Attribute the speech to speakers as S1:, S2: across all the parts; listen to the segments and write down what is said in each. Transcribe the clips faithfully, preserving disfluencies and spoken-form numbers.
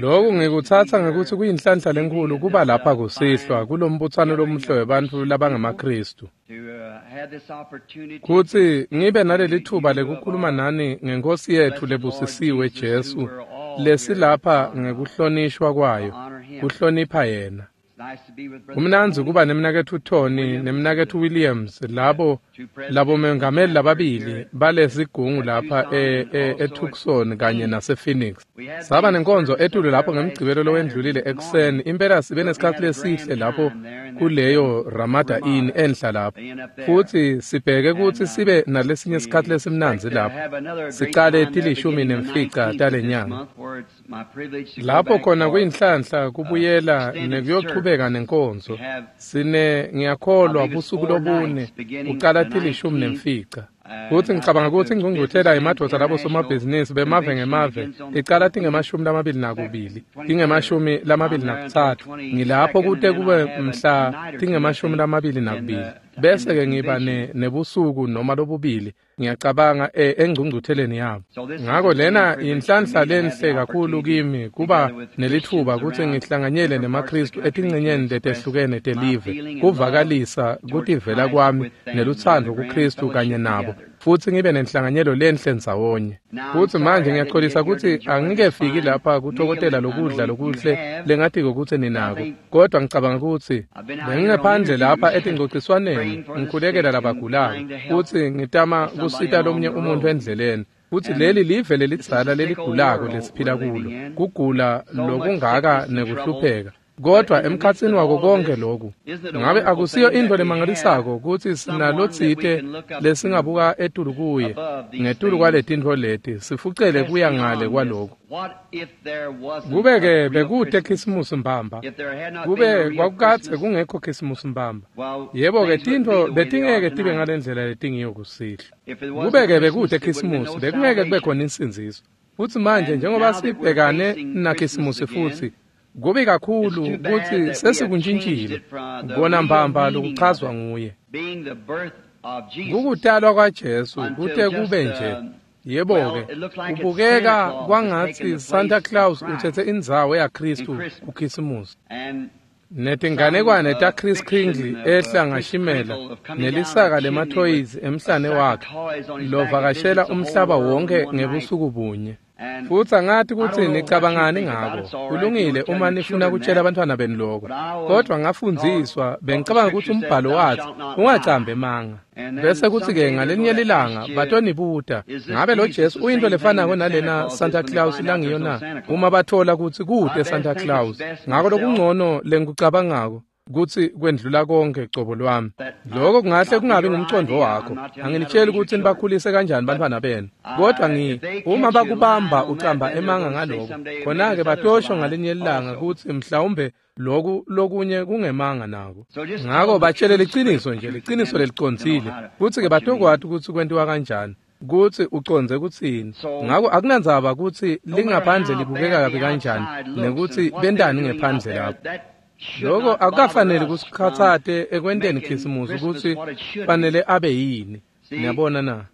S1: Lokhu ngikutsatsa ngekutsi kuyinhlanhla lenkhulu kuba lapha kusihlwa kulombutsano lomuhle webantfu labangemaKhristu. Kutsi ngibe nalelitfuba lekukhuluma nani ngeNkhosi yetfu lebusisiwe Jesu lesilapha ngekuhlonishwa kwayo, kuhlonipha yena. Kumnandzi kuba nemnaketfu Tony nemnaketfu Williams labo labomengameli lababili balesigungu lapha eTucson kanye nasePhoenix. Saba nenkonzo etulu lapho ngemgcibelo lowendlulile ekuseni. Impela sibe nesikhatsi lesihle lapho kuleyo Ramada Inn enhla lapho. Futsi sibheke kutsi sibe nalesinye sikhatsi lesimnandzi lapho. Sicale tilishumi nemfica talenyanga. Lapho khona kuyinhlanhla kubuyela nekuyochubeka nenkonzo. Sine ngiyakholwa busuku lobune ucala tilishumi nemfica. Kutsi ngicabanga kutsi ingcungcuthela yemadvodza labo somabhizinisi bemave ngemave icala tingemashumi lamabili nakubili tingemashumi lamabili nakutsatfu ngilapho kute kube mhla tingemashumi lamabili nakubili bese-ke ngiba nebusuku noma lobubili ngiyacabanga engcungcutheleni yabo. Ngako lena inhlanhla lenhle kakhulu kimi kuba nelitfuba kutsi ngihlanganyele nemaKhristu etincenyeni letehlukene telive kuvakalisa kutivela kwami nelutsandvo kuKhristu kanye nabo futsi ngibe nenhlanganyelo lenhle ndzawonye. Futsi manje ngiyaxolisa kutsi angikefiki lapha kutokotela lokudla lokuhle lengatiko kutsi ninako, kodwa ngicabanga kutsi bengingephandle lapha etingcociswaneni ngikhulekela labagulako futsi ngitama kusita lomunye umuntu endleleni. Futsi leli live lelidzala leligulako lesiphila kulo, kugula lokungaka nekuhlupheka. Kodwa emkhatsini wako konke lokhu, ngabe akusiyo intfo lemangalisako kutsi sinalotsite lesingabuka etulu kuye ngetulu kwaletintfo leti sifucele kuya ngale kwaloku. Kube-ke bekute Khisimusi mbamba, kube kwakukadze kungekho Khisimusi mbamba, yebo-ke tintfo betingeke tibe ngalendlela letingiyo kusihlwa. Kube-ke bekute Khisimusi, bekungeke kube khona insindziso. Futsi manje njengoba sibhekane naKhisimusi futsi, kubi kakhulu kutsi sesikuntshintshile kona mbamba lokuchazwa nguye. Kukutalwa kwaJesu kute kube nje, yebo-ke, kubukeka kwangatsi Santa Claus utsetse indzawo yaKhristu kuKhisimusi. Netinganekwane taChris Kringle ehla ngashimela nelisaka lemathoyizi emhlane wakhe lovakashela umhlaba wonke ngebusuku bunye. Futsi angati kutsi nicabangani ngako. Kulungile uma nifuna kutshela abantwana benu lokho. Kodwa ngafundziswa bengicabanga kutsi umbhalo wathi ungacambi emanga. Bese kuthi-ke ngalinye lilanga batonibuta ngabe lo Jesu uyinto lefanako nalena Santa Claus langiyo na? Uma bathola kutsi kute Santa Claus. Ngako lokungcono lengikucabangako kutsi kwendlula konke cobo lwami. Lokho kungahle kungabi ngumcondvo wakho. Anginitsheli kutsi nibakhulise kanjani bantwana benu. Kodwa ngi uma bakubamba ucamba emanga ngaloko, khona-ke batosho ngalinye ilanga kutsi mhlawumbe loku lokunye kungemanga nako. Ngako batshele liciniso nje, liciniso lelicondzile. Kutsi-ke batokwati kutsi kwentiwa kanjani, kutsi ucondze kutsini. Ngako akunandzaba kutsi lingaphandle libukeka kabi kanjani nekutsi bentani ngephandle lapho. Lokho akukafanele kusikhatsate ekwenteni Khisimusi kutsi fanele abe yini. Niyabona na?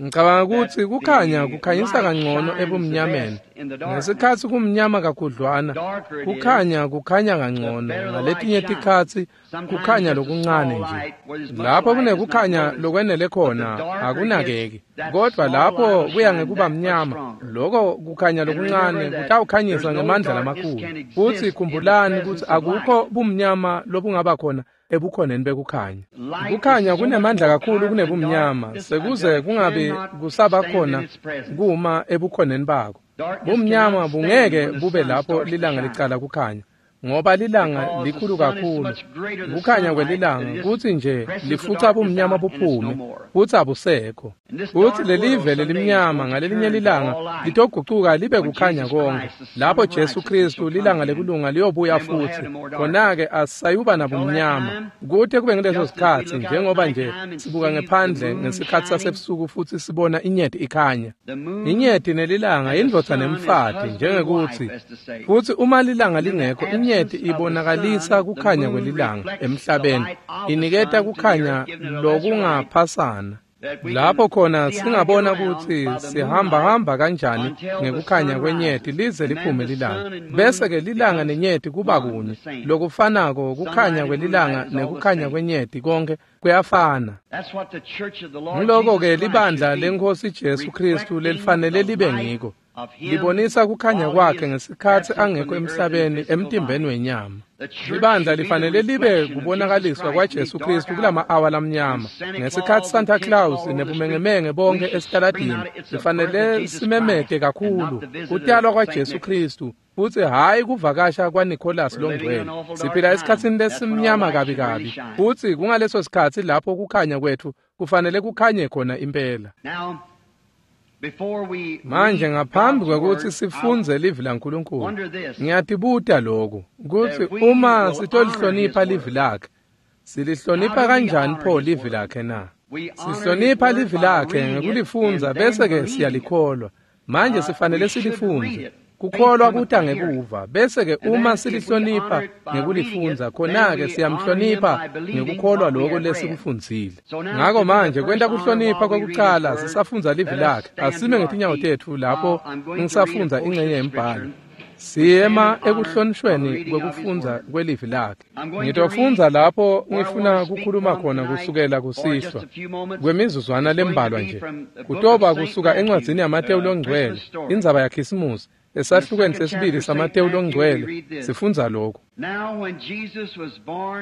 S1: Ngicabanga kutsi kukhanya kukhanyisa kangcono ebumnyameni. Ngesikhatsi kumnyama kakhudlwana, kukhanya kukhanya kangcono. Ngaletinye tikhatsi kukhanya lokuncane nje. Lapho kunekukhanya lokwenele khona akunakeki. Kodwa lapho kuya ngekuba mnyama, lokho kukhanya lokuncane kutawukhanyisa ngemandla lamakhulu. Futsi khumbulani kutsi akukho bumnyama lobungaba khona ebukhoneni bekukhanya. Kukhanya kunemandla kakhulu kunebumnyama, sekuze kungabi kusaba khona kuma ebukhoneni bako. Bumnyama bungeke bube lapho lilanga licala kukhanya, ngoba lilanga likhulu kakhulu. Kukhanya kwelilanga kutsi nje lifuca bumnyama buphume, futsi abusekho. Futsi lelive lelimnyama ngalelinye lilanga litogucuka libe kukhanya konke. Lapho Jesu Khristu lilanga lekulunga liyobuya futsi, khona-ke asisayuba nabumnyama. Kute kube ngaleso sikhatsi njengoba nje sibuka ngephandle ngesikhatsi sasebusuku futsi sibona inyeti ikhanya. Inyeti nelilanga indvodza nemfati njengekutsi, futsi uma lilanga lingekho inyeti ibonakalisa kukhanya kwelilanga emhlabeni, iniketa kukhanya lokungaphasana. Lapho khona singabona kutsi sihamba hamba kanjani ngekukhanya kwenyeti lize liphume lilanga. Bese-ke lilanga nenyeti kuba kunye. Lokufanako kukhanya kwelilanga nekukhanya kwenyeti konke kuyafana. Ngiloko-ke libandla leNkhosi Jesu Kristu lelifanele libe ngiko. Libonisa kukhanya kwakhe ngesikhatsi angekho emhlabeni emtimbeni wenyama. Libandla lifanele libe kubonakaliswa kwaJesu Kristu kulama-awa lamnyama. Ngesikhatsi Santa Claus nebumengemenge bonke esitaladini, lifanele simemete kakhulu kutalwa kwaJesu Kristu futsi hhayi kuvakasha kwaNicholas longcwele. Siphila esikhatsini lesimnyama kabi kabi, futsi kungaleso sikhatsi lapho kukhanya kwetfu kufanele kukhanye khona impela. Manje ngaphambi kwekutsi sifundze livi laNkulunkulu, ngiyatibuta lokhu, kutsi uma sitolihlonipha livi lakhe, silihlonipha kanjani pho livi lakhe na? Sihlonipha livi lakhe ngekulifundza bese-ke siyalikholwa. Manje sifanele silifundze. Kukholwa kuta ngekuva, bese-ke uma silihlonipha ngekulifundza, khona-ke siyamhlonipha ngekukholwa lokho lesikufundzile. Ngako manje kwenta kuhlonipha kwekucala sisafundza livi lakhe, asime ngetinyawo tetfu lapho ngisafundza ingxenye yembhalo. Siyema ekuhlonishweni kwekufundza kwelivi lakhe. Ngitofundza lapho ngifuna kukhuluma khona kusukela kusihlwa kwemizuzwana lembalwa nje. Kutoba kusuka encwadzini yaMatewu longcwele, indzaba yaKhisimusi. Esahlukweni sesibili saMatewu longcwele sifundza lokhu.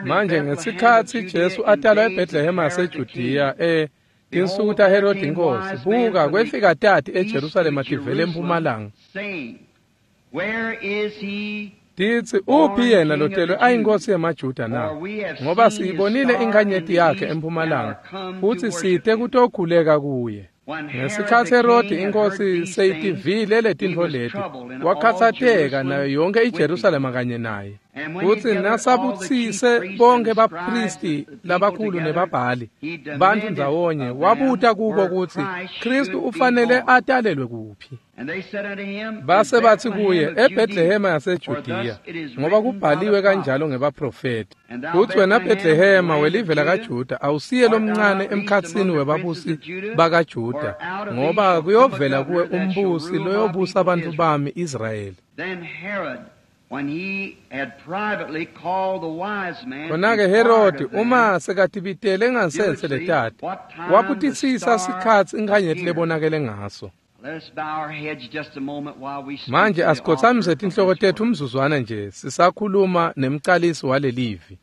S1: Manje ngesikhatsi Jesu atalwa eBhetlehema yaseJudiya e tinsuku taHerodi inkosi, buka kwefika tati eJerusalema tivele empumalanga. Titsi, uphi yena lotelwe ayinkosi yemaJuda na? Ngoba siyibonile inkhanyeti yakhe empumalanga, futsi site kutokhuleka kuye. Ngesikhatsi Herodi inkosi seyitivile letintfo leti, wakhatsateka nayo yonke iJerusalema kanye naye. Futsi nasabutsise bonke baphristi labakhulu nebabhali bantfu ndzawonye, wabuta kubo kutsi Kristu ufanele atalelwe kuphi. Base batsi kuye, eBhetlehema yaseJudiya, ngoba kubhaliwe kanjalo ngebaprofeti. Kutsi wena Bhetlehema welive lakaJuda awusiye lomncane emkhatsini webabusi bakaJuda, ngoba kuyovela kuwe umbusi loyobusa bantfu bami Israyeli. Khona-ke Herodi uma sekatibitele ngansense letati, wabutisisa sikhatsi inkhanyeti lebonakele ngaso. Manje asikhotsamise tinhloko tetfu umzuzwana nje sisakhuluma nemcalisi walelivi.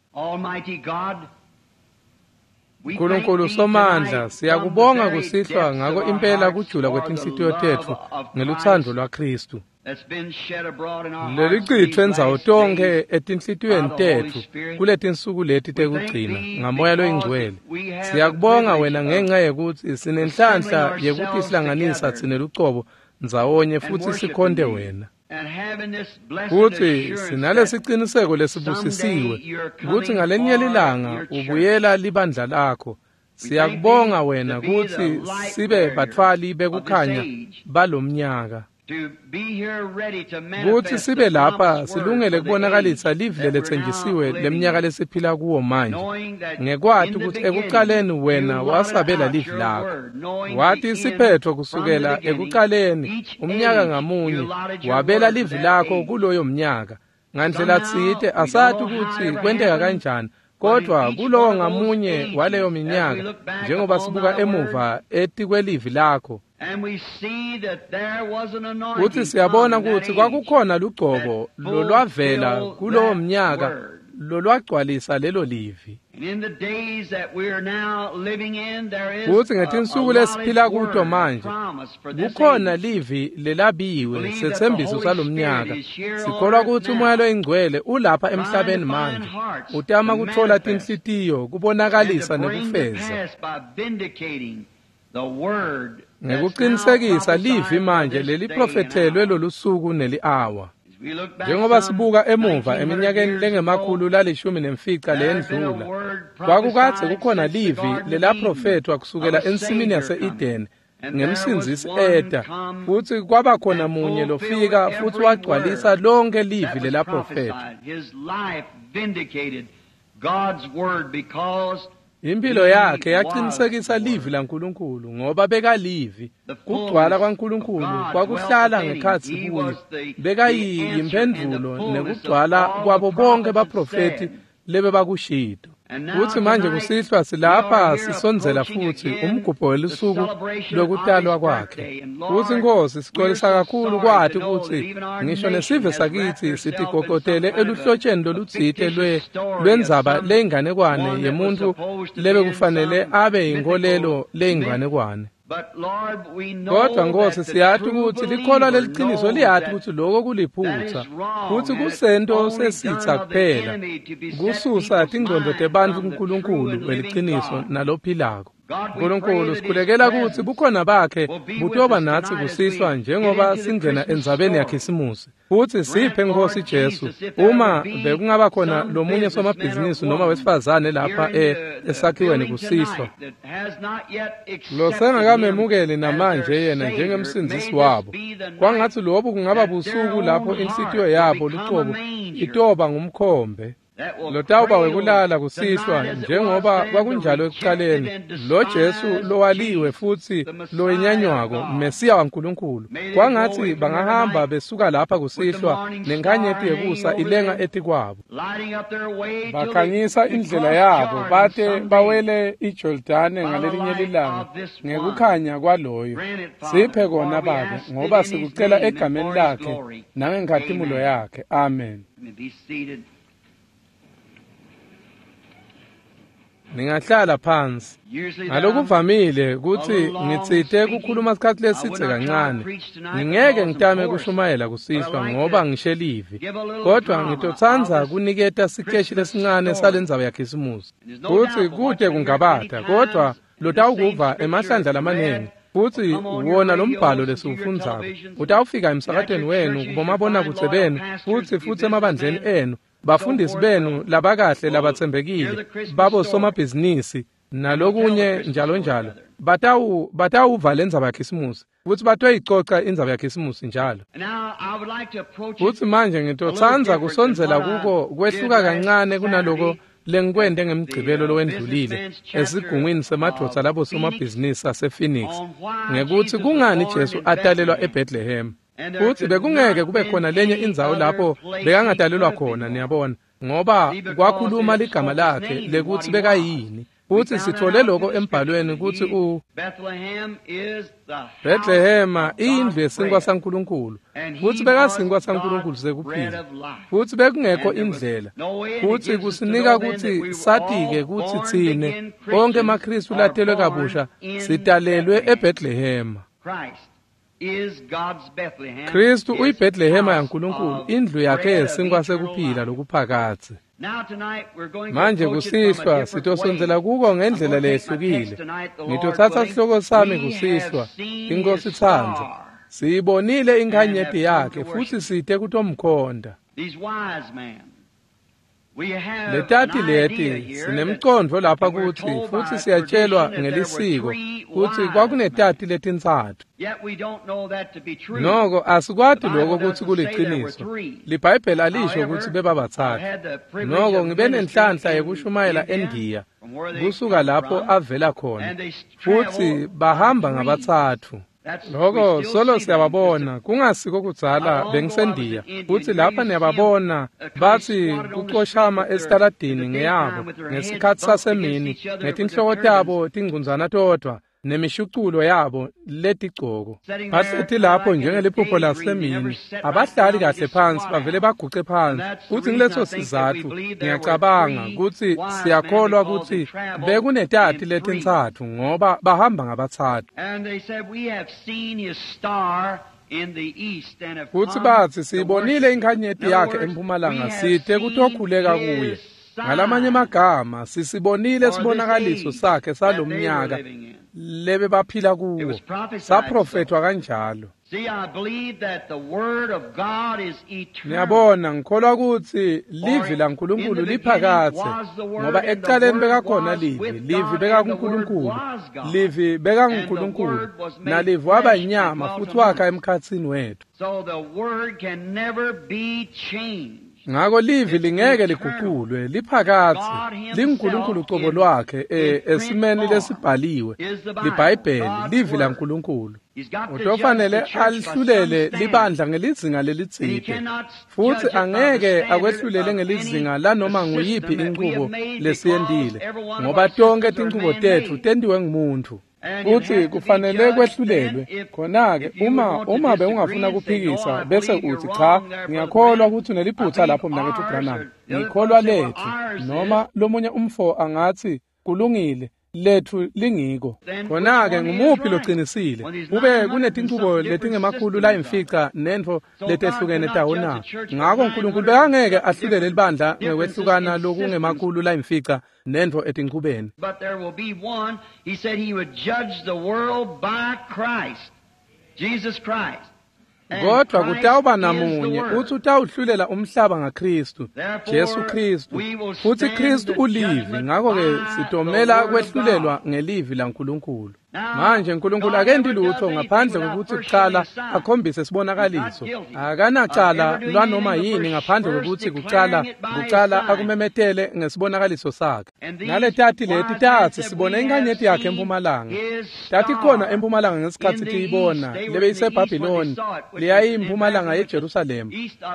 S1: Nkulunkulu Somandla, siyakubonga kusihlwa ngako impela kujula kwetinhlitiyo tetfu ngelutsandvo lwaKristu. Lelicitfwe ndzawo tonkhe etinhlitiyweni tetfu kuletinsuku leti tekugcina ngaMoya loyiNgcwele. Siyakubonga wena ngenxa yekutsi sinenhlanhla yekutihlanganisa tsine lucobo ndzawonye futsi sikhonte wena. Futsi sinalesiciniseko lesibusisiwe kutsi ngalenye lilanga ubuyela libandla lakho. Siyakubonga wena kutsi sibe batfwali bekukhanya balomnyaka. Kutsi sibe lapha silungele kubonakalisa livi leletsenjisiwe leminyaka lesiphila kuwo manje, ngekwati kutsi ekucaleni wena wasabela livi lakho. Wati siphetfo kusukela ekucaleni umnyaka ngamunye, wabela livi lakho kuloyo mnyaka. Ngandlela tsite asati kutsi kwenteka kanjani, kodwa kulowo ngamunye waleyo minyaka, njengoba sibuka emuva etikwelivi lakho, kutsi siyabona kutsi kwakukhona lugcobo lolwavela kulowo mnyaka lolwagcwalisa lelo livi. Kutsi ngetinsuku lesiphila kuto manje kukhona livi lelabiwe setsembiso salomnyaka. Sikholwa kutsi uMoya loyiNgcwele ulapha emhlabeni manje, utama kutfola tinhlitiyo kubonakalisa nekufeza ngekuqinisekisa livi manje leliprofethelwe lolusuku neli-awa. Njengoba sibuka emuva eminyakeni lengemakhulu lalishumi nemfica lendlula, kwakukadze kukhona livi lelaprofethwa kusukela ensimini yase-Eden ngemsindzisi eta, futsi kwaba khona munye lofika futsi wagcwalisa lonke livi lelaprofethwa. Impilo yakhe yaqinisekisa livi laNkulunkulu ngoba bekalivi. Kugcwala kwaNkulunkulu kwakuhlala ngekhatsi kuye. Bekayimphendvulo nekugcwala kwabo bonke baprofeti lebebakushito. Kutsi manje kusihlwa silapha sisondzela futsi umgubho welusuku lwekutalwa kwakhe. Kutsi Nkosi sicolisa kakhulu kwati kutsi ngisho nesive sakitsi sitigogotele eluhlotsheni lolutsite lwe lwendzaba leyinganekwane yemuntfu lebekufanele abe yinkholelo leyinganekwane. Kodwa Nkosi siyati kutsi likholwa leliciniso liyati kutsi loko kuliphutsa futsi kusento sesitsa kuphela kususa tingcondvo tebantfu kuNkulunkulu weliciniso nalophilako. Nkulunkulu sikhulekela kutsi bukhona bakhe butoba natsi kusihlwa njengoba singena endzabeni yaKhisimusi. Futsi siphe Nkosi Jesu uma bekungaba khona lomunye somabhizinisi noma wesifazane lapha esakhiweni kusihlwa losengakamemukeli namanje yena njengemsindzisi wabo, kwangatsi lobu kungaba busuku lapho inhlitiyo yabo lucobo itoba ngumkhombe lotawuba wekulala kusihlwa njengoba kwakunjalo ekuqaleni lo Jesu lowaliwe futsi lowenyanywako Mesiya waNkulunkulu. Kwangatsi bangahamba besuka lapha kusihlwa nenkanyeti yekusa ilenga etikwabo, bakhanyisa indlela yabo bate bawele iJordane ngalelinye lilanga ngekukhanya kwaloyo. Siphe kona Babe ngoba sikucela egameni lakhe nangenkhatimulo yakhe. Amen. Ningahlala phansi. Ngalokuvamile kutsi ngitsite kukhuluma isikhatsi lesitse kancane. Ngingeke ngitame kushumayela kusihlwa ngoba ngishe livi. Kodwa ngitotsandza kuniketa sikeshi lesincane salendzaba yaKhisimusi. Kutsi kute kungabata kodwa lotawukuva emahlandla lamaningi. Futsi wona lombhalo lesiwufundzako utawufika emsakatweni wenu kubomabonakudze benu futsi futsi emabandleni enu. Bafundisi benu labakahle labatsembekile babo somabhizinisi nalokunye njalo njalo batawu batawuva lendzaba yaKhisimusi futsi batoyicoca indzaba yaKhisimusi njalo. Futsi manje ngitotsandza kusondzela kuko kwehluka kancane kunaloko lengikwente ngemgcibelo lowendlulile esigungwini semadvodza labo somabhizinisi asePhoenix ngekutsi kungani Jesu atalelwa eBethlehem. Futsi bekungeke kube khona lenye indzawo lapho bekangatalelwa khona, niyabona, ngoba kwakhuluma ligama lakhe lekutsi bekayini. Futsi sithole lokho embhalweni kutsi u Bethlehema indlu yesinkwa saNkulunkulu, futsi bekasinkwa saNkulunkulu sekuphila, futsi bekungekho indlela. Futsi kusinika kutsi satike kutsi tsine bonke emaKhristu latelwe kabusha sitalelwe eBethlehema. Kristu uyiBethlehema yaNkulunkulu, indlu yakhe yesinkwa sekuphila lokuphakadze. Manje kusihlwa sitosondzela kuko ngendlela leyehlukile. Ngitotsatsa sihloko sami kusihlwa, iNkosi tsandza. Siyibonile inkhanyeti yakhe futsi site kutomkhonda. Letati leti sinemcondvo lapha kutsi futsi siyatshelwa ngelisiko kutsi kwakunetati letintsatfu. Noko asikwati lokho kutsi kuliciniso. LiBhayibheli alisho kutsi bebabatsatfu. Noko ngibe nenhlanhla yekushumayela eNdiya kusuka lapho avela khona futsi bahamba ngabatsatfu. Loko solo siyababona kungasiko kudzala bengisendiya futsi lapha niyababona batsi kucoshama esitaladini ngeyabo ngesikhatsi sasemini ngetinhloko tabo tingcunzana todvwa nemishuculo yabo letigcoko. Bahleti lapho njengeliphupho lasemini, abahlali kahle phansi, bavele baguce phansi. Futsi ngileso sizatfu ngiyacabanga kutsi siyakholwa kutsi bekunetati letintsatfu ngoba bahamba ngabatsatfu. Futsi batsi siyibonile inkhanyeti yakhe empumalanga site kutokhuleka kuye. Ngalamanye amagama sisibonile sibonakaliso sakhe salomnyaka lebe baphila kuwo, saprofethwa kanjalo. Niyabona, ngikholwa kutsi livi laNkulunkulu liphakadze, ngoba ekucaleni bekakhona livi, livi bekakuNkulunkulu, livi bekanguNkulunkulu, nalivi waba inyama futsi wakha emkhatsini wetfu. Ngako livi lingeke liguqulwe, liphakatsi, linguNkulunkulu ucobo lwakhe esimeni lesibhaliwe, liBhayibheli, livi laNkulunkulu. Utofanele alihlulele libandla ngelizinga lelitsite, futsi angeke akwehlulele ngelizinga lanoma nguyiphi inchubo lesiyentile, ngoba tonke tinchubo tetfu tentiwe ngumuntfu. Futsi kufanele kwehlulelwe. Khona-ke uma uma bewungafuna kuphikisa bese utsi cha, ngiyakholwa kutsi uneliphutsa lapho mnaketfu Branham, ngikholwa letfu, noma lomunye umfo angatsi kulungile, letfu lingiko. Khona-ke ngumuphi locinisile? Kube kunetinchubo letingemakhulu layimfica nentfo letehlukene tawo na? Ngako Nkulunkulu bekangeke ahlulele libandla ngekwehlukana lokungemakhulu layimfica nentfo etinchubeni.
S2: But there will be one. He said he would judge the world by Christ, Jesus Christ.
S1: Kodwa kutawuba namunye uthi utawuhlulela umhlaba ngaKristu, Jesu Kristu. Futhi Kristu ulivi, ngakho-ke sitomela kwehlulelwa ngelivi laNkulunkulu. Manje uNkulunkulu akenti lutho ngaphandle kokuthi kucala akhombise sibonakaliso. Akanacala lwanoma yini ngaphandle kokuthi kucala kucala akumemetele ngesibonakaliso sakhe. Naletati leti tatsi sibone inkanyeti yakhe empumalanga. Tati khona empumalanga ngesikhatsi tiyibona lebeyiseBhabhiloni, leyayimpumalanga yeJerusalema.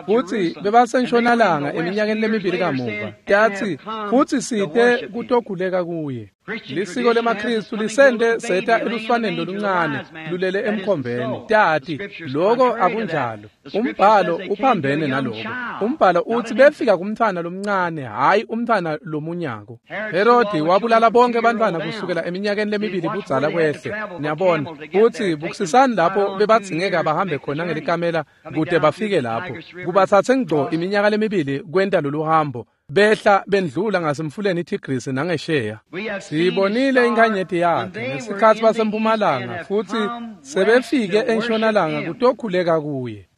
S1: Futsi bebasentshonalanga eminyakeni lemibili kamuva. Tatsi futsi site kutokhuleka kuye. Lisiko lemaKristu lisente seta eluswaneni loluncane lulele emkhombeni. Tati loko akunjalo. Umbhalo uphambene naloko. Umbhalo utsi befika kumntfwana lomncane, hhayi umntfwana lomunyako. Herodi wabulala bonke bantfwana kusukela eminyakeni lemibili budzala kwehle. Niyabona utsi bukusisani lapho bebadzingeka bahambe khona ngelikamela kute bafike lapho. Kubatsatse ngco iminyaka lemibili kwenta lolu hambo. Behla bendlula ngasemfuleni iTigris nangesheya. Sibonile inkanyeti yakhe ngesikhatsi basempumalanga, futsi sebefike entshonalanga kutokhuleka kuye.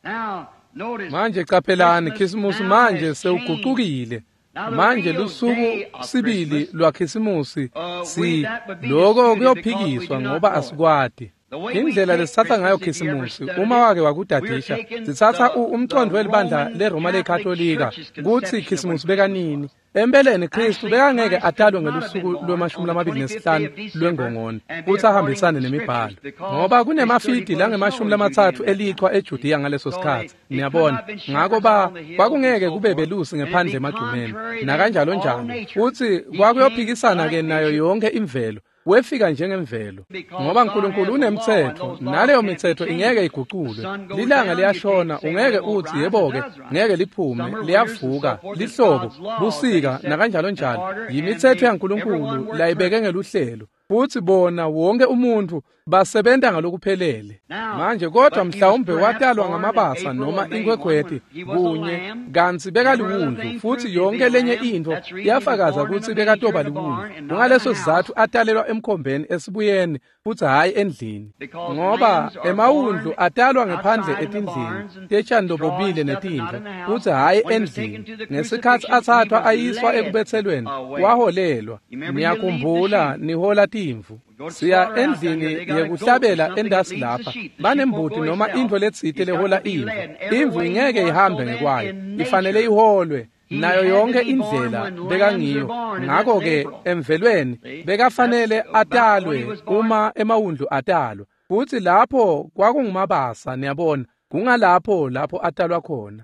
S1: Manje caphelani, Khisimusi manje sewugucukile. Manje lusuku sibili lwaKhisimusi si loko kuyophikiswa ngoba asikwati. Indlela lesitsatsa ngayo Khisimusi, uma wake wakudadisha, sitsatsa umcondvo welibandla leRoma leKatolika kutsi Khisimusi bekanini. Empeleni Kristu bekangeke atalwe ngelusuku lwemashumi lamabili nesihlanu lwengongoni kutsi ahambisane nemibhalo, ngoba kunemafidi langemashumi lamatsatfu elichwa eJudiya ngaleso sikhatsi. Niyabona, ngako ba kwakungeke kube belusi ngephandle emagcumeni nakanjalo njalo. Futsi kwakuyophikisana ke nayo yonke imvelo. Wefika njengemvelo, ngoba uNkulunkulu unemtsetfo, naleyo mitsetfo ingeke iguculwe. Lilanga liyashona, ungeke utsi yebo-ke ngeke liphume, liyavuka, lihlobo, busika nakanjalo njalo. Yimitsetfo yaNkulunkulu layibeke ngeluhlelo. Futsi bona wonke umuntfu basebenta ngalokuphelele. Manje kodwa mhlawumbe watalwa ngamabasa noma inkhwekhweti kunye, kantsi bekaliwundlu, futsi yonke lenye intfo yafakaza kutsi bekatoba liwundlu. Kungaleso sizatfu atalelwa emkhombeni esibuyeni futsi hhayi endlini, ngoba emawundlu atalwa ngephandle etindlini tetjani lobobile netintfo, futsi hhayi endlini. Ngesikhatsi atsatfwa ayiswa ekubetselweni, waholelwa. Niyakhumbula, nihola timvu. Siya endlini yekuhlabela endasi lapha, banembuti noma intfo letsite lehola imvu. Imvu ingeke ihambe ngekwayo, ifanele iholwe nayo yonke indlela bekangiyo. Ngako-ke emvelweni bekafanele atalwe uma emawundlu atalwa, futsi lapho kwakungumabasa. Niyabona, kungalapho lapho atalwa khona.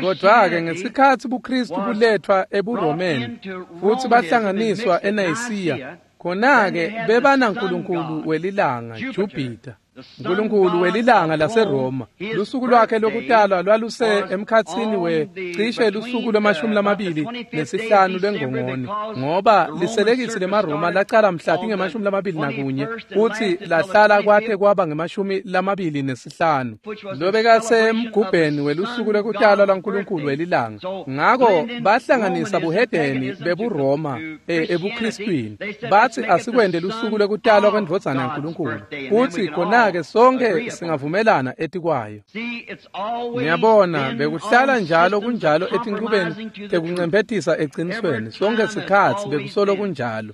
S1: Kodwa-ke ngesikhatsi buKristu buletfwa ebuRomeni futsi bahlanganiswa eNayisiya, khona-ke bebanaNkulunkulu welilanga, Jupiter, Nkulunkulu welilanga laseRoma. Lusuku lwakhe lokutalwa lwaluse emkhatsini we cishe lusuku lwemashumi lamabili nesihlanu lwengongoni, ngoba liselekisi lemaRoma lacala mhla tingemashumi lamabili nakunye futsi lahlala kwate kwaba ngemashumi lamabili nesihlanu, lobekasemgubheni welusuku lwekutalwa lwaNkulunkulu welilanga. Ngako bahlanganisa buhedeni bebuRoma ebuKristwini, batsi asikwente lusuku lwekutalwa kwendvodzana yaNkulunkulu, futsi khona ke sonke singavumelana etikwayo. Niyabona, bekuhlala njalo kunjalo etinchubeni tekuncemphetisa ecinisweni, sonke sikhatsi bekusolo kunjalo.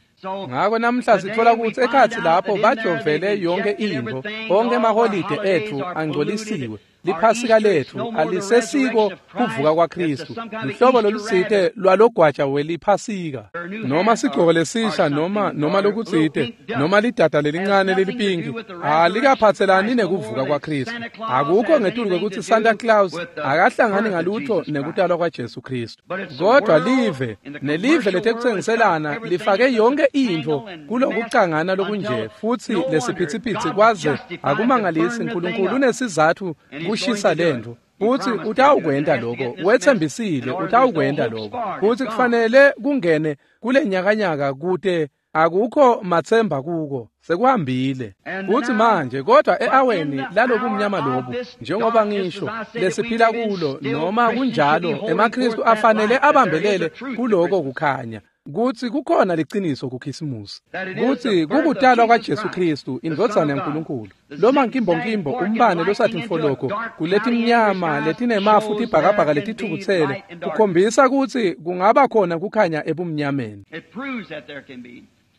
S1: Ngako namhla sitfola kutsi ekhatsi lapho bajovele yonke intfo, onke emaholide etfu angcolisiwe. Liphasika lethu alisesiko kuvuka kwaKristu, luhlobo lolutsite lwalogwaja weliphasika, noma sigcoko lesisha, noma noma lokutsite, noma lidada lelincane lelipinki, alikaphatselani nekuvuka kwaKristu. Akukho ngetulu kwekutsi Santa Claus akahlangani ngalutho nekutalwa kwaJesu Kristu. Kodwa live nelive letekutsengiselana lifake yonke intfo kulokucangana lokunje futsi lesiphitsipitsi, kwaze akumangalisi Nkulunkulu unesizatfu kushisa lentfo. Futsi utawukwenta lokho, wetsembisile utawukwenta lokho. Futsi kufanele kungene kule nyakanyaka kute akukho matsemba kuko, sekuhambile. Futsi manje kodwa e-aweni lalobumnyama lobu, njengoba ngisho lesiphila kulo, noma kunjalo emaKristu afanele abambelele kuloko kukhanya, kutsi kukhona liciniso kuKhisimusi, kutsi kukutalwa kwaJesu Kristu, indvodzana yaNkulunkulu. Loma nkimbonkimbo umbane losatimfoloko kuletimnyama letinemafu tibhakabhaka letithukutsele kukhombisa kutsi kungaba khona kukhanya ebumnyameni.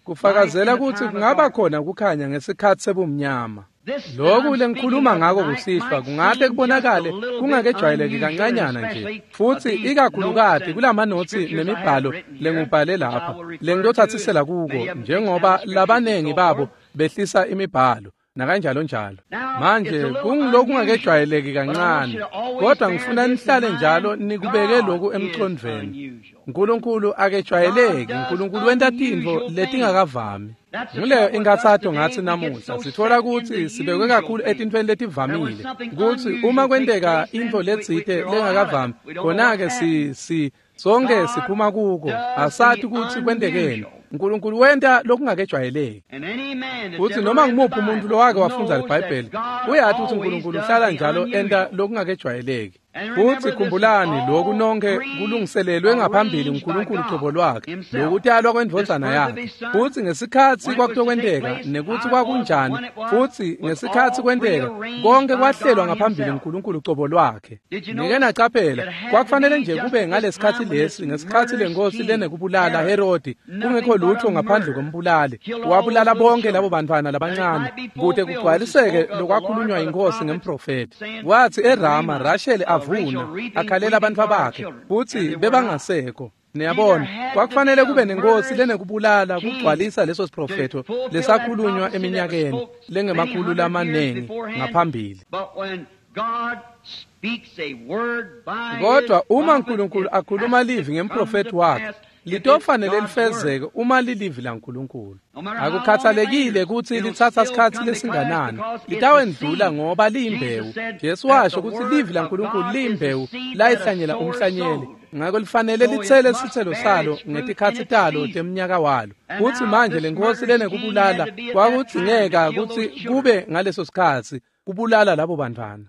S1: Kufakazela kutsi kungaba khona kukhanya ngesikhatsi sebumnyama. Lokhu lengikhuluma ngako kusihlwa kungahle kubonakale kungakejwayeleki kancanyana nje, futsi ikakhulukati kulamanotsi nemibhalo lengubhale lapha lengitotsatsisela kuko, njengoba labanengi babo behlisa imibhalo nakanjalo njalo. Manje kungilokungakejwayeleki kancane, kodwa ngifuna nihlale njalo nikubeke lokhu emcondvweni. Nkulunkulu akejwayeleki, Nkulunkulu wenta tintfo letingakavami. Nguleyo inkathato ngatsi namuhla sitfola kutsi sibekwe kakhulu etintfweni letivamile, kutsi uma kwenteka intfo letsite lengakavami, khona-ke si si sonke siphuma kuko, asati kutsi kwentekeni. Nkulunkulu wenta lokungakejwayeleki. Futsi noma ngumuphi umuntu lowake wafundza liBhayibheli uyati kutsi Nkulunkulu uhlala njalo enta lokungakejwayeleki. Futsi khumbulani lokhu nonke kulungiselelwe ngaphambili uNkulunkulu cobo lwakhe, lokutalwa kwendvodzana yakhe. Futsi ngesikhatsi kwakutokwenteka nekutsi kwakunjani, futsi ngesikhatsi kwenteka konke kwahlelwa ngaphambili uNkulunkulu cobo lwakhe. Nike nacaphela, kwakufanele nje kube ngalesikhatsi lesi, ngesikhatsi lenkosi lenekubulala Herodi, kungekho lutho ngaphandle kombulali, wabulala bonke labo bantwana labancane kute kugcwaliseke lokwakhulunywa inkosi ngemprofethi. Wathi eRama Rachel avuna akhalela abantwana bakhe, futsi bebangasekho. Niyabona, kwakufanele kube nenkosi lenekubulala kugcwalisa leso siprofetho lesakhulunywa eminyakeni lengemakhulu lamanengi ngaphambili. Kodwa uma Nkulunkulu akhuluma livi ngemprofethi wakhe, litofanele lifezeke uma lilivi laNkulunkulu. Akukhathalekile kutsi litsatsa sikhatsi lesinganani, litawendlula ngoba liyimbewu. Jesu washo kutsi livi laNkulunkulu liyimbewu layihlanyela umhlanyeli, ngako lifanele litsele sitselo salo ngetikhatsi talo temnyaka walo. Kutsi manje lenkosi lenekubulala kwakudzingeka kutsi kube ngaleso sikhatsi kubulala labo bantwana.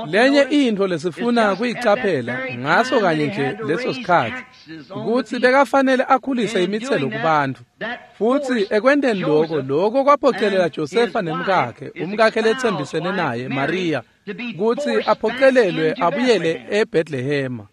S1: Lenye intfo lesifuna kuyicaphela ngaso kanye nje leso sikhatsi kutsi bekafanele akhulise imitselo kubantfu. Futsi ekwenteni lokho, lokho kwaphocelela Josefa nemkakhe, umkakhe letsembisene naye Maria, kutsi aphocelelwe abuyele eBethlehema.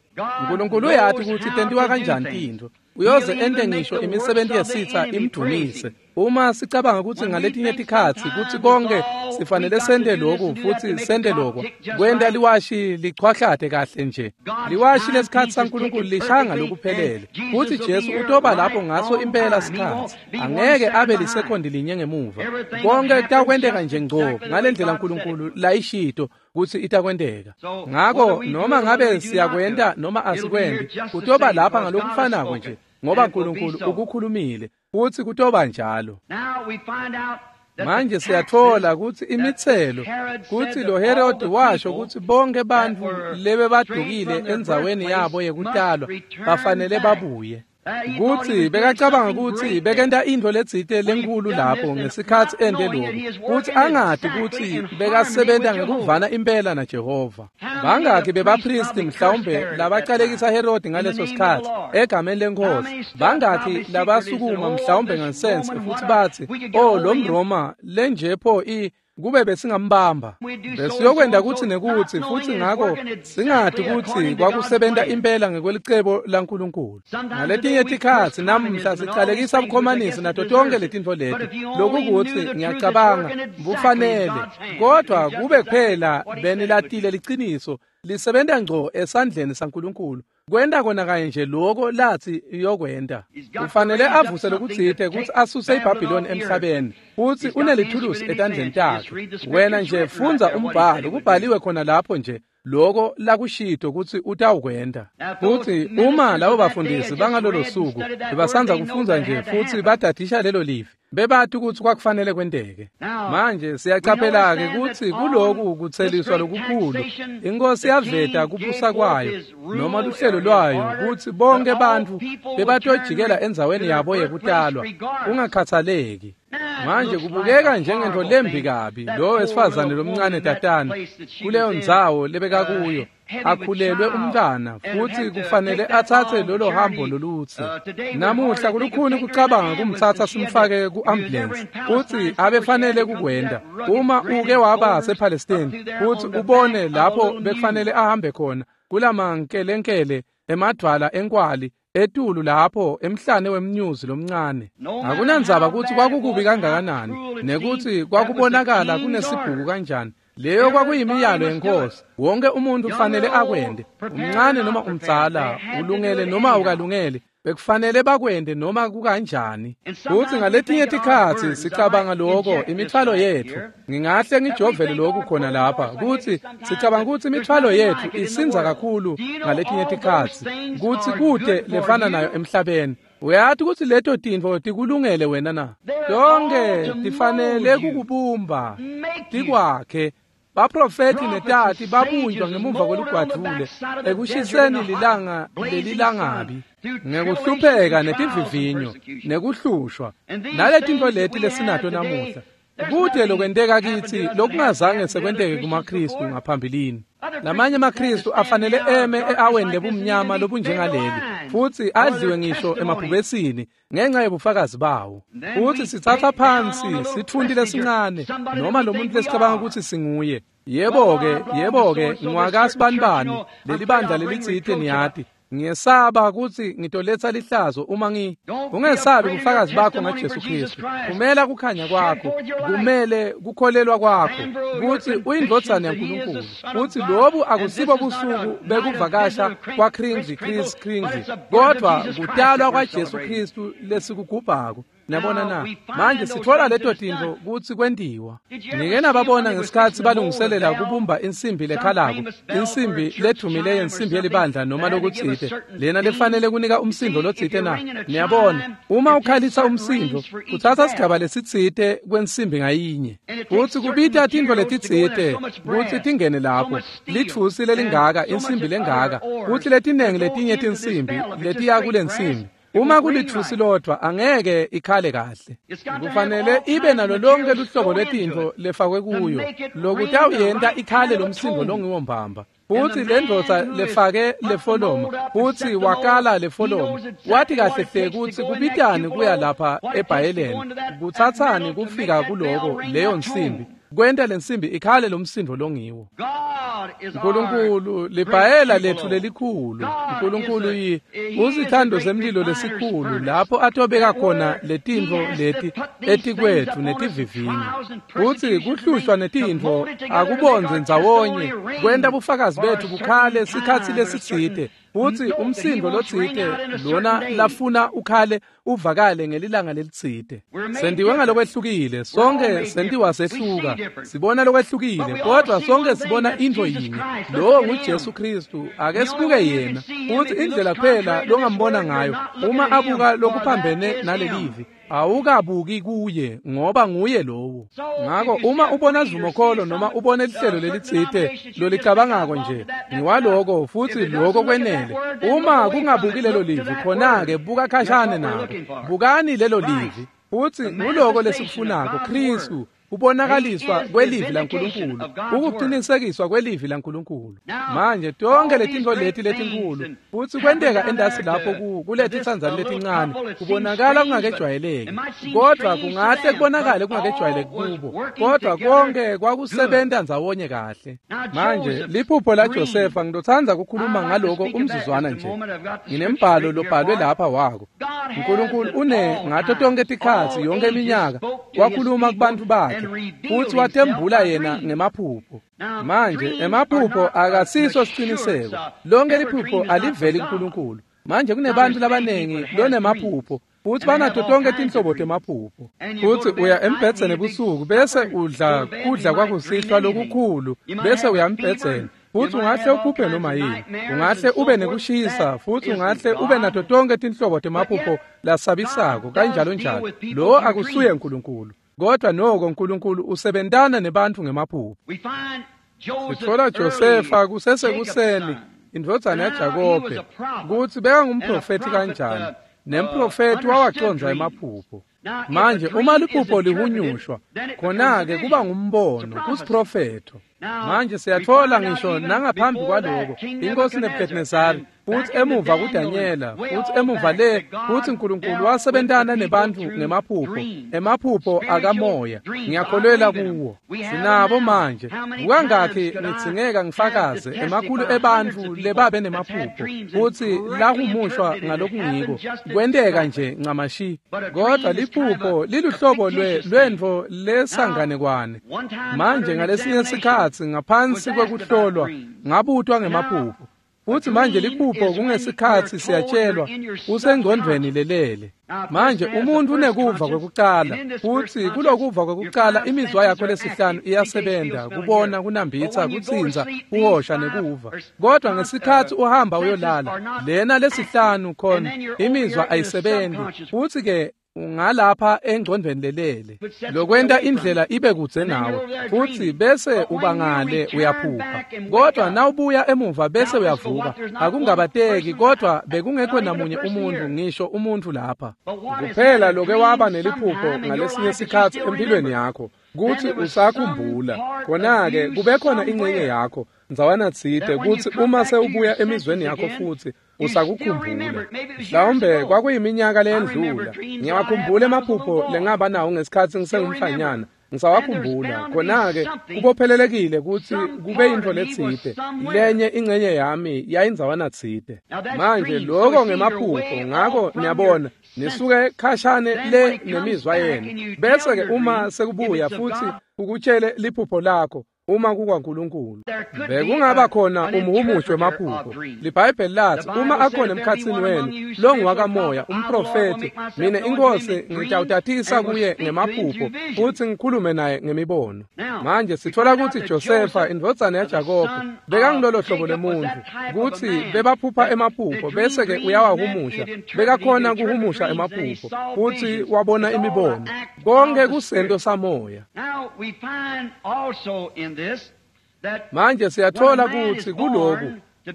S1: Nkulunkulu uyati kutsi tentiwa kanjani tintfo. Uyoze ente ngisho imisebenzi yesitha imdumise. Uma sicabanga kutsi ngaletinye tikhatsi kutsi konke sifanele sente lokhu futsi sente lokho, kwenta liwashi lichwahlate kahle nje. Liwashi lesikhatsi saNkulunkulu lishaya lokuphelele, futsi Jesu utoba lapho ngaso impela sikhatsi. Angeke abe lisekondi linye ngemuva. Konke kutakwenteka nje ngco ngalendlela Nkulunkulu layishito kutsi itakwenteka. Ngako noma ngabe siyakwenta noma asikwenti, kutoba lapha ngalokufanako nje, ngoba Nkulunkulu ukukhulumile futsi kutoba njalo. Manje siyatfola kutsi imitselo, kutsi lo Herodi washo kutsi bonke bantfu lebebadukile endzaweni yabo yekutalwa bafanele babuye. Kutsi bekacabanga kutsi bekenta intfo letsite lenkhulu lapho ngesikhatsi ente lokhu, kutsi angati kutsi bekasebenta ngekuvana impela naJehova. Bangakhi bebapristi mhlawumbe labacalekisa Herodi ngaleso sikhatsi egameni lenkosi? Bangakhi labasukuma mhlawumbe ngansense futsi batsi, "Oh, lo mRoma lenjepho i Kube besingambamba besiyokwenda kutsi nekutsi, futsi ngako singati kutsi kwakusebenta impela ngekwelicebo laNkulunkulu. Ngaletinye tikhatsi namuhla sicalekisa bukhomanisi nato tonke letintfo leti, lokukutsi ngiyacabanga bufanele, kodwa kube kuphela benilatile liciniso lisebenta ngco esandleni saNkulunkulu, kwenta kona kanye nje loko latsi iyokwenta. Kufanele avuse lokutsite kutsi asuse iBhabhiloni emhlabeni, futsi unelithulusi etandleni takhe. Wena nje fundza umbhalo, kubhaliwe khona lapho nje loko lakushito kutsi utawukwenta. Futsi uma labo bafundisi bangalolo suku bebasandza kufundza nje futsi badadisha lelo livi, bebati kutsi kwakufanele kwenteke. Manje siyacaphela-ke kutsi kuloku kutseliswa lokukhulu inkosi yaveta kubusa kwayo noma luhlelo lwayo kutsi bonke bantfu bebatojikela endzaweni yabo yekutalwa kungakhathaleki. Manje kubukeka njengento lembi kabi lo wesifazane lomncane tatana kuleyo ndzawo lebekakuyo akhulelwe umntwana, futsi kufanele atsatse lolo hambo lolutsi. Namuhla kulukhuni kucabanga kumtsatsa simfake ku-ambulance, futsi abefanele kukwenta. Uma uke waba sePalestine futsi ubone lapho bekufanele ahambe khona kulamankelenkele emadvwala enkwali etulu lapho emhlane wemnyuzi lomncane, akunandzaba kutsi kwakukubi kangakanani nekutsi kwakubonakala kunesibhuku kanjani, leyo kwakuyimiyalo yenkosi. Wonke umuntu kufanele akwende, umncane noma umdzala, ulungele noma ukalungele, bekufanele bakwende noma kukanjani. Futsi ngaletinye tikhatsi sicabanga loko imithwalo yetfu, ngingahle ngijovele lokhu khona lapha, kutsi sicabanga kutsi imithwalo yetfu isindza kakhulu ngaletinye tikhatsi, kutsi kute lefana nayo emhlabeni. Uyati kutsi leto tintfo tikulungele wena na? Tonke tifanele kukubumba, tikwakhe. Baprofethi netati babunjwa ngemuva kwelugwadvule ekushiseni lilanga lelilangabi, ngekuhlupheka netivivinyo nekuhlushwa naletintfo leti lesinato namuhla. Kute lokwenteka kitsi lokungazange sekwenteke kumaKristu ngaphambilini. Lamanye amaKristu afanele eme e-aweni lebumnyama lobunjengaleli, futsi adliwe ngisho emabhubesini ngenxa yebufakazi bawo. Futsi sitsatsa phansi sitfunti lesincane noma lo muntu lesicabanga kutsi singuye. Yebo-ke, yebo-ke, ngiwakasibanibani leli bandla lelitsite niyati. Ngiyesaba kutsi ngitoletsa lihlazo uma ngi. Ungesabi bufakazi bakho ngaJesu Kristu. Kumela kukhanya kwakho, kumele kukholelwa kwakho kutsi uyindvodzana yaNkulunkulu. Kutsi lobu akusibo busuku bekuvakasha kwaKringle Chris Kringle, kodwa kutalwa kwaJesu Kristu lesikugubhako. Niyabona na? Manje sitfola leto tintfo kutsi kwentiwa. Nike nababona ngesikhatsi balungiselela kubumba insimbi lekhalako, insimbi ledumile yensimbi yelibandla noma lokutsite, lena lefanele kunika umsindo lotsite na? Niyabona, uma ukhalisa umsindo, kutsatsa sigaba lesitsite kwensimbi ngayinye. Futsi kubita tintfo letitsite kutsi tingene lapho, litfusi lelingaka, insimbi lengaka, kutsi letinengi letinye tinsimbi letiya kulensimbi. Uma kulitfusi lodvwa angeke ikhale kahle. Kufanele ibe nalo lonke luhlobo lwetintfo lefakwe kuyo, lokutawuyenta ikhale lomsindo longiwo mbamba. Futsi lendvodza lefake lefoloma, futsi wakala lefoloma, wati kahle hle kutsi kubitani kuya lapha ebhayeleni, kutsatsani kufika kuloko leyo nsimbi, kwenta lensimbi ikhale lomsindo longiwo. Nkulunkulu libhayela letfu lelikhulu. Nkulunkulu yi usithando semlilo lesikhulu lapho atobeka khona letintfo leti etikwetfu netivivinyo. Futsi kuhlushwa netintfo akubondze ndzawonye kwenta bufakazi betfu bukhale sikhatsi lesitsite. Futsi umsindo lotsite lona lafuna ukhale uvakale ngelilanga lelitsite. Sentiwe ngalokwehlukile, sonke sentiwa sehluka, sibona lokwehlukile, kodwa sonke sibona intfo yinye. Lowo nguJesu Kristu, ake sibuke yena. Futsi indlela kuphela longambona ngayo uma abuka lokuphambene nalelivi, awukabuki kuye ngoba nguye lowo. Ngako uma ubona sivumokholo noma ubone lihlelo lelitsite lolicabangako nje ngiwaloko futsi loko kwenele, uma kungabuki lelo livi, khona-ke buka khashane nako. Bukani lelo livi, futsi nguloko lesikufunako, Kristu, Kubonakaliswa kwelivi laNkulunkulu, ukuqinisekiswa kwelivi laNkulunkulu. Manje tonke letintfo leti letinkulu futsi kwenteka endasi lapho kuletitsandzane letincane kubonakala kungakejwayeleki, kodvwa kungahle kubonakale kungakejwayeleki kubo, kodvwa konke kwakusebenta ndzawonye kahle. Manje liphupho laJosefa, ngitotsandza kukhuluma ngaloko umzuzwana nje. Nginembhalo lobhalwe lapha wako. Nkulunkulu une ngato tonke tikhatsi yonke iminyaka wakhuluma kubantfu bakhe futsi watembula yena ngemaphupho. Manje emaphupho akasiso siciniseko. Lonke liphupho aliveli kuNkulunkulu. Manje kunebantu labanengi lonemaphupho futsi banato tonke tinhlobo temaphupho. Futsi uya embhedzeni ebusuku bese udla kudla kwakusihlwa lokukhulu bese uya embhedzeni. Futsi ungahle uphuphe noma yini, ungahle ube nekushisa, futsi ungahle ube nato tonke tinhlobo temaphupho lasabisako kanjalo njalo. Lo akusuye uNkulunkulu, kodwa noko uNkulunkulu usebentana nebantfu ngemaphupho. Sitfola Josefa kusesekuseni, indvodzana yaJakobe, kutsi bekangumprofethi kanjani, nemprofethi wawacondza emaphupho. Manje uma liphupho lihunyushwa, khona-ke kuba ngumbono kusiprofetho. Manje siyatfola ngisho nangaphambi kwaloko inkosi Nebuchadnezzar, futsi emuva kuDanyela, futsi emuva le kutsi uNkulunkulu wasebentana nebantfu ngemaphupho, emaphupho akamoya. Ngiyakholelwa kuwo. Sinabo manje. Kukangakhi ngitsingeka ngifakaze emakhulu ebantfu lebabe nemaphupho futsi lahumushwa ngalokungiko kwenteka nje ncamashi. Kodwa liphupho liluhlobo lwe lwentfo lesanganekwane. Manje ngalesinye sikhatsi ngaphansi kwekuhlolwa ngabutwa ngemaphupho. Futsi manje liphupho kungesikhatsi siyatshelwa usengcondvweni lelele. Manje umuntu unekuva kwekucala, futsi kulokuva kwekucala imizwa yakho lesihlanu iyasebenta, kubona, kunambitsa, kutsintsa, kuhosha nekuva. Kodwa ngesikhatsi uhamba uyolala, lena lesihlanu khona imizwa ayisebenzi, futsi ke ungalapha engcondvweni lelele lokwenta indlela ibe kudze nawe, futsi bese ubangale uyaphupha. Kodwa nawubuya emuva bese uyavuka, akungabateki, kodwa bekungekho namunye umuntu, ngisho umuntu lapha kuphela loke waba neliphupho ngalesinye sikhatsi empilweni yakho kutsi usakhumbula. Khona-ke kube khona ingcenye yakho ndzawana tsite kutsi uma sewubuya emizweni yakho futsi usakukhumbula. Mhlawumbe kwakuyiminyaka leyendlula. Ngiyawakhumbula emaphupho lengaba nawo ngesikhatsi ngisengumfanyana, ngisawakhumbula. Khona-ke kubophelelekile kutsi kube yintfo letsite, lenye ingcenye yami yayindzawana tsite. Manje loko ngemaphupho, ngako niyabona nisuke khashane le nemizwa yenu. Bese-ke uma sekubuya futsi ukutshele liphupho lakho, uma kukwaNkulunkulu, bekungaba khona umhumushi wemaphupho. LiBhayibheli lathi uma akhona emkhatsini wenu longuwakamoya umprofethi, mina inkosi ngitawutatisa kuye ngemaphupho futsi ngikhulume naye ngemibono. Manje sitfola kutsi Josefa indvodzana yaJakobe bekangilolo hlobo lemuntfu kutsi bebaphupha emaphupho bese-ke uyawahumusha. Bekakhona kuhumusha emaphupho futsi wabona imibono. Konke kusento samoya. Manje siyatfola kutsi kuloku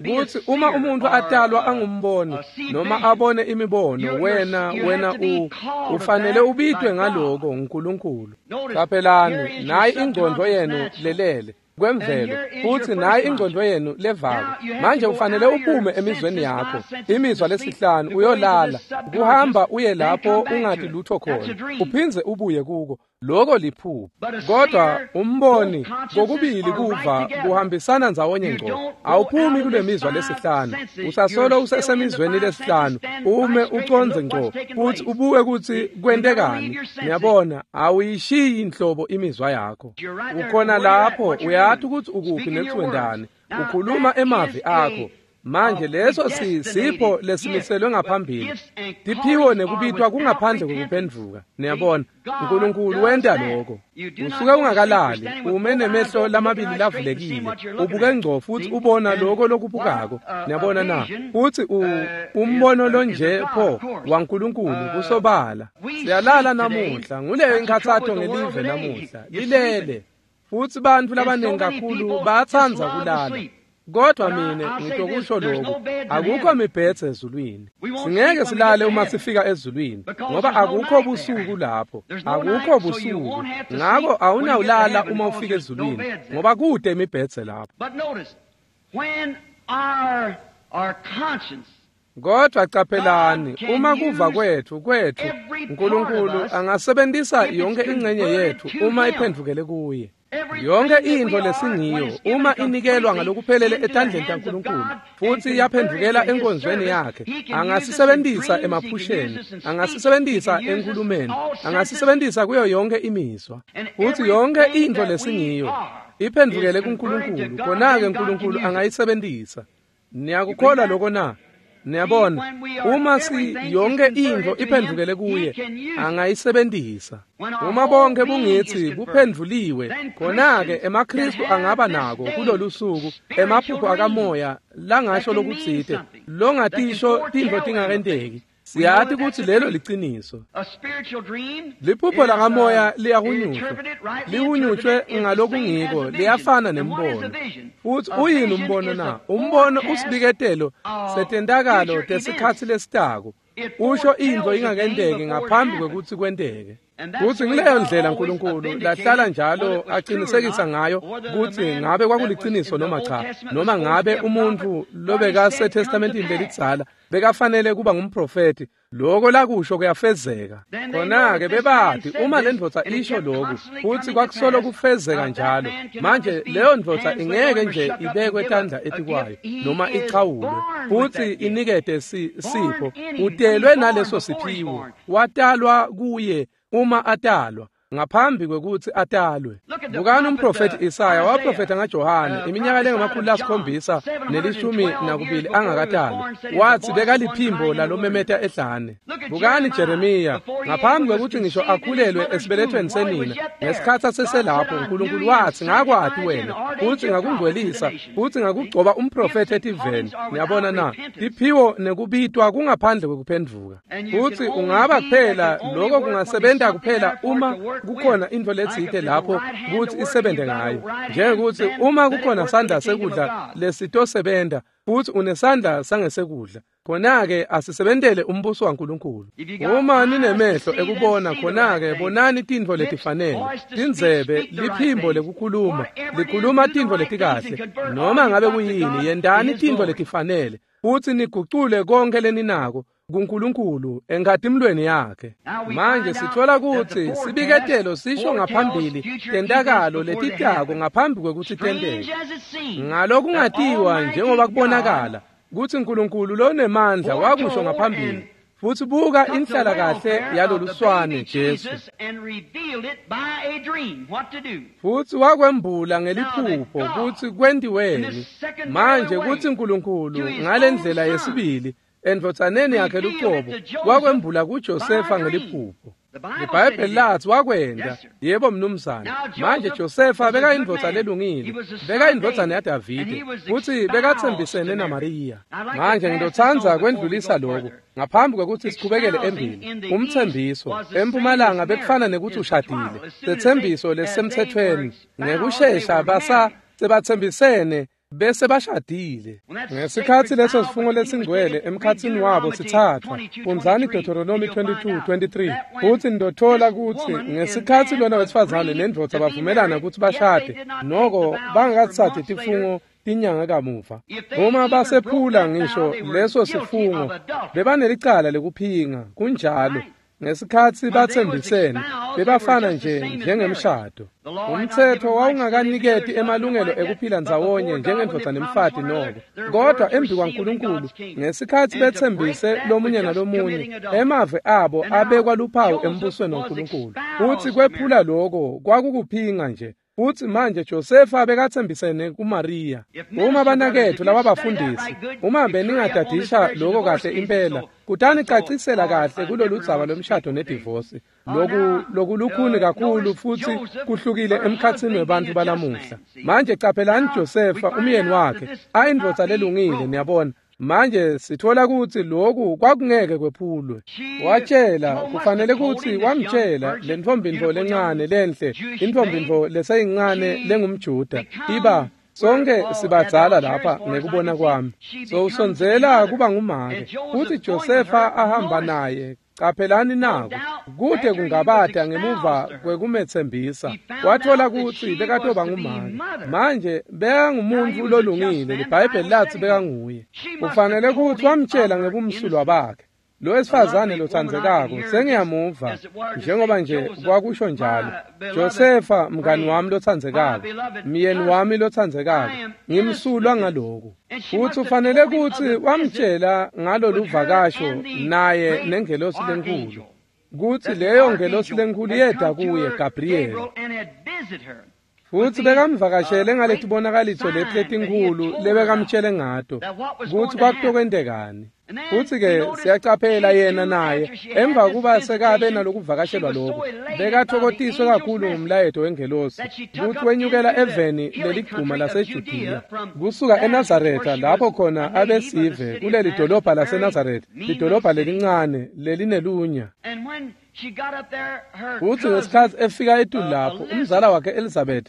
S1: kutsi uma umuntu atalwa angumboni noma abone imibono, wena wena u ufanele ubitwe ngaloko nguNkulunkulu. Qaphelani, nayi ingcondvo yenu lelele kwemvelo, futsi nayi ingcondvo yenu levako. Manje ufanele uphume emizweni yakho, imizwa lesihlanu, uyolala, kuhamba uye lapho ungati lutho khona, uphindze ubuye kuko. Loko liphupho. Kodwa umboni kokubili kuva kuhambisana ndzawonye ngco. Awuphumi kule mizwa lesihlanu, usasolo usesemizweni lesihlanu, ume ucondze ngco futsi ubuke kutsi kwentekani. Niyabona, awuyishiyi inhlobo imizwa yakho. Ukhona lapho, uyati ukuthi ukuphi nekuwendani, ukhuluma emavi akho. Manje leso sisipho lesimiselwe ngaphambili. Tiphiwo nekubitwa kungaphandle kokuphendvuka. Niyabona, uNkulunkulu wenta lokho. Usuke ungakalali, ume nemehlo lamabili lavulekile, ubuke ngco futsi ubona lokho lokubukako. Niyabona na? Futsi umbono lonje pho waNkulunkulu kusobala. Siyalala namuhla, nguleyo inkhatsato ngelive namuhla. Lilele. Futsi bantfu labanengi kakhulu bayatsandza kulala. Kodwa mine ngitokusho lokhu, akukho mibhedze ezulwini. Singeke silale uma sifika ezulwini, ngoba akukho busuku lapho, akukho busuku. Ngako awunawulala uma ufika ezulwini, ngoba kude imibhedze lapho. Kodwa caphelani, uma kuva kwethu kwethu uNkulunkulu angasebenzisa yonke ingxenye yethu uma iphendvukele kuye. Yonke into lesingiyo uma inikelwa ngalokuphelele etandleni taNkulunkulu futhi yaphendvukela enkonzweni yakhe, angasisebenzisa emaphusheni, angasisebenzisa enkulumeni, angasisebenzisa kuyo yonke imizwa. Futhi yonke into lesingiyo iphendvukele kuNkulunkulu, khona-ke uNkulunkulu angayisebenzisa. Niyakukholwa lokho na? Niyabona, uma si yonke into iphendvukele kuye, angayisebenzisa. Uma bonke bungithi buphendvuliwe, khona-ke emaKristu angaba nako kulolu suku emaphupho akamoya langasho lokutsite, longatisho tintfo tingakenteki. Siyati kutsi lelo liciniso. Liphupho lakamoya liyahunyushwa, lihunyushwe ngalokungiko, liyafana nembono. Futsi uyini umbono na? Umbono usibiketelo setentakalo tesikhatsi lesitako, usho intfo ingakenteki ngaphambi kwekutsi kwenteke. Futsi ngileyo ndlela uNkulunkulu lahlala njalo aqinisekisa ngayo kutsi ngabe kwakuliciniso noma cha, noma ngabe umuntfu lobekaseTestamentini lelidzala bekafanele kuba ngumprofeti, loko lakusho kuyafezeka. Khona-ke bebati uma le ndvodza isho loku futsi kwakusolo kufezeka njalo, manje leyo ndvodza ingeke nje ibekwe tandla etikwayo noma ichawulwe futsi inikete sipho. Utelwe naleso siphiwo, watalwa kuye uma atalwa, ngaphambi kwekutsi atalwe. Bukani umprofethi Isaya waprofetha ngaJohane iminyaka lengamakhulu lasikhombisa nelishumi nakubili angakatalwa, watsi bekaliphimbo lalomemeta ehlane. Bukani Jeremiya, ngaphambi kwekutsi ngisho akhulelwe esibelethweni senina, ngesikhatsi aseselapho uNkulunkulu watsi ngakwati wena, futsi ngakungcwelisa, futsi ngakugcoba umprofethi etiveni. Niyabona na? Tiphiwo nekubitwa kungaphandle kwekuphendvuka. Futsi ungaba kuphela lokho kungasebenta kuphela uma kukhona into letsite lapho kutsi isebenze ngayo, njengekutsi uma kukhona sandla sekudla lesitosebenta futsi unesandla sangesekudla, khona-ke asisebentele umbuso waNkulunkulu. Uma ninemehlo ekubona, khona-ke bonani tintfo letifanele, tindzebe, liphimbo lekukhuluma, likhuluma tintfo letikahle, noma ngabe kuyini, yentani tintfo letifanele futsi nigucule konke leninako kuNkulunkulu enkatimulweni yakhe. Manje sithola kutsi sibiketelo sisho ngaphambili tentakalo letitako ngaphambi kwekutsi tenteke. Ngalokungatiwa njengoba kubonakala kutsi uNkulunkulu lonemandla wakusho ngaphambili, futsi buka inhlala kahle yaloluswane Jesu, futsi wakwembula ngeliphupho kutsi kwentiweni. Manje kutsi uNkulunkulu ngalendlela yesibili endvodzaneni yakhe lucobo wakwembula kuJosefa ngeliphupho. LiBhayibheli lathi wakwenta. Yebo mnumzane. Manje Josefa bekayindvodza lelungile, bekayindvodzana yaDavide, futsi bekatsembisene naMariya. Manje ngitotsandza kwendlulisa lokhu ngaphambi kwekutsi sichubekele embili. Umtsembiso empumalanga bekufana nekutsi ushadile, setsembiso lesisemtsetfweni. Ngekushesha basa sebatsembisene bese bashadile. Ngesikhatsi leso sifungo lesingcwele emkhatsini wabo sithathwa, fundzani Deuteronomy twenty-two twenty-three, futsi nitothola kutsi ngesikhatsi lona wesifazane nendvodza bavumelana kutsi bashade, noko bangakatsatsi tifungo tinyanga kamuva. Uma basephula ngisho leso sifungo, bebanelicala lekuphinga. Kunjalo. Ngesikhatsi batsembisene, bebafana nje njengemshado. Umtsetfo wawungakaniketi emalungelo ekuphila ndzawonye njengendvodza nemfati noko, kodwa embi kwaNkulunkulu ngesikhatsi betsembise lomunye nalomunye, emave abo abekwa luphawu embusweni waNkulunkulu. Futsi kwephula loko kwakukuphinga nje. Futsi manje Josefa bekatsembisene kuMariya. Uma banaketfu lababafundisi, uma beningadadisha lokho kahle impela, kutanicacisela kahle kulolu dzaba lwemshado nedivosi. Loku lokulukhuni kakhulu futsi kuhlukile emkhatsini webantfu balamuhla. Manje caphelani Josefa umyeni wakhe, ayindvodza lelungile, niyabona. Manje sithola kutsi loku kwakungeke kwephulwe. Watshela, kufanele kutsi wamtshela lentfombi ntfo lencane lenhle, intfombi ntfo leseyincane lengumJuda, iba Sonke sibadzala lapha ngekubona kwami. Sowusondzela kuba ngumake. Futsi Josefa ahamba naye. Qaphelani nako kude kungabata ngemuva kwekumetsembisa wathola kutsi bekatoba ngumake. Manje bekangumuntu lolungile, liBhayibheli lathi bekanguye. Kufanele kutsi wamtshela ngebumsulwa bakhe. Lo wesifazane lotsandzekako sengiyamuva njengoba nje kwakusho njalo. Josefa mngani wami lotsandzekako, myeni wami lotsandzekako, ngimsulwa ngaloku. Futsi ufanele kutsi wamtshela ngalolu vakasho naye nengelosi lenkulu, kutsi leyo ngelosi lenkulu yeda kuye Gabriyeli. Futsi bekamvakashele ngaletibonakaliso leti letinkhulu lebekamtshele ngato kutsi kwakutokwentekani. Futsi-ke siyacaphela yena naye emva kuba sekabe nalokuvakashelwa lokhu bekathokotiswe kakhulu ngumlayeto wengelosi kutsi wenyukela eveni leligcuma laseJudiya kusuka eNazaretha lapho khona abesive kuleli dolobha laseNazaretha, lidolobha lelincane lelinelunya. Futsi ngesikhatsi efika etulu lapho umzala wakhe Elizabeth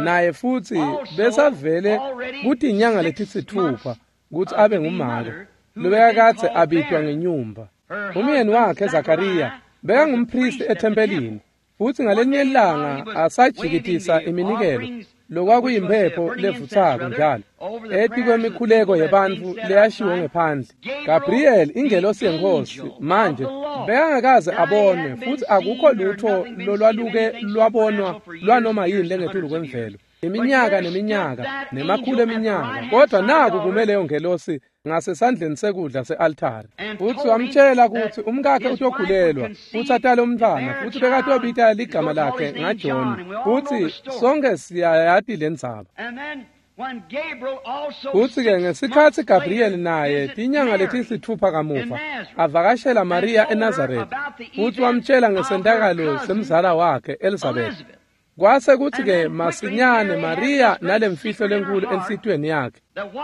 S1: naye futsi besavele kutinyanga letisitfupha kutsi abe ngumake lobekakadze abitwa ngenyumba. Umyeni wakhe Zakariya bekangumpristi ethempelini, futsi ngalenye ilanga asajikitisa iminikelo lokwakuyimphepho levutsako njalo etikwemikhuleko yebantfu leyashiwo ngephandle. Gabriel ingelosi yenkosi manje bekangakaze abonwe, futsi akukho lutho lolwaluke lwabonwa lwanoma yini lengetulu kwemvelo iminyaka neminyaka nemakhulu eminyaka, kodwa naku kume leyo ngelosi ngasesandleni sekudla se-altari. Futsi wamtshela kutsi umkakhe utokhulelwa futsi atale umntfwana, futsi bekatobita ligama lakhe ngaJohn. Futsi sonke siyayati lendzaba. Futsi-ke ngesikhatsi Gabriel naye tinyanga letisitfupha kamuva avakashela Maria eNazaretha, futsi wamtshela ngesentakalo semzala wakhe Elizabeth. Kwase kutsi-ke masinyane Maria nalemfihlo lenkulu enhlitiyweni yakhe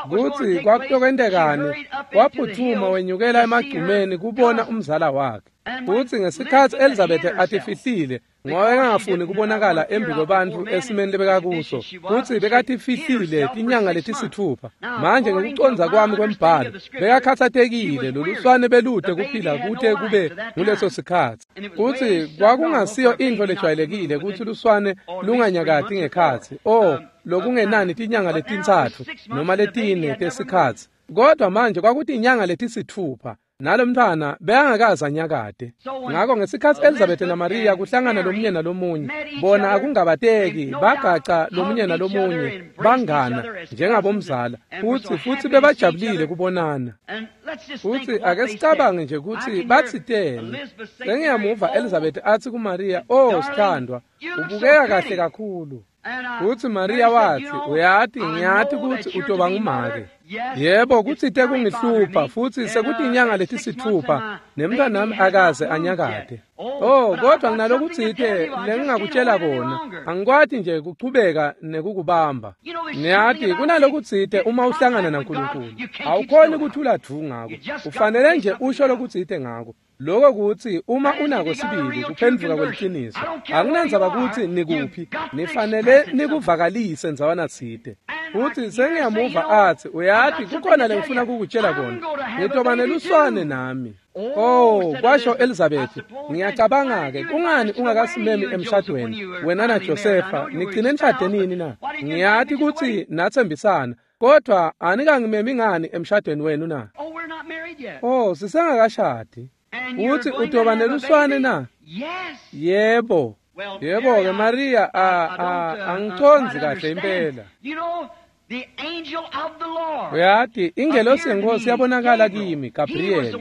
S1: kutsi kwakutokwentekani, waphutfuma wenyukela emagcumeni kubona umzala wakhe. Futsi ngesikhatsi Elizabeth atifihlile ngoba engafuni kubonakala embi kwebantfu esimeni lebekakuso, futsi bekatifihlile tinyanga letisitfupha. Manje ngekucondza kwami kwembhalo bekakhatsatekile loluswane belude kuphila kute kube nguleso sikhatsi. Futsi kwakungasiyo intfo lejwayelekile kutsi luswane lunganyakati ngekhatsi o lokungenani tinyanga letintsatfu noma letine tesikhatsi, kodwa manje kwakutinyanga letisitfupha nalomntfwana bekangakaze anyakate. Ngako ngesikhatsi Elizabeth naMaria kuhlangana lomunye nalomunye, bona akungabateki bagaca lomunye nalomunye bangana njengabomzala, futsi futsi bebajabulile kubonana. Futsi ake sicabange nje kutsi batsiteni. Sengiyamuva Elizabeth atsi kuMaria, "Oh sithandwa, ubukeka kahle kakhulu." Futsi Maria watsi, "Uyati, ngiyati kutsi utoba ngumake. Yebo, kutsite kungihlupha futsi sekutinyanga letisitfupha nemntwanami akaze anyakate. Oh, kodwa nginalokutsite lengingakutshela kona. Angikwati nje kuchubeka nekukubamba. Niyati kunalokutsite uma uhlangana naNkulunkulu. Awukhoni kuthula dvu ngako. Ufanele nje usho lokutsite ngako. Lokho kutsi uma unako sibili kuphendvuka kweliciniso, akunandzaba kutsi nikuphi, nifanele nikuvakalise ndzawana tsite." Futsi sengiyamuva atsi, "Uyati kukhona lengifuna kukutshela kona. Ngitoba neluswane nami." Oh, kwasho Elizabeth, "Ngiyacabanga-ke kungani ungakasimemi emshadweni wena naJosefa nigcine nishade nini na? Ngiyati kutsi natsembisana, kodwa anikangimemi ngani emshadweni wenu na?" Oh, sisengakashadi. Utsi utoba neluswane na? Yebo. Yebo-ke Maria, angicondzi kahle impela. Uyati ingelosi yenkosi yabonakala kimi, Gabriel.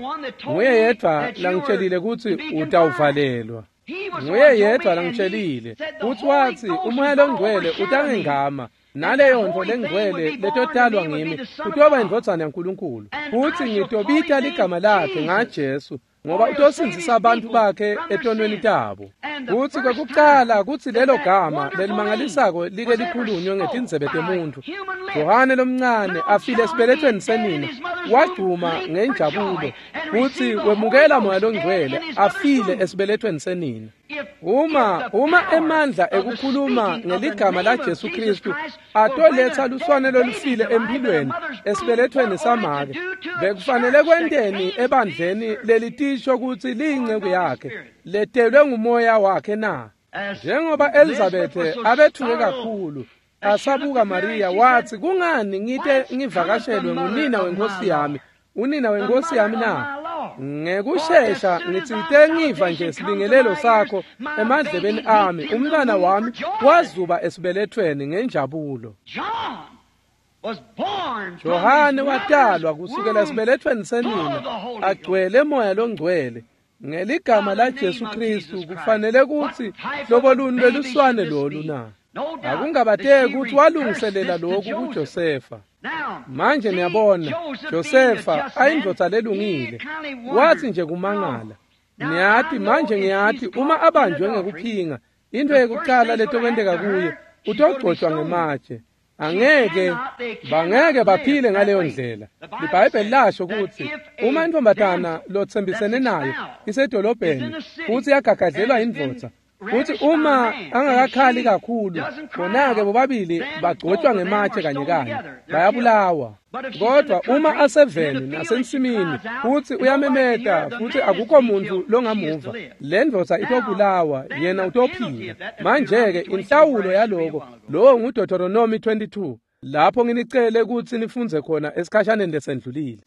S1: Nguye yedvwa langitshelile kutsi utawuvalelwa. Nguye yedvwa langitshelile kutsi watsi umoya longcwele utangengama, naleyo ntfo lengcwele letotalwa ngimi utoba indvodzana yaNkulunkulu, futsi ngitobita ligama lakhe ngaJesu, ngoba utosindzisa abantu bakhe etonweni tabo. Kutsi kwekucala kutsi lelo gama lelimangalisako like likhulunywe ngetindzebe temuntfu, Johane lomncane afile esibelethweni senina wagcuma ngenjabulo futsi wemukela Moya loNgcwele afile esibelethweni senina. Uma uma emandla ekukhuluma ngeligama laJesu Kristu atoletsa luswane lolufile empilweni esibelethweni samake, bekufanele kwenteni ebandleni lelitisho kutsi liyinceku yakhe letelwe ngumoya wakhe na? Njengoba Elizabeth abethuke kakhulu asabuka Maria wathi, kungani ngite ngivakashelwe ngunina wenkosi yami, unina wenkosi yami na? Ngekushesha ngitsite ngiva nje sibingelelo sakho emadlebeni ami, umntwana wami wazuba esibelethweni ngenjabulo. Johane watalwa kusukela esibelethweni senina agcwele Moya loNgcwele ngeligama laJesu Kristu. Kufanele kutsi hlobo luni lweluswane lolu na? Akungabateki ukuthi walungiselela lokhu kuJosefa. Manje niyabona, Josefa ayindvodza lelungile, wathi nje kumangala. Niyati manje ngiyati uma abanjwe ngekuphinga, into yekuqala letokwenteka kuye utogcotshwa ngematshe. Angeke bangeke baphile ngaleyo ndlela. IBhayibheli lasho ukuthi uma intombatana lotsembisene nayo isedolobheni futhi yagagadlelwa indvodza, futhi uma angakakhali kakhulu, khona-ke bobabili bagcotshwa ngematshe kanye kanye, bayabulawa. Kodwa uma aseveni nasensimini futhi uyamemeta futhi akukho muntu longamuva, le ndvodza itobulawa, yena utophila. Manje-ke inhlawulo yaloko, lowo nguDeuteronomy twenty-two, lapho nginicele kutsi nifundze khona esikhashaneni lesendlulile.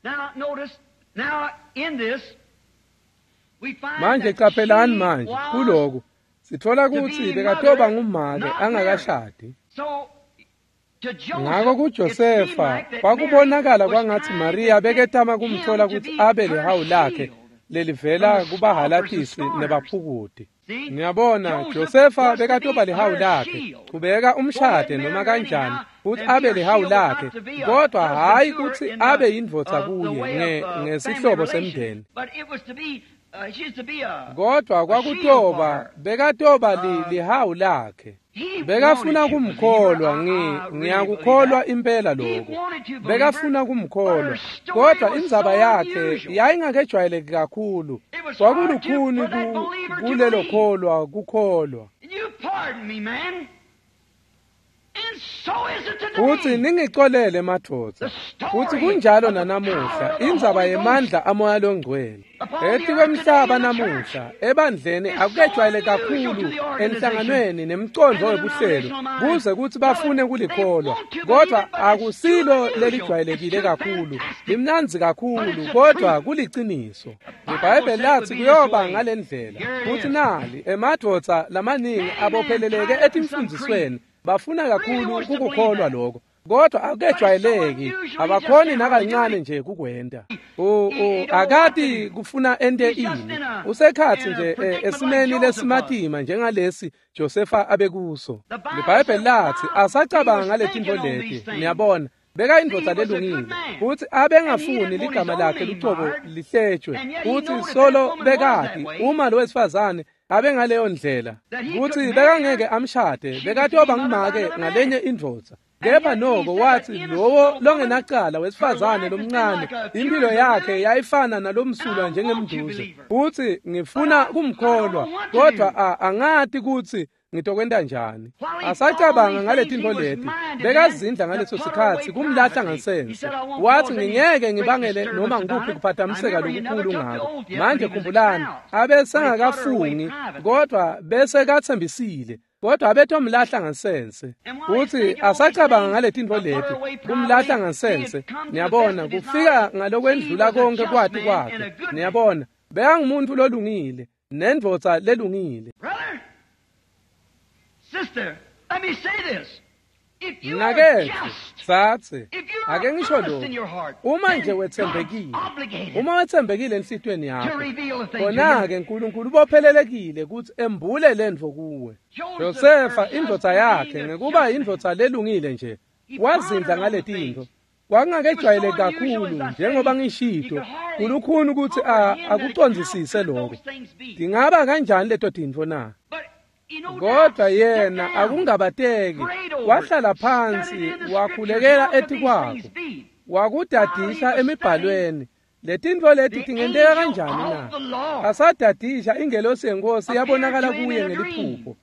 S1: Manje qaphelani manje kuloku sitfola kutsi bekatoba ngumake angakashadi. Ngako kuJosefa kwakubonakala kwangatsi Maria beketama kumtfola kutsi abe lihawu lakhe lelivela kubahalatisi nebaphukuti. Ngiyabona Josefa bekatoba lihawu lakhe, kubeka umshade noma kanjani futhi abe lihawu lakhe, kodwa hayi kutsi abe yindvodza kuye ngesihlobo semndeni. Kodwa kwakutoba bekatoba lihawu lakhe. Bekafuna kumkholwa, ngi ngiyakukholwa impela lokho. Bekafuna kumkholwa, kodwa indzaba yakhe yayingakejwayeleki kakhulu. Kwakulukhuni kulelo kholwa kukholwa. Futhi ningicolele madvodza, futhi kunjalo nanamuhla, indzaba yemandla amoya longcwele etikwemhlaba namuhla ebandleni akukejwayele kakhulu enhlanganweni nemcondvo webuhlelo kuze kutsi bafune kulikholwa, kodwa akusilo lelijwayelekile kakhulu, limnandzi kakhulu, kodwa kuliciniso. IBhayibheli lathi kuyoba ngale ndlela, futhi nali emadvodza lamaningi abopheleleke etimfundzisweni bafuna kakhulu kukukholwa lokho, kodwa akujwayeleki, abakhoni nakancane nje kukwenta. Akati kufuna ente ini, usekhathi nje esimeni lesimatima njengalesi Josefa abekuso. IBhayibheli lathi asacabanga ngale tintfo leti, niyabona, bekayindvodza lelungile futhi abengafuni ligama lakhe lucobo lihletshwe, futhi solo bekati uma lo wesifazane abengaleyo ndlela kutsi bekangeke amshade, bekatoba ngumake ngalenye indvodza. Kepha noko wathi lowo longenacala wesifazane lomncane impilo yakhe yayifana nalomsulwa njengemduze, futhi ngifuna kumkholwa, kodwa angati kutsi ngitokwenta njani. Asacabanga ngale tintfo leti, bekazindla ngaleso sikhatsi kumlahla ngansense. Wathi ngingeke ngibangele noma ngikuphi kuphathamiseka lokukhulu ngako. Manje khumbulani, abesengakafungi kodwa bese katsembisile, kodwa abetomlahla ngansense. Uthi asacabanga ngale tintfo leti, kumlahla ngansense. Niyabona, kufika ngalokwendlula konke kwati kwakhe. Niyabona, bekangumuntu lolungile nendvodza lelungile.
S2: Sister, let me say this. If you are just,
S1: Satsi,
S2: if you are
S1: ake ngisho
S2: honest in
S1: lokhu,
S2: your heart,
S1: uma nje
S2: then
S1: wetsembekile,
S2: God's obligated
S1: uma wetsembekile enhlitiyweni
S2: to
S1: yakho,
S2: reveal the thing to you.
S1: khona-ke uNkulunkulu ubophelelekile kutsi embule lentfo kuwe.
S2: Joseph,
S1: Josefa
S2: her
S1: indvodza
S2: husband,
S1: yakhe
S2: being a
S1: ngekuba
S2: just
S1: indvodza lelungile nje,
S2: He
S1: wazindla
S2: pondered on
S1: ngale
S2: the
S1: tintfo.
S2: things.
S1: Kwakungakejwayeleki
S2: It was so unusual,
S1: kakhulu
S2: as I said,
S1: njengoba
S2: he
S1: ngishito,
S2: could hardly
S1: kulukhuni kutsi a-
S2: comprehend that
S1: akucondzisise
S2: how could
S1: lokho.
S2: those things be.
S1: Tingaba kanjani leto tintfo na?
S2: But he no doubt
S1: Kodwa
S2: sat
S1: yena
S2: down,
S1: akungabateki
S2: prayed over it,
S1: wahlala
S2: studied
S1: phansi
S2: in the scriptures,
S1: wakhulekela
S2: how could these
S1: etikwakho.
S2: things be?
S1: Wakudadisha emibhalweni. Letintfo leti tingenteka kanjani na? Asadadisha ingelosi yenkosi yabonakala kuye ngeliphupho.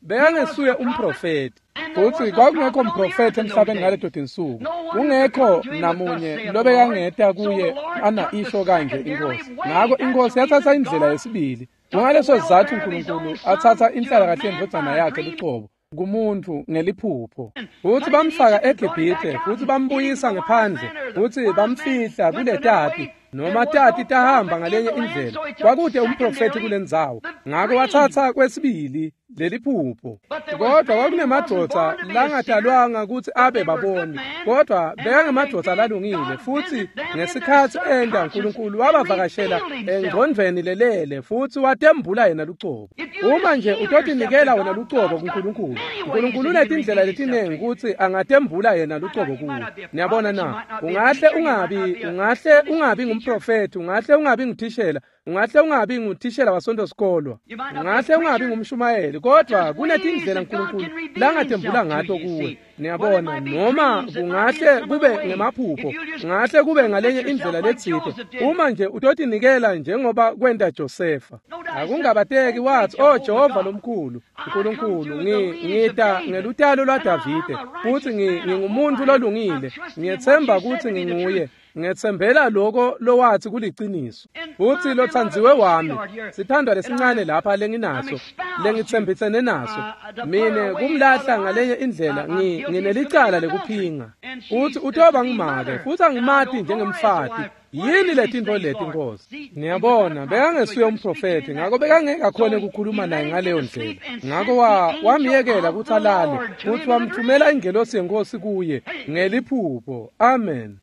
S1: Bekangesuye umprofeti. Futsi kwakungekho mprofeti emhlabeni ngaleto tinsuku. Kungekho namunye lobekangeta kuye ana isho kanje inkosi. Ngako inkosi yatsatsa indlela yesibili. Kungaleso sizatfu uNkulunkulu atsatsa inhlalakahle yendvodzana yakhe lucobo kumuntfu ngeliphupho. Futsi bamfaka eGibhithe, futsi bambuyisa ngephandle, futsi bamfihla kuletati noma tati tahamba ngalenye indlela. Kwakute umprofeti kulendzawo. Ngako watsatsa kwesibili leliphupho. Kodwa kwakunemadvodza langatalwanga kutsi abe baboni, kodwa bekangemadvodza lalungile. Futsi ngesikhatsi enta, uNkulunkulu wabavakashela engcondvweni lelele futsi watembula yena lucobo. Uma nje utotinikela wena lucobo kuNkulunkulu, uNkulunkulu unetindlela letinengi kutsi angatembula yena lucobo kuwe. Niyabona na? Ungahle ungabi, ungahle ungabi ngumprofeti, ungahle ungabi nguthishela, ungahle ungabi nguthishela wasonto sikolwa, ungahle ungabi ngumshumayeli, kodwa kunetindlela uNkulunkulu langatembula ngato kuwe. Niyabona, noma kungahle kube ngemaphupho, kungahle kube ngalenye indlela letsite, uma nje utotinikela njengoba kwenta Josefa. Akungabateki wathi, "Oh Jehova lomkhulu, uNkulunkulu, ngita ngelutalo lwaDavide, futsi ngingumuntu lolungile, ngiyetsemba kutsi nginguye. Ngetsembela lokho lowathi kuliciniso. Futsi lothandziwe wami, sithandwa lesincane lapha lenginaso, lengitsembisene naso, mine kumlahla ngalenye indlela, nginelicala lekuphinga. Futsi utoba ngumake, futsi angimati njengemfati. Yini letintfo leti Nkosi?" Niyabona, bekangesuye umprofeti, ngako bekangeke akhone ukukhuluma naye ngaleyo ndlela. Ngako wamyekela kutsi alale, futsi wamthumela ingelosi yenkosi kuye ngeliphupho. Amen.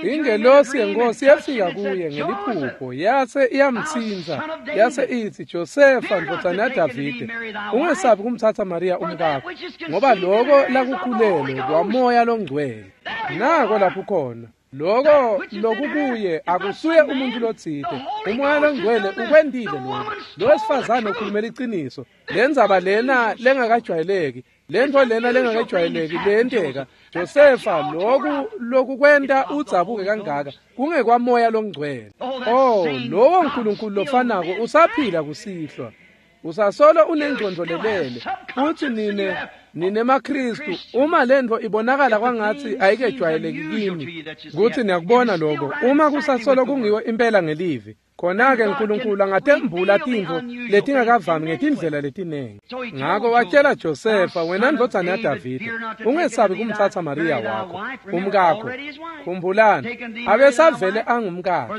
S1: Ingelosi yenkosi yafika kuye ngeliphupho, yase iyamtsintsa, yase itsi, "Josefa ndvodzana yaDavide, ungesabi kumtsatsa Mariya umkakho, ngoba loko lakukhulelwe kwaMoya loNgcwele." Nako lapho khona. Loko lokukuye akusuye umuntu lotsite. Umoya loNgcwele ukwentile lokho. Lo wesifazane ukhulumela iqiniso. Lendzaba lena lengakajwayeleki, lentfo lena lengakajwayeleki leyenteka. Josefa, loku lokukwenta udzabuke kangaka kungekwaMoya loNgcwele. Oh, lowo uNkulunkulu lofanako usaphila kusihlwa. Usasolo unengcondvo lelele. Futsi nine ninemaKristu, uma lentfo ibonakala kwangatsi ayikejwayeleki kimi, kutsi niyakubona lokho, uma kusasolo kungiwo impela ngelivi, khona-ke uNkulunkulu angatembula tintfo letingakavami ngetindlela letinengi. Ngako watshela Josefa, "Wena ndvodzana yaDavide, ungesabi kumtsatsa Mariya wakho, umkakho. Khumbulani, abesavele angumkakhe.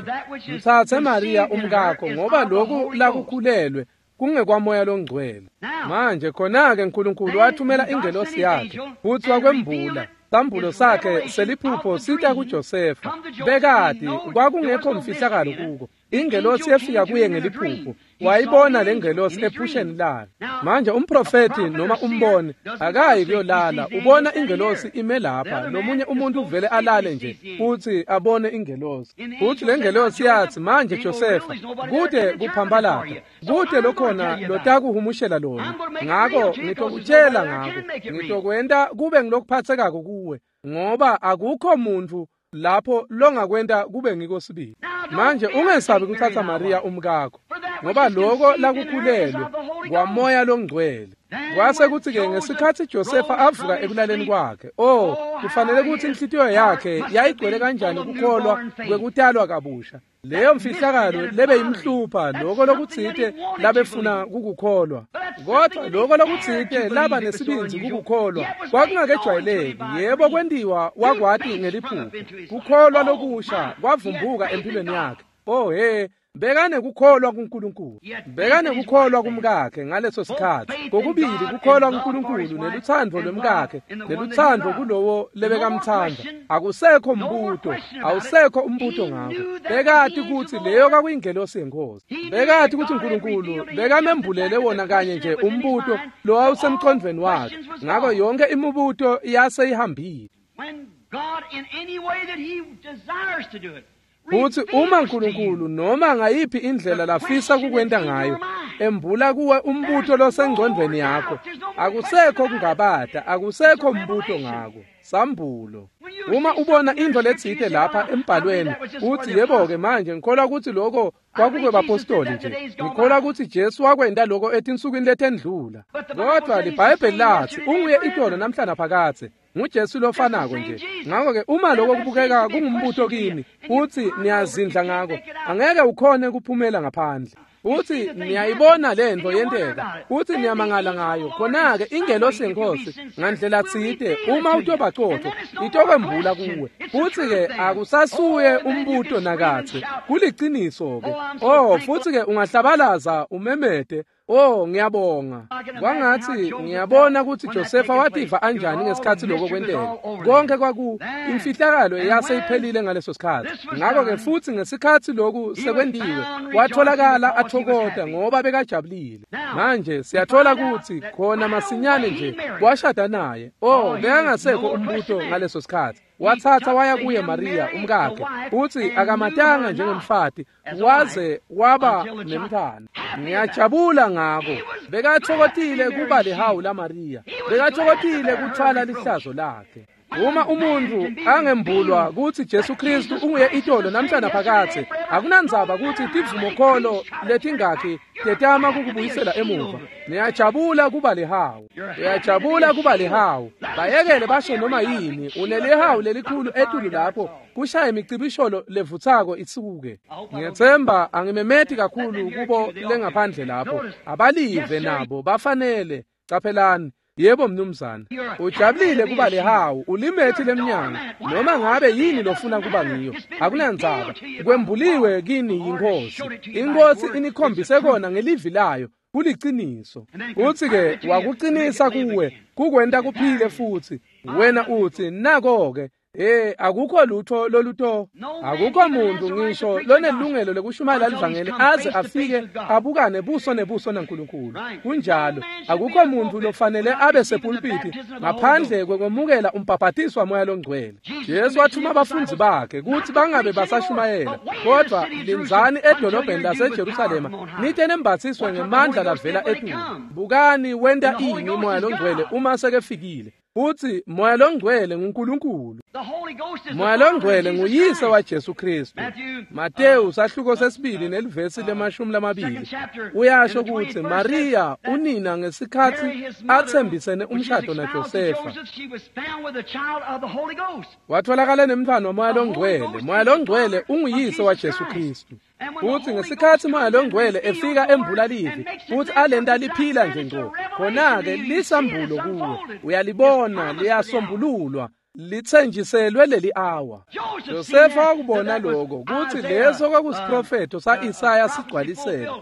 S1: Mtsatse Mariya umkakho, ngoba loku lakukhulelwe kungekwaMoya loNgcwele." Manje khona-ke uNkulunkulu wathumela ingelosi yakhe futsi wakwembula sambulo sakhe seliphupho sita kuJosefa. Bekati kwakungekho mfihlakalo kuko. Ingelosi yefika kuye ngeliphupho, wayibona lengelosi ephusheni layo. Manje umprofeti noma umboni akayi kuyolala, ubona ingelosi ime lapha. Lomunye umuntu uvele alale nje futhi abone ingelosi. Futhi lengelosi yathi, "Manje Josefa, kude kuphambalata, kude lokhona lotakuhumushela lona. Ngako ngitokutshela ngako, ngitokwenta kube ngilokuphathekako kuwe, ngoba akukho muntu lapho longakwenta kube ngiko sibili. Manje ungesabi kutsatsa Mariya umkakho, ngoba loko lakukhulelwe kwaMoya loNgcwele." Kwase kutsi-ke ngesikhatsi Josefa avuka ekulaleni kwakhe, oh, kufanele kutsi inhlitiyo yakhe yayigcwele kanjani kukholwa kwekutalwa kabusha. Leyo mfihlakalo lebeyimhlupha, loko lokutsite labefuna kukukholwa. Kodwa loko lokutsite laba nesibindzi kukukholwa kwakungakejwayeleki. Yebo, kwentiwa wakwati ngeliphupho. Kukholwa lokusha kwavumbuka empilweni yakhe. Oh he, bekanekukholwa kuNkulunkulu, bekanekukholwa kumkakhe ngaleso sikhatsi. Kokubili kukholwa kuNkulunkulu nelutsandvo lwemkakhe, nelutsandvo kulowo lebekamtsandza. Akusekho mbuto, awusekho umbuto ngako. Bekati kutsi leyo kwakuyingelosi yenkosi. Bekati kutsi uNkulunkulu bekamembulele wona kanye nje umbuto lowawusemqondvweni wakhe. Ngako yonke imibuto yase ihambile. Futsi uma uNkulunkulu noma ngayiphi indlela lafisa kukwenta ngayo, embula kuwe umbuto losengcondvweni yakho, akusekho kungabata, akusekho mbuto ngako. Sambulo. Uma ubona intfo letsite lapha embhalweni uthi yebo-ke manje ngikholwa kutsi lokho kwakukwebapostoli nje, ngikholwa kutsi Jesu wakwenta lokho etinsukwini letendlula. Kodwa liBhayibheli lathi unguye itolo namhla naphakadze, nguJesu lofanako nje. Ngakho-ke uma lokho kubukeka kungumbuto kini uthi niyazindla ngako, angeke ukhone kuphumela ngaphandle. Uthi niyayibona lento yenteka, uthi niyamangala ngayo. Khona-ke ingelosi yenkosi ngandlela tsite uma utoba cotho itokwembula kuwe. Uthi-ke akusasuye umbuto nakatsi, kuliciniso-ke. Oh, futhi-ke ungahlabalaza umemete, oh ngiyabonga. Kwangathi ngiyabona ukuthi Josefa wativa anjani ngesikhathi lokho kwenteka. Konke kwaku imfihlakalo yase iphelile ngaleso sikhathi. Ngakho-ke futhi ngesikhathi lokhu sekwentiwe watholakala athokota ngoba bekajabulile. Manje siyathola ukuthi khona masinyane nje washada naye. Oh, bekangasekho umbuto ngaleso sikhathi. Wathatha waya kuye Maria umkakhe, uthi akamatanga njengemfati waze waba nemntwana. Ngiyajabula ngako. Bekathokotile kuba lihawu la Maria, bekathokotile kuthwala lihlazo lakhe. Uma umuntu angembulwa kutsi Jesu Kristu unguye itolo namhla naphakadze, akunandzaba kutsi tivumokholo letingakhi tetama kukubuyisela emuva. Niyajabula kuba lihawu, uyajabula kuba lihawu. Bayekele basho noma yini, unelihawu lelikhulu etulu lapho kushaya imicibisholo levutsako isuke. Ngiyethemba angimemeti kakhulu kubo lengaphandle lapho, abalive nabo bafanele. Caphelani. Yebo mnumzane, ujabulile kuba lihawu, ulimethi lemnyango, noma ngabe yini lofuna kuba ngiyo, akunandzaba. Kwembuliwe kini yinkosi. Inkosi inikhombise kona ngelivi layo, kuliciniso. Uthi-ke wakucinisa kuwe, kukwenta kuphile futhi. Wena uthi nako-ke, eh akukho lutho loluto, akukho muntu ngisho lonelungelo lokushumayela livangeli aze afike abukane buso nebuso naNkulunkulu. Kunjalo, akukho muntu lofanele abe sepulpiti ngaphandle kwekwemukela umbhabhatiso waMoya loNgcwele. Jesu wathuma abafundzi bakhe kutsi bangabe basashumayela, kodwa lindzani edolobheni laseJerusalema nite nembatsiswe ngemandla lavela etulu. Bukani wenta ini Moya loNgcwele uma sekefikile. Uthi Moya loNgcwele nguNkulunkulu. Moya loNgcwele nguyise waJesu Kristu. Mateyu sahluko sesibili nelivesi lemashumi lamabili uyasho kutsi Maria unina ngesikhathi atsembisene umshado naJosefa watholakala nemntfwana waMoya loNgcwele. Moya loNgcwele unguyise waJesu Kristu. Uthi ngesikhathi Moya loNgcwele efika embula livi futhi alenta liphila nje ngco, khona-ke lisambulo kuwe, uyalibona liyasombululwa, lithenjiselwe leli awa. Josefa wakubona lokho kutsi leso kwakusiprofetho sa-Isaya sigcwaliseka.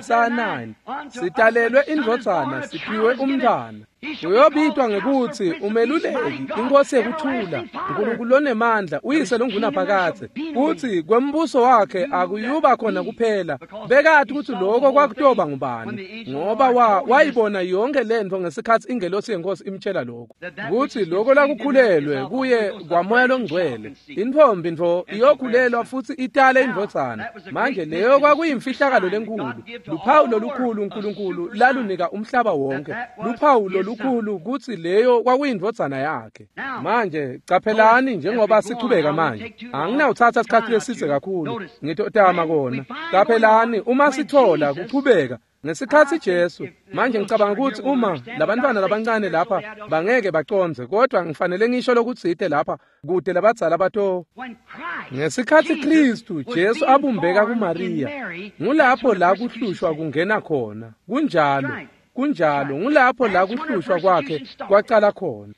S1: Isaya nine, sitalelwe indvodzana, siphiwe umntwana. Uyobitwa ngekutsi umeluleki, inkosi yekuthula, uNkulunkulu lonemandla, uyise longunaphakadze. Kutsi kwembuso wakhe akuyuba khona kuphela. Bekati kutsi lokho kwakutoba ngubani, ngoba wa wayibona yonke lentfo ngesikhathi ingelosi yenkosi imtshela lokho. Kutsi lokho lakukhulelwe kuye kwaMoya loNgcwele. Intfombi ntfo iyokhulelwa futsi itale indvodzana. Manje leyo kwakuyimfihlakalo lenkulu, luphawu lolukhulu uNkulunkulu lalunika umhlaba wonke, luphawu lolukhulu kutsi leyo kwakuyindvodzana yakhe. Manje caphelani njengoba sichubeka manje, anginawutsatsa isikhathi lesitse kakhulu, ngitotama kona. Caphelani uma sithola kuchubeka ngesikhathi Jesu. Manje ngicabanga ukuthi uma labantwana labancane lapha bangeke bacondze, kodwa ngifanele ngisho lokutsite lapha kude labadzala bato. Ngesikhathi Kristu Jesu abumbeka kuMaria, ngulapho la kuhlushwa kungena khona. Kunjalo, kunjalo, ngulapho la kuhlushwa kwakhe kwacala khona.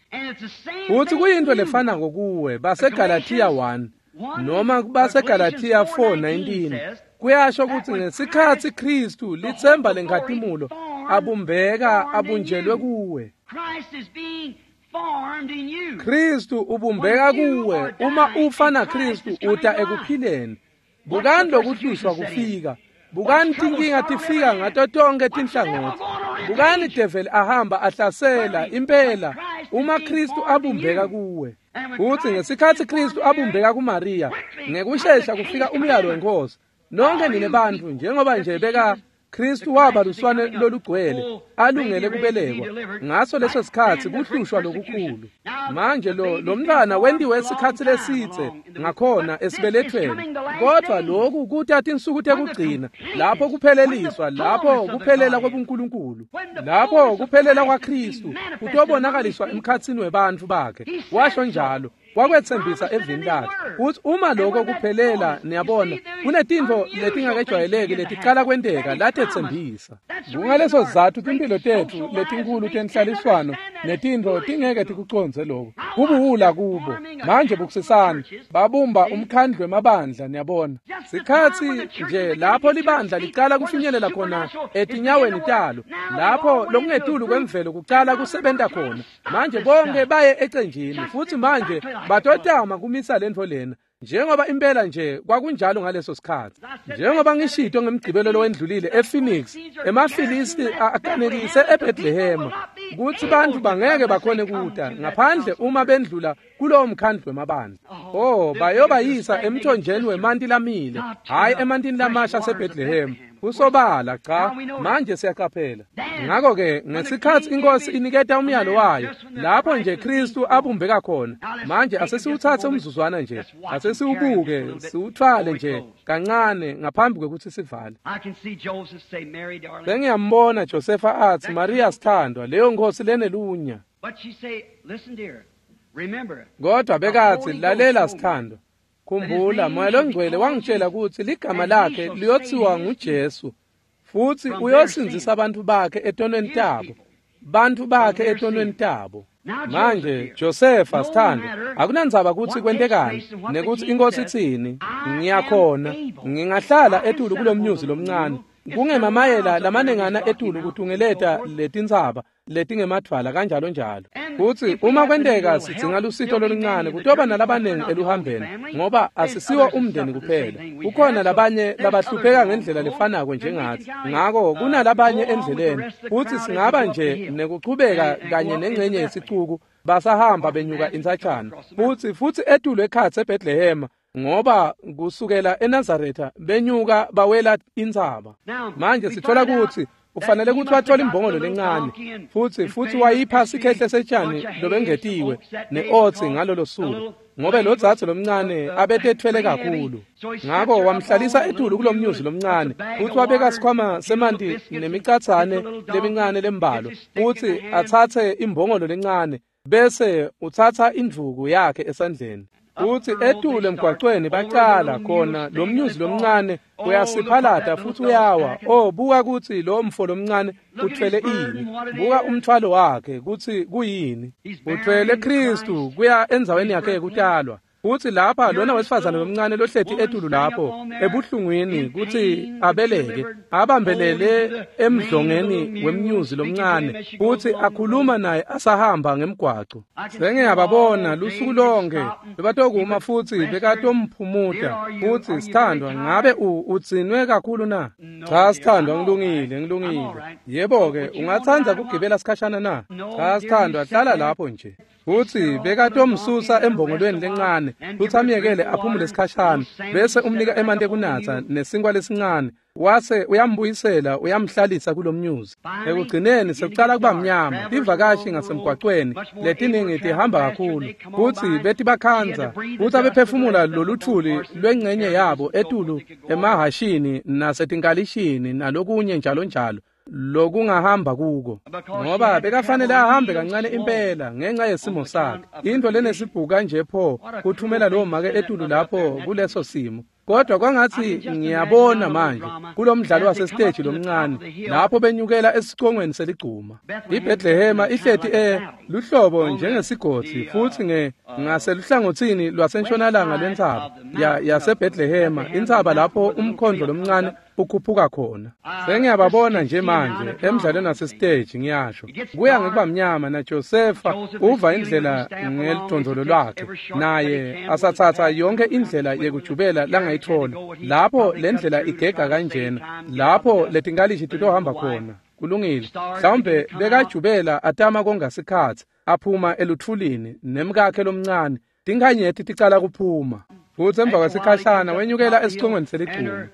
S1: Uthi kuyinto lefanako kuwe baseGalatia one noma baseGalatia four nineteen. Kuyasho ukuthi ngesikhathi Kristu lithemba lenkhatimulo abumbeka abunjelwe kuwe. Kristu ubumbeka kuwe. Uma ufa na Kristu uta ekuphileni. Bukani lokuhlushwa kufika, bukani tinkinga tifika ngato tonke tinhlangothi, bukani develi ahamba ahlasela impela uma Kristu abumbeka kuwe. Uthi ngesikhathi Kristu abumbeka kuMaria, ngekushesha kufika umyalo wenkosi. Nonke nine bantfu njengoba nje beka Kristu waba luswane lolugcwele alungele kubelekwa ngaso leso sikhatsi kuhlushwa lokukhulu. Manje lo lomntwana wentiwe isikhatsi lesitse ngakhona esibelethweni, kodwa lokhu kuta tinsuku tekugcina lapho kupheleliswa, lapho kuphelela kwebuNkulunkulu, lapho kuphelela kwaKristu kutobonakaliswa emkhatsini webantfu bakhe. Washo njalo, wakwetsembisa evini lakhe kutsi uma lokho kuphelela, niyabona kunetintfo letingakejwayeleki leticala kwenteka latetsembisa. Kungaleso sizatfu timphilo tetfu letinkhulu tenhlaliswano netintfo tingeke tikucondze lokho, kubuwula kubo. Manje bukisisani, babumba umkhandlu wemabandla, niyabona sikhatsi nje lapho libandla licala kufinyelela khona etinyaweni talo, lapho lokungetulu kwemvelo kucala kusebenta khona. Manje bonke baye ecenjini futsi manje batotama kumisa lentfo lena njengoba impela nje kwakunjalo ngaleso sikhatsi. Njengoba ngishito ngemgcibelo lowendlulile ePhoenix, emaFilisti akanekise eBethlehem kutsi bantfu bangeke bakhone kuta ngaphandle uma bendlula kulowo mkhandlu wemabandla. Oh, bayobayisa emthonjeni wemanti lamile, hhayi emantini lamasha aseBethlehem. Kusobala cha, manje siyaqaphela. Ngakho-ke ngesikhatsi inkosi iniketa umyalo wayo, lapho nje Kristu abumbeka khona. Manje asesiwuthathe umzuzwana nje, asesiwubuke, siwuthwale nje kancane ngaphambi kwekutsi sivale. Sengiyambona Josefa atsi, Maria sithandwa, leyo nkosi lenelunya. Kodwa bekatsi, lalela sithandwa, khumbula Moya loNgcwele wangitshela kutsi ligama lakhe liyothiwa nguJesu, futsi uyosindzisa bantfu bakhe etonweni tabo, bantfu bakhe etonweni tabo. Manje Josefa sithandwa, akunandzaba kutsi kwentekani nekutsi inkosi itsini, ngiyakhona ngingahlala etulu kulomnyuzi lomncane kungemamayela lamanengana etulu kutungeleta letintsaba letingemadvwala kanjalo njalo. Kutsi uma kwenteka sidzinga lusito loluncane kutoba nalabanengi eluhambeni, ngoba asisiwo umndeni kuphela, kukhona labanye labahlupheka ngendlela lefanako njengatsi. Ngako kunalabanye endleleni, futsi singaba nje nekuchubeka kanye nengcenye yesicuku basahamba benyuka intsatshana futsi futsi etulu ekhatsi eBethlehem, ngoba kusukela eNazaretha benyuka bawela intsaba. Manje sithola kutsi ufanele kutsi wathola imbongolo lencane futsi futsi wayipha sikhehle setshani lobengetiwe ne-otsi ngalolo suku, ngobe lo dzadze lomncane abetethwele kakhulu. Ngako wamhlalisa etulu kulomnyuzi lomncane futsi wabeka sikhwama semanti nemicatsane lemincane lembalwa, futsi atsatse imbongolo lencane bese utsatsa indvuku yakhe esandleni. Futsi etulu emgwacweni bacala khona lomnyuzi lomncane uyasiphalata futsi uyawa. Oh, buka kutsi lo mfo lomncane uthwele ini, buka umthwalo wakhe kutsi kuyini. Uthwele Kristu kuya endzaweni yakhe yekutalwa. Futsi lapha lona wesifazane lomncane lohleti etulu lapho ebuhlungwini kutsi abeleke, abambelele emdlongeni wemnyuzi lomncane futsi akhuluma naye asahamba ngemgwaco. Sengiyababona lusuku lonke bebatokuma futsi bekatomphumuta futsi, sithandwa, ngabe udzinwe kakhulu na? Cha sithandwa, ngilungile, ngilungile. Yebo-ke, ungatsandza kugibela sikhashana na? Cha sithandwa, hlala lapho nje. Futsi bekatomsusa embongolweni lencane futsi amyekele aphumule sikhashana, bese umnika emanti ekunatsa nesinkwa lesincane, wase uyambuyisela uyamhlalisa kulomnyuzi. Ekugcineni sekucala kuba mnyama, tivakashi ngasemgwacweni letiningi tihamba kakhulu futsi betibakhandza futsi abephefumula loluthuli lwengcenye yabo etulu emahashini nasetinkalishini nalokunye njalo njalo lokungahamba kuko, ngoba bekafanele ahambe kancane impela ngenxa yesimo sakhe. Into lenesibhuka nje pho kuthumela lowo make etulu lapho kuleso simo. Kodwa kwangatsi ngiyabona manje kulomdlalo wasesiteji lomncane lapho benyukela esicongweni seligcuma. IBethlehema ihleti e luhlobo njengesigodzi futsi nge ngaseluhlangotsini lwasentshonalanga lwentsaba ya yaseBethlehema, intsaba lapho umkhondlo lomncane ukhuphuka khona. Sengiyababona nje manje emdlalweni wasesiteji, ngiyasho kuya ngekuba mnyama, na Josefa uva indlela ngelidondolo lwakhe, naye asatsatsa yonke indlela yekujubela langayithola. Lapho lendlela igega kanjena, lapho letinkalishi titohamba khona. Kulungile, mhlawumbe bekajubela atama konga sikhatsi aphuma elutfulini nemkakhe lomncane, tinkhanyeti ticala kuphuma. Futsi emva kwesikhashana wenyukela esicongweni seligcuma.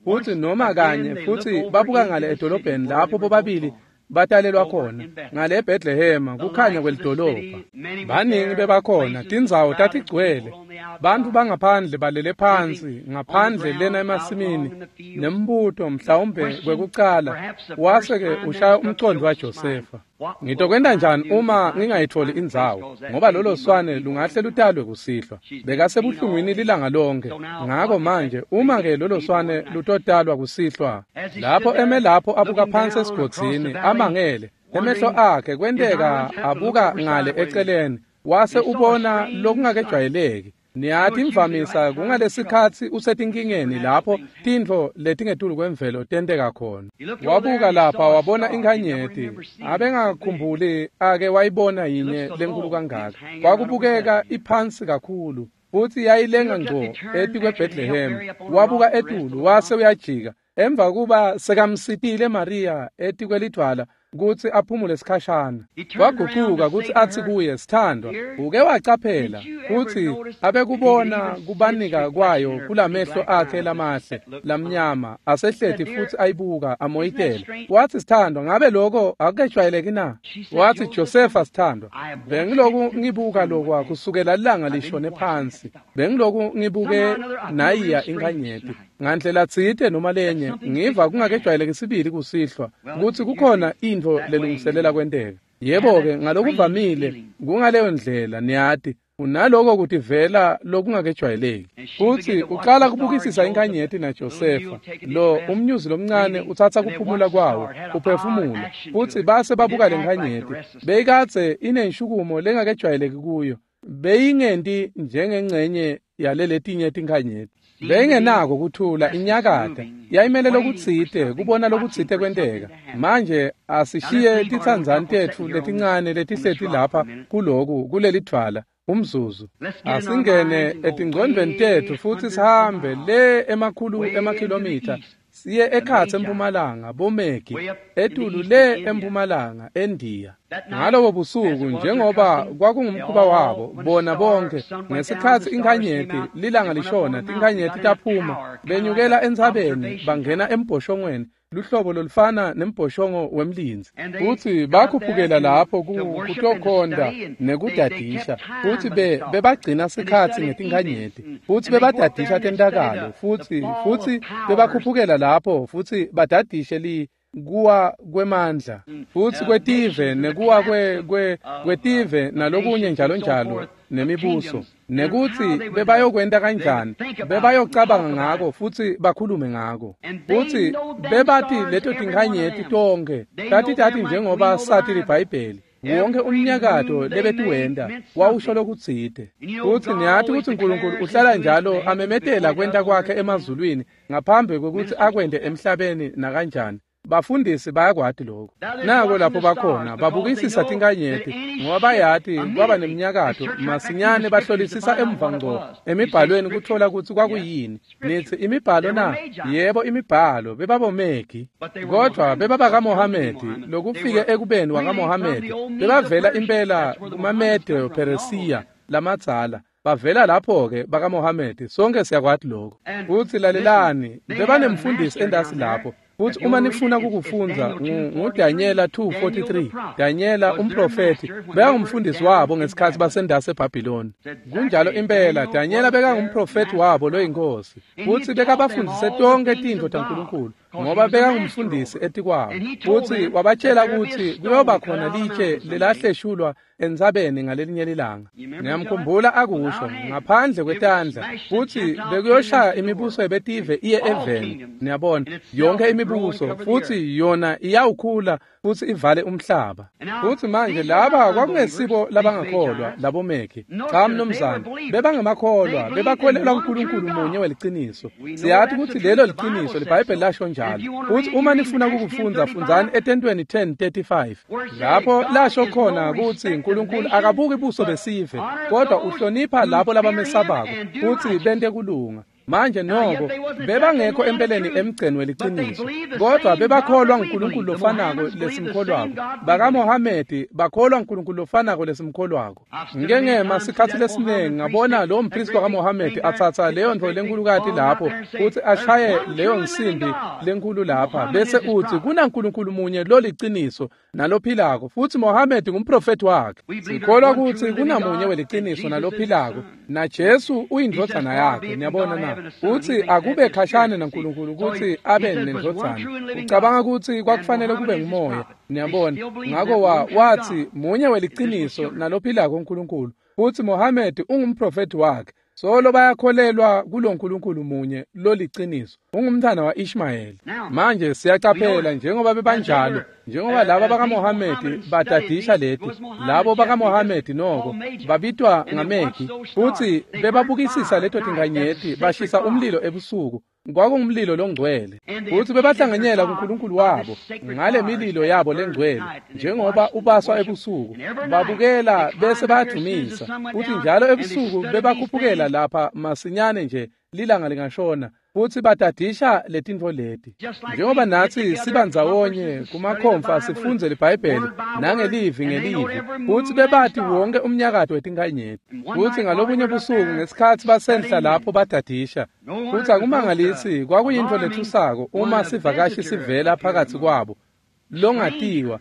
S1: Futsi noma kanye futsi babuka ngale edolobheni lapho bobabili batalelwa khona ngale eBethlehema kukhanya kwelidolobha. Baningi bebakhona, tindzawo tatigcwele, bantfu bangaphandle balele phansi ngaphandle lena emasimini nembuto mhlawumbe kwekucala wase-ke ushaya umcondo waJosefa. Ngitokwenta njani uma ngingayitholi indzawo, ngoba lolo swane lungahle lutalwe kusihlwa. Bekasebuhlungwini lilanga lonke. Ngako manje uma-ke lolo swane lutotalwa kusihlwa, lapho eme lapho abuka phansi esigodzini amangele, emehlo akhe kwenteka abuka ngale eceleni, wase ubona lokungakejwayeleki. Niyati imvamisa kungalesikhatsi usetinkingeni lapho tintfo letingetulu kwemvelo tenteka khona. Wabuka lapha wabona inkhanyeti, abengakhumbuli ake wayibona yinye lenkulu kangaka. Kwakubukeka iphansi kakhulu futsi yayilenga ngco etikweBethlehem. Wabuka etulu wase uyajika emva kuba sekamsitile Maria etikwelidvwala kutsi aphumule sikhashana. Wagucuka kutsi atsi kuye, sithandwa, uke wacaphela kutsi abekubona kubanika kwayo kulamehlo akhe lamahle lamnyama asehleti futsi ayibuka amoyitela. Watsi, sithandwa, ngabe lokho akukejwayeleki na? Watsi, Josefa, sithandwa, bengiloku ngibuka lokwa kusukela lilanga lishone phansi, bengiloku ngibuke nayiya inkhanyeti ngandlela tsite noma lenye, ngiva kungakejwayeleki sibili kusihlwa kutsi kukhona intfo lelungiselela kwenteka. Yebo-ke, ngalokuvamile kungaleyo ndlela, niyati, unaloko kutivela lokungakejwayeleki. Futsi uqala kubukisisa inkhanyeti naJosefa, lo umnyuzi lomncane utsatsa kuphumula kwawo, uphefumula, futsi base babuka lenkhanyeti. Beyikadze inenshukumo lengakejwayeleki kuyo, beyingenti njengengcenye yaleletinye tinkhanyeti. Beyingenako kuthula, inyakata, yayimele lokutsite, kubona lokutsite kwenteka. Manje asishiye titsandzani tetfu letincane letihleti lapha kuloku kulelidvwala umzuzu. Asingene etingcondvweni tetfu futsi sihambe le emakhulu emakhilomitha siye ekhatsi empumalanga bomegi etulu le empumalanga eNdiya. Ngalobo busuku njengoba kwakungumkhuba wabo bona bonke, ngesikhatsi inkhanyeti lilanga lishona, tinkhanyeti taphuma, benyukela entsabeni bangena embhoshongweni, luhlobo lolufana nembhoshongo wemlindzi. Futsi bakhuphukela lapho kutokhonta nekudadisha, futsi be bebagcina sikhatsi ngetinkhanyeti, futsi bebadadisha tentakalo, futsi futsi bebakhuphukela lapho futsi badadishe li kuwa kwemandla futsi kwetive nekuwa kwe kwe kwetive nalokunye njalo njalo nemibuso, nekutsi bebayokwenta kanjani, bebayocabanga ngako futsi bakhulume ngako. Futsi bebati leto tinkhanyeti tonkhe tatitati njengoba sati liBhayibheli. Wonke umnyakato lebetiwenta wawusho lokutsite. Futsi niyati kutsi Nkulunkulu uhlala njalo amemetela kwenta kwakhe emazulwini ngaphambi kwekutsi akwente emhlabeni nakanjani. Bafundisi bayakwati lokho. Nako lapho bakhona babukisisa tinkhanyeti ngoba bayati kwaba neminyakato masinyane bahlolisisa emva ngco emibhalweni kuthola kutsi kwakuyini. Nitsi imibhalo na? Yebo, imibhalo, bebabomegi, kodvwa bebabakaMohamedi, lokufike ekubeni wakaMohamedi, bebavela impela kumaMede Peresiya lamadzala. Bavela lapho-ke bakaMohamedi, sonke siyakwati lokho. Futsi lalelani, bebanemfundisi endasi lapho. Futsi uma nifuna kukufundza nguDanyela two forty-three, Danyela umprofethi bekangumfundisi wabo ngesikhatsi basendase eBhabhiloni. Kunjalo impela, Danyela bekangumprofethi wabo loyinkosi, futsi bekabafundise tonkhe tintfo taNkulunkulu ngoba bekangumfundisi etikwabo. Futsi wabatshela kutsi kuyoba khona litshe lelahleshulwa entsabeni ngalelinye lilanga. Ngiyamkhumbula akusho ngaphandle kwetandla, futsi bekuyoshaya imibuso yebetive iye eveni. Niyabona, yonke imibuso, futsi yona iyawukhula futsi ivale umhlaba. Futsi manje laba kwakungesibo labangakholwa labomeki. Cha mnumzane, bebangemakholwa, bebakholelwa kuNkulunkulu munye weliciniso. Siyati kutsi lelo liciniso, liBhayibheli lasho njalo. Futsi uma nifuna kukufundza, fundzani etentweni ten thirty-five, lapho lasho khona kutsi Nkulunkulu akabuki buso besive, kodwa uhlonipha labo labamesabako futsi bente kulunga. Manje noko bebangekho empeleni emgceni weliciniso, kodwa bebakholwa nguNkulunkulu lofanako lesimkholwako. BakaMohamedi bakholwa nguNkulunkulu lofanako lesimkholwako. Ngike ngema sikhatsi lesiningi ngabona lowo mpristi wakaMohamedi atsatsa leyo ntfo lenkulukati lapho futsi ashaye leyo nsimbi lenkulu lapha, bese utsi kunaNkulunkulu munye loliciniso nalophilako, futsi Mohamedi ngumprofeti wakhe. Sikholwa kutsi kunamunye weliciniso nalophilako, na Jesu uyindvodzana yakhe. Niyabona na? Utsi akube khashane naNkulunkulu kutsi abe nendvodzana. Ucabanga kutsi kwakufanele kube ngumoya. Niyabona? Ngako wa watsi munye weliciniso nalophilako uNkulunkulu, futsi Mohamedi ungumprofeti wakhe. Solo bayakholelwa kuloNkulunkulu munye loliciniso. Ungumntwana wa-Ishmayeli. Manje siyacaphela njengoba bebanjalo, njengoba laba bakaMohamedi badadisha leti, labo bakaMohamedi noko babitwa ngameki, futsi bebabukisisa leto tinkanyeti, bashisa umlilo ebusuku. Kwakungumlilo longcwele, futsi bebahlanganyela kuNkulunkulu wabo ngale mililo yabo lengcwele, njengoba ubaswa ebusuku. Babukela bese bayadumisa, futsi njalo ebusuku bebakhuphukela lapha masinyane nje lilanga lingashona, futsi badadisha letintfo leti. Njengoba natsi sibandzawonye kumakhomfa sifundze liBhayibheli nangelivi ngelivi, futsi bebati wonke umnyakato wetinkanyeti. Futsi ngalobunye busuku ngesikhatsi basenhla lapho badadisha, futsi akumangalisi kwakuyintfo lethusako uma sivakashi sivela phakathi kwabo longatiwa.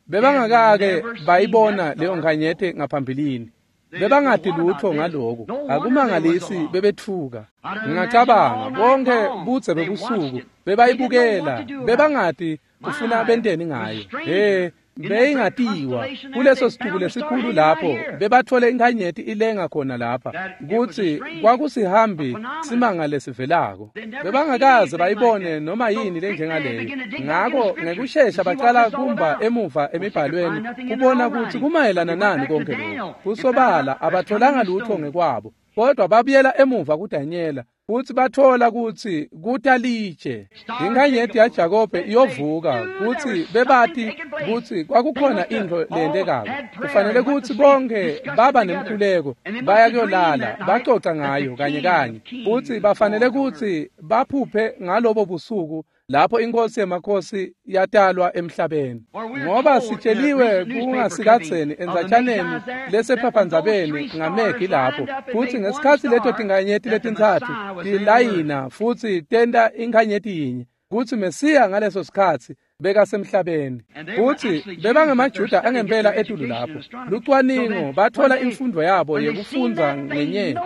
S1: Bebangakake bayibona leyo nkanyeti ngaphambilini. Bebangati lutho ngaloko. Akumangalisi bebetfuka. Ngingacabanga bonke budze bebusuku bebayibukela, bebangati kufuna benteni ngayo. He, beyingatiwa kuleso situku lesikhulu lapho bebathole inkanyeti ilenga khona lapha, kutsi kwakusihambi simanga lesivelako. Bebangakaze bayibone noma yini lenjengaleyo. Ngako ngekushesha bacala kumba emuva emibhalweni kubona kutsi kumayelana nani konke lokhu. Kusobala abatholanga lutho ngekwabo, kodwa babuyela emuva kuDanyela futsi bathola kutsi kutalitshe inkanyeti yaJakobe iyovuka, kutsi bebati kutsi kwakukhona intfo leyentekako. Kufanele kutsi bonke baba nemkhuleko, baya kuyolala bacoca ngayo kanye kanye, futsi bafanele kutsi baphuphe ngalobo busuku lapho inkosi yemakhosi yatalwa emhlabeni. Ngoba sitsheliwe kungasikatseni endzatshaneni lesephaphandzabeni ngamegi lapho, futsi ngesikhatsi leto tinkanyeti letintsatfu tilayina futsi tenta inkanyeti yinye, kutsi Mesiya ngaleso sikhatsi bekasemhlabeni. Futsi bebangemaJuda angempela etulu lapho. Lucwaningo bathola imfundo yabo yekufundza ngenyeti.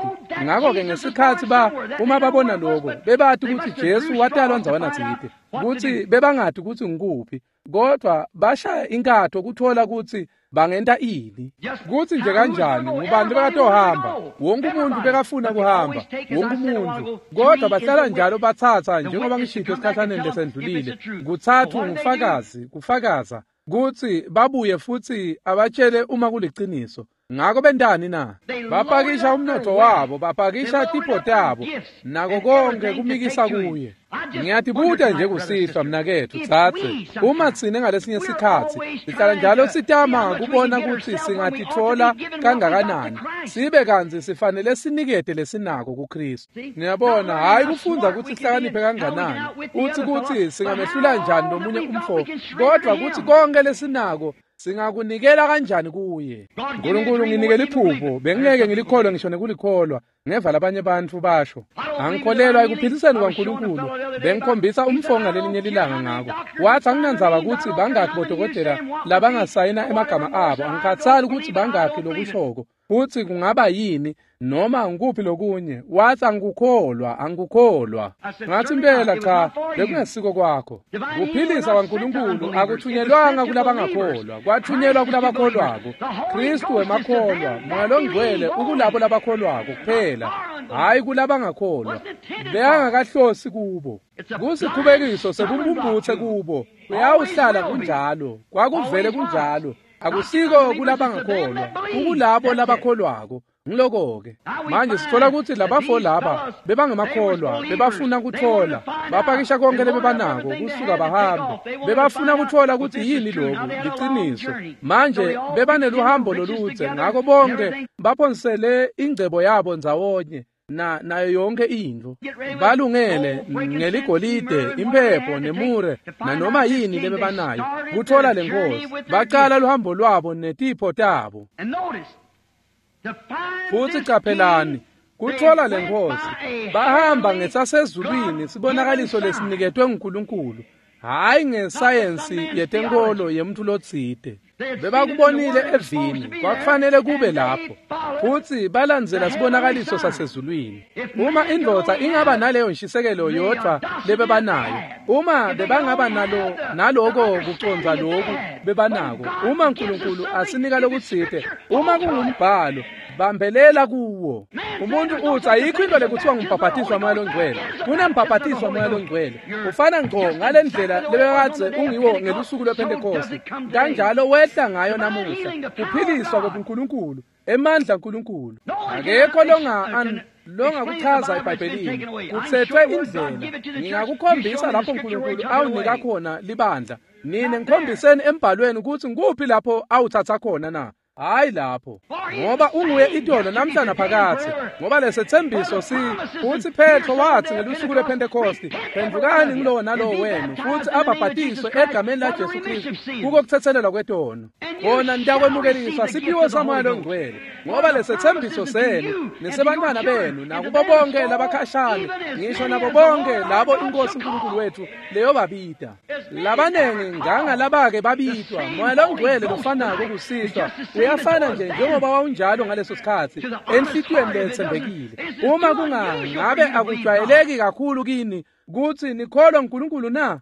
S1: Ngako-ke ngesikhatsi ba uma babona lokho, bebati kutsi Jesu watalwa ndzawana tsite, kutsi bebangati kutsi ngikuphi, kodwa bashaya inkatho kuthola kutsi bangenta ini, kutsi nje kanjani, ngubani bekatohamba. Wonke umuntu bekafuna kuhamba, wonke umuntu, kodwa bahlala njalo batsatsa, njengoba ngishito esikhatsaneni lesendlulile, kutsatfu ngufakazi kufakaza kutsi babuye futsi abatshele uma kuliciniso. Ngako bentani na? Bapakisha umnotfo wabo, bapakisha tipho tabo, nako konke kumikisa kuye. Ngiyatibuta nje kusihlwa mnaketfu tsatse, uma tsine ngalesinye sikhatsi sihlala njalo sitama kubona kutsi singatitfola kangakanani, sibe kantsi sifanele sinikete lesinako kuKristu. Niyabona, hhayi kufundza kutsi sihlakaniphe kanganani, utsi kutsi singamehlula njani lomunye umfo, kodwa kutsi konke lesinako singakunikela kanjani kuye. Nkulunkulu nginike liphupho, bengingeke ngilikholwe ngisho nekulikholwa. Ngeva labanye bantfu basho, angikholelwa ekuphiliseni kwaNkulunkulu. Bengikhombisa umfo ngalelinye lilanga ngako. Wathi anginandzaba kutsi bangakhi bodokotela labangasayina emagama abo, angikhatsali kutsi bangakhi lokushoko, futsi kungaba yini noma ngikuphi lokunye. Wathi angikukholwa, angikukholwa. Ngathi impela cha, bekungesiko kwakho. Kuphilisa kwaNkulunkulu akuthunyelwanga kulabangakholwa, kwathunyelwa kulabakholwako. Kristu wemakholwa, Moya loNgcwele ukulabo labakholwako kuphela, hhayi kulabangakholwa. Bekangakahlosi kubo. Kusikhubekiso sebumbumbutse kubo. Kuyawuhlala kunjalo, kwakuvele kunjalo. Akusiko kulabangakholwa, kukulabo labakholwako. Ngiloko-ke manje sithola kutsi labafo laba bebangemakholwa, bebafuna kutfola, bapakisha konke lebebanako kusuka bahambe. Bebafuna kutfola kutsi yini loku liciniso. Manje bebaneluhambo loludze, ngako bonke baphonsele ingcebo yabo ndzawonye na nayo yonke intfo balungele ngeligolide imphepho nemure nanoma yini lebebanayo kutfola lenkosi bacala luhambo lwabo netipho tabo futsi caphelani kutfola lenkosi bahamba ngesasezulwini sibonakaliso lesiniketwe nguNkulunkulu hhayi ngesayensi yetenkolo yemuntu lotsite bebakubonile evini kwakufanele kube lapho futsi balandzela sibonakaliso sasezulwini uma indvodza ingaba naleyo nshisekelo yodvwa lebebanayo uma bebangaba nalo naloko kucondza loku bebanako uma Nkulunkulu asinika lokutsite uma kungumbhalo bambelela kuwo umuntu utsi ayikho into lekuthiwa ngumbhabhatiso wamoya longcwele kunembhabhatiso wamoya longcwele ufana ngco ngale ndlela lebekadze ungiwo ngelusuku lwePhentekoste kanjalo wehla ngayo namuhla kuphiliswa kobuNkulunkulu emandla aNkulunkulu akekho longa longakuchaza eBhayibhelini kutsetfwe indlela ngingakukhombisa lapho uNkulunkulu awunika khona libandla nine ngikhombiseni embhalweni ukuthi ngikuphi lapho awuthatha khona na hayi lapho ngoba unguye itolo namhla naphakathi ngoba lesethembiso si futhi Petro wathi ngelusuku lwePhentekoste phendukani ngilowo nalowo wenu futhi abhabhatiswe egameni laJesu Kristu kuko kuthethelelwa kwetono kona nitakwemukeliswa siphiwo samoya longcwele ngoba lesethembiso senu nesebantwana benu nakubo bonke labakhashane ngisho nabo bonke labo inkosi uNkulunkulu wethu leyobabita labanengi ngangalabake babitwa moya longcwele lofanako kusihlwa uyafana nje njengoba wawunjalo ngaleso sikhathi enhlitiyweni letsembekile uma kungangabe akujwayeleki kakhulu kini kutsi nikholwa uNkulunkulu na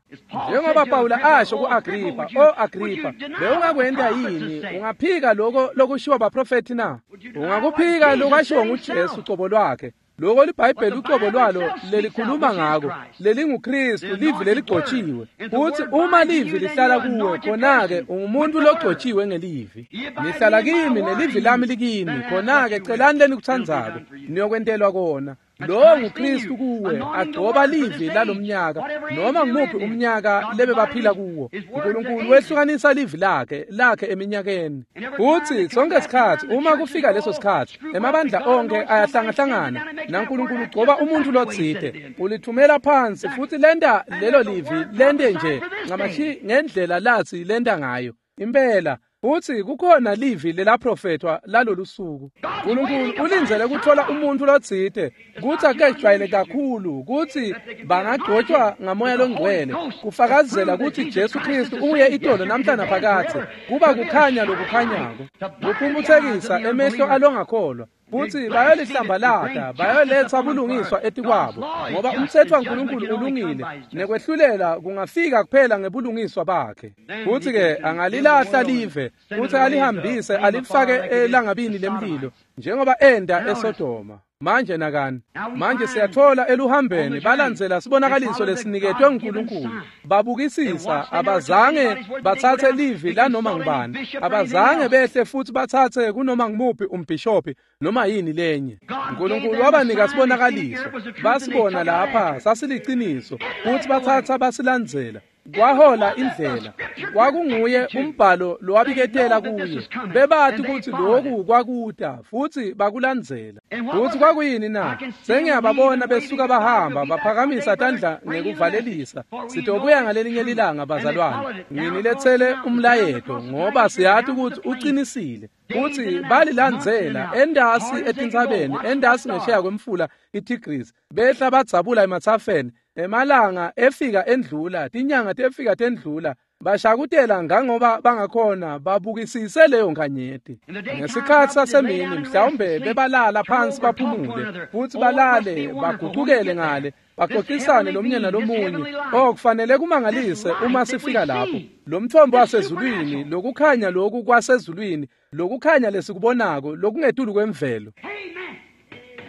S1: njengoba Pawula asho ku-Agripha o Agripha bewungakwenta yini ungaphika lokho lokushiwo baprofethi na ungakuphika lokwashiwo nguJesu cobo lwakhe lokho liBhayibheli ucobo lwalo lelikhuluma ngako lelinguKristu livi leligcotshiwe futhi uma livi lihlala kuwe khona-ke ungumuntu logcotshiwe ngelivi nihlala kimi nelivi lami likini khona-ke celani lenikutsandzako niyokwentelwa kona lowo nguKristu kuwe agcoba livi lalomnyaka noma ngumuphi umnyaka lebebaphila kuwo uNkulunkulu wehlukanisa livi lakhe lakhe eminyakeni futhi sonke sikhathi uma kufika leso sikhathi emabandla onke ayahlangahlangana naNkulunkulu ugcoba umuntu lotsite ulithumela phansi futhi lenta lelo livi lente nje ncamashi ngendlela lathi lenta ngayo impela futhi kukhona livi lelaprofethwa lalolu suku uNkulunkulu ulindzele kuthola umuntu lotsite kutsi akejwayele kakhulu kutsi bangagcotshwa ngamoya longcwele kufakazela kutsi Jesu Kristu uye itolo namhla naphakadze kuba kukhanya lokukhanyako kuphumphutsekisa emehlo alongakholwa futhi bayolihlambalata bayoletsa bulungiswa etikwabo ngoba umtsetfo waNkulunkulu ulungile nekwehlulela kungafika kuphela ngebulungiswa bakhe futhi-ke angalilahla live futhi alihambise alifake elangabini lemlilo njengoba enda eSodoma manje nakani manje siyathola eluhambeni balandzela sibonakaliso lesiniketwe nguNkulunkulu babukisisa abazange batsatse livi lanoma ngubani abazange behle futhi batsatse kunoma ngumuphi umbhishophi noma yini lenye uNkulunkulu wabanika sibonakaliso basibona lapha sasiliciniso futhi batsatsa basilandzela kwahola indlela kwakunguye umbhalo lowabiketela kuye bebati ukuthi lokhu kwakuta futhi bakulandzela futhi kwakuyini na sengiyababona besuka bahamba baphakamisa tandla ngekuvalelisa sitobuya ngalelinye lilanga bazalwane nginiletsele umlayeto ngoba siyati ukuthi uqinisile futhi balilandzela endasi etintsabeni endasi ngesheya kwemfula iTigris behla badzabula emathafeni emalanga efika endlula tinyanga tefika tendlula bashakutela ngangoba bangakhona babukisise leyo nkanyeti ngesikhathi sasemini mhlawumbe bebalala phansi baphumule futhi balale bagucukele ngale baxoxisane lomunye nalomunye oh kufanele kumangalise uma sifika lapho lo mthombo wasezulwini lokukhanya loku kwasezulwini lokukhanya lesikubonako lokungetulu kwemvelo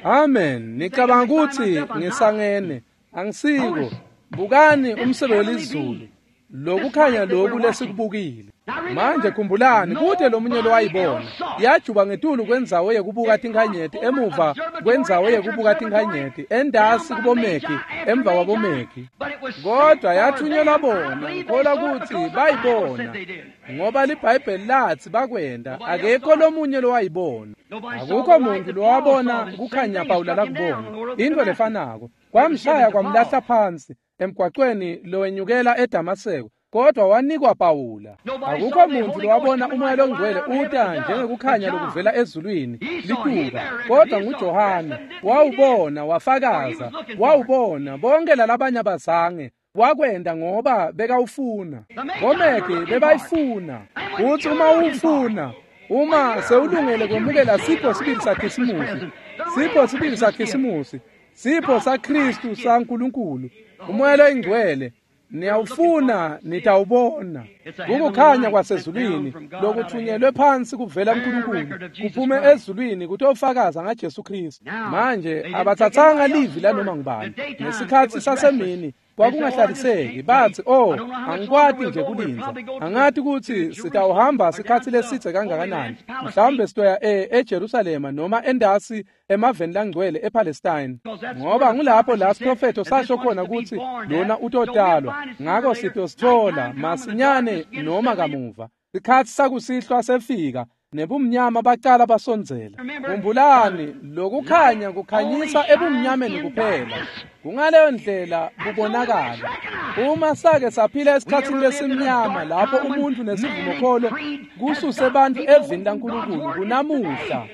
S1: amen nicabanga ukuthi ngisangene angisiko bukani umsebe welizulu Lokukhanya loku lesikubukile. Manje khumbulani kute lomunye lowayibona. Yajuba ngetulu kwendzawo yekubuka tinkhanyeti emuva kwendzawo yekubuka tinkhanyeti endasi kubomeki emva kwabomeki. Kodwa yathunyelwa bona ngikholwa kutsi bayibona ngoba liBhayibheli lathi bakwenda akekho lomunye lowayibona. Akukho muntu lowabona kukhanya Pawula lakubona. Into lefanako kwamshaya kwamlahla phansi emgwaqweni lowenyukela eDamaseko. Kodwa wanikwa Pawula. Akukho muntu lowabona umoya longcwele uta njengekukhanya lokuvela ezulwini lituba. Kodwa nguJohane wawubona wafakaza wawubona bonke lalabanye abazange wakwenda ngoba bekawufuna. Bomeki bebayifuna. Uthi uma ufuna uma sewulungele kwemukela sipho sibili saKhisimusi sipho sibili saKhisimusi sipho saKhristu saNkulunkulu umoya loyingcwele niyawufuna nitawubona. Kukukhanya kwasezulwini lokuthunyelwe phansi kuvela kuNkulunkulu kuphume ezulwini kutofakaza ngaJesu Kristu. Manje abathathanga livi lanoma ngubani. Ngesikhatsi sasemini kwakungahlaliseki bathi oh angikwati nje kulindza angathi kutsi sitawuhamba sikhatsi lesitse kangakanani mhlawumbe sitoya e eJerusalema noma endasi emaveni langcwele ePalestine ngoba ngulapho la siprofetho sasho khona kutsi lona utotalwa ngako sitosithola masinyane noma kamuva. Sikhatsi sakusihlwa sefika nebumnyama bacala basondzela. Khumbulani lokukhanya kukhanyisa ebumnyameni kuphela. Kungaleyo ndlela kubonakala. Uma sake saphila esikhatsini lesimnyama lapho umuntu nesivumokholo kususe bantu evini laNkulunkulu kunamuhla.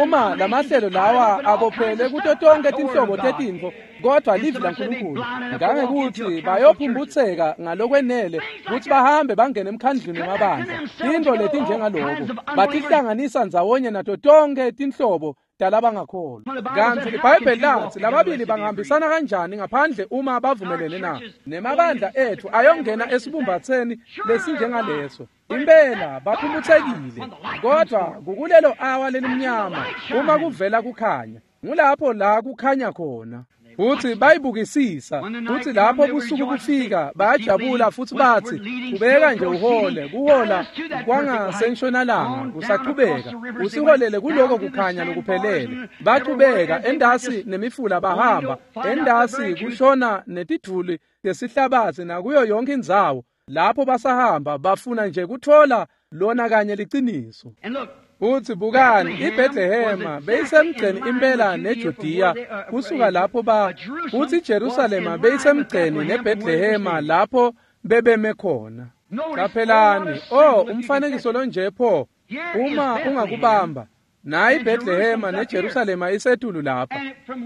S1: Uma lamahlelo lawa abophele kuto tonke tinhlobo tetintfo kodwa livi laNkulunkulu ngangekuthi bayophumbutseka ngalokwenele kutsi bahambe bangene emkhandlwini wamabandla. Tintfo letinjengaloko batihlanganisa ndzawonye nato tonke tinhlobo talabangakholwa. Kantsi iBhayibheli lathi lababili bangahambisana kanjani ngaphandle uma bavumelene na? Nemabandla ethu ayongena esibumbatheni lesinjengaleso. Impela baphumutsekile kodwa kukulelo awa lelimnyama uma kuvela kukhanya ngulapho la kukhanya khona. Futhi bayibukisisa futhi lapho busuku bufika bayajabula futhi bathi kubeka nje uhole kuhola kwangasentshonalanga kusaqhubeka usiholele kuloko kukhanya lokuphelele. Baqhubeka endasi nemifula bahamba endasi kushona netidvuli tesihlabatsi nakuyo yonke indzawo lapho basahamba bafuna nje kuthola lona kanye liciniso. Uthi bukani iBethlehema beyisemgceni impela neJudiya kusuka lapho ba uthi iJerusalema beyisemgceni neBethlehema lapho bebeme khona. Qaphelani oh umfanekiso lonje pho uma ungakubamba nayi iBethlehema neJerusalema isetulu lapha.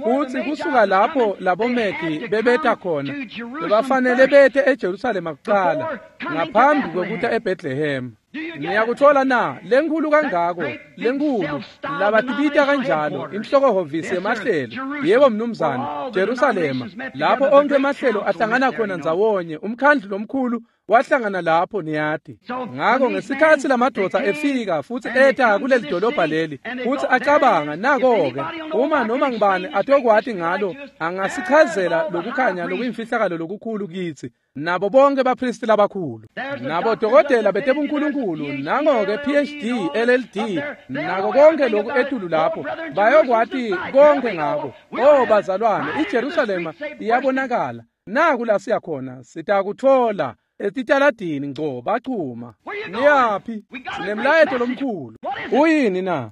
S1: Uthi kusuka lapho labomeki bebeta khona bebafanele bete eJerusalema kuqala ngaphambi kokuta eBethlehema. Niyakuthola na lenkhulu kangako lenkhulu labatibita kanjalo inhlokohhovisi yemahlelo. Yebo mnumzane, Jerusalema lapho onke emahlelo ahlangana khona ndzawonye umkhandlu lomkhulu wahlangana lapho niyati. Ngakho ngesikhatsi lamadoda efika futhi eta kuleli dolobha leli futhi acabanga nako-ke uma noma ngibani atokwati ngalo angasichazela lokukhanya lokuyimfihlakalo lokukhulu kitsi nabo bonke bapristi labakhulu nabo dokotela betebunkulunkulu nango-ke P H D L L D nako konke lokhu etulu lapho bayokwati konke ngako. Oh bazalwane, iJerusalema iyabonakala naku la siya khona sitakuthola etitaladini ngco bachuma. Niyaphi? Sinemlayeto lomkhulu. Uyini na?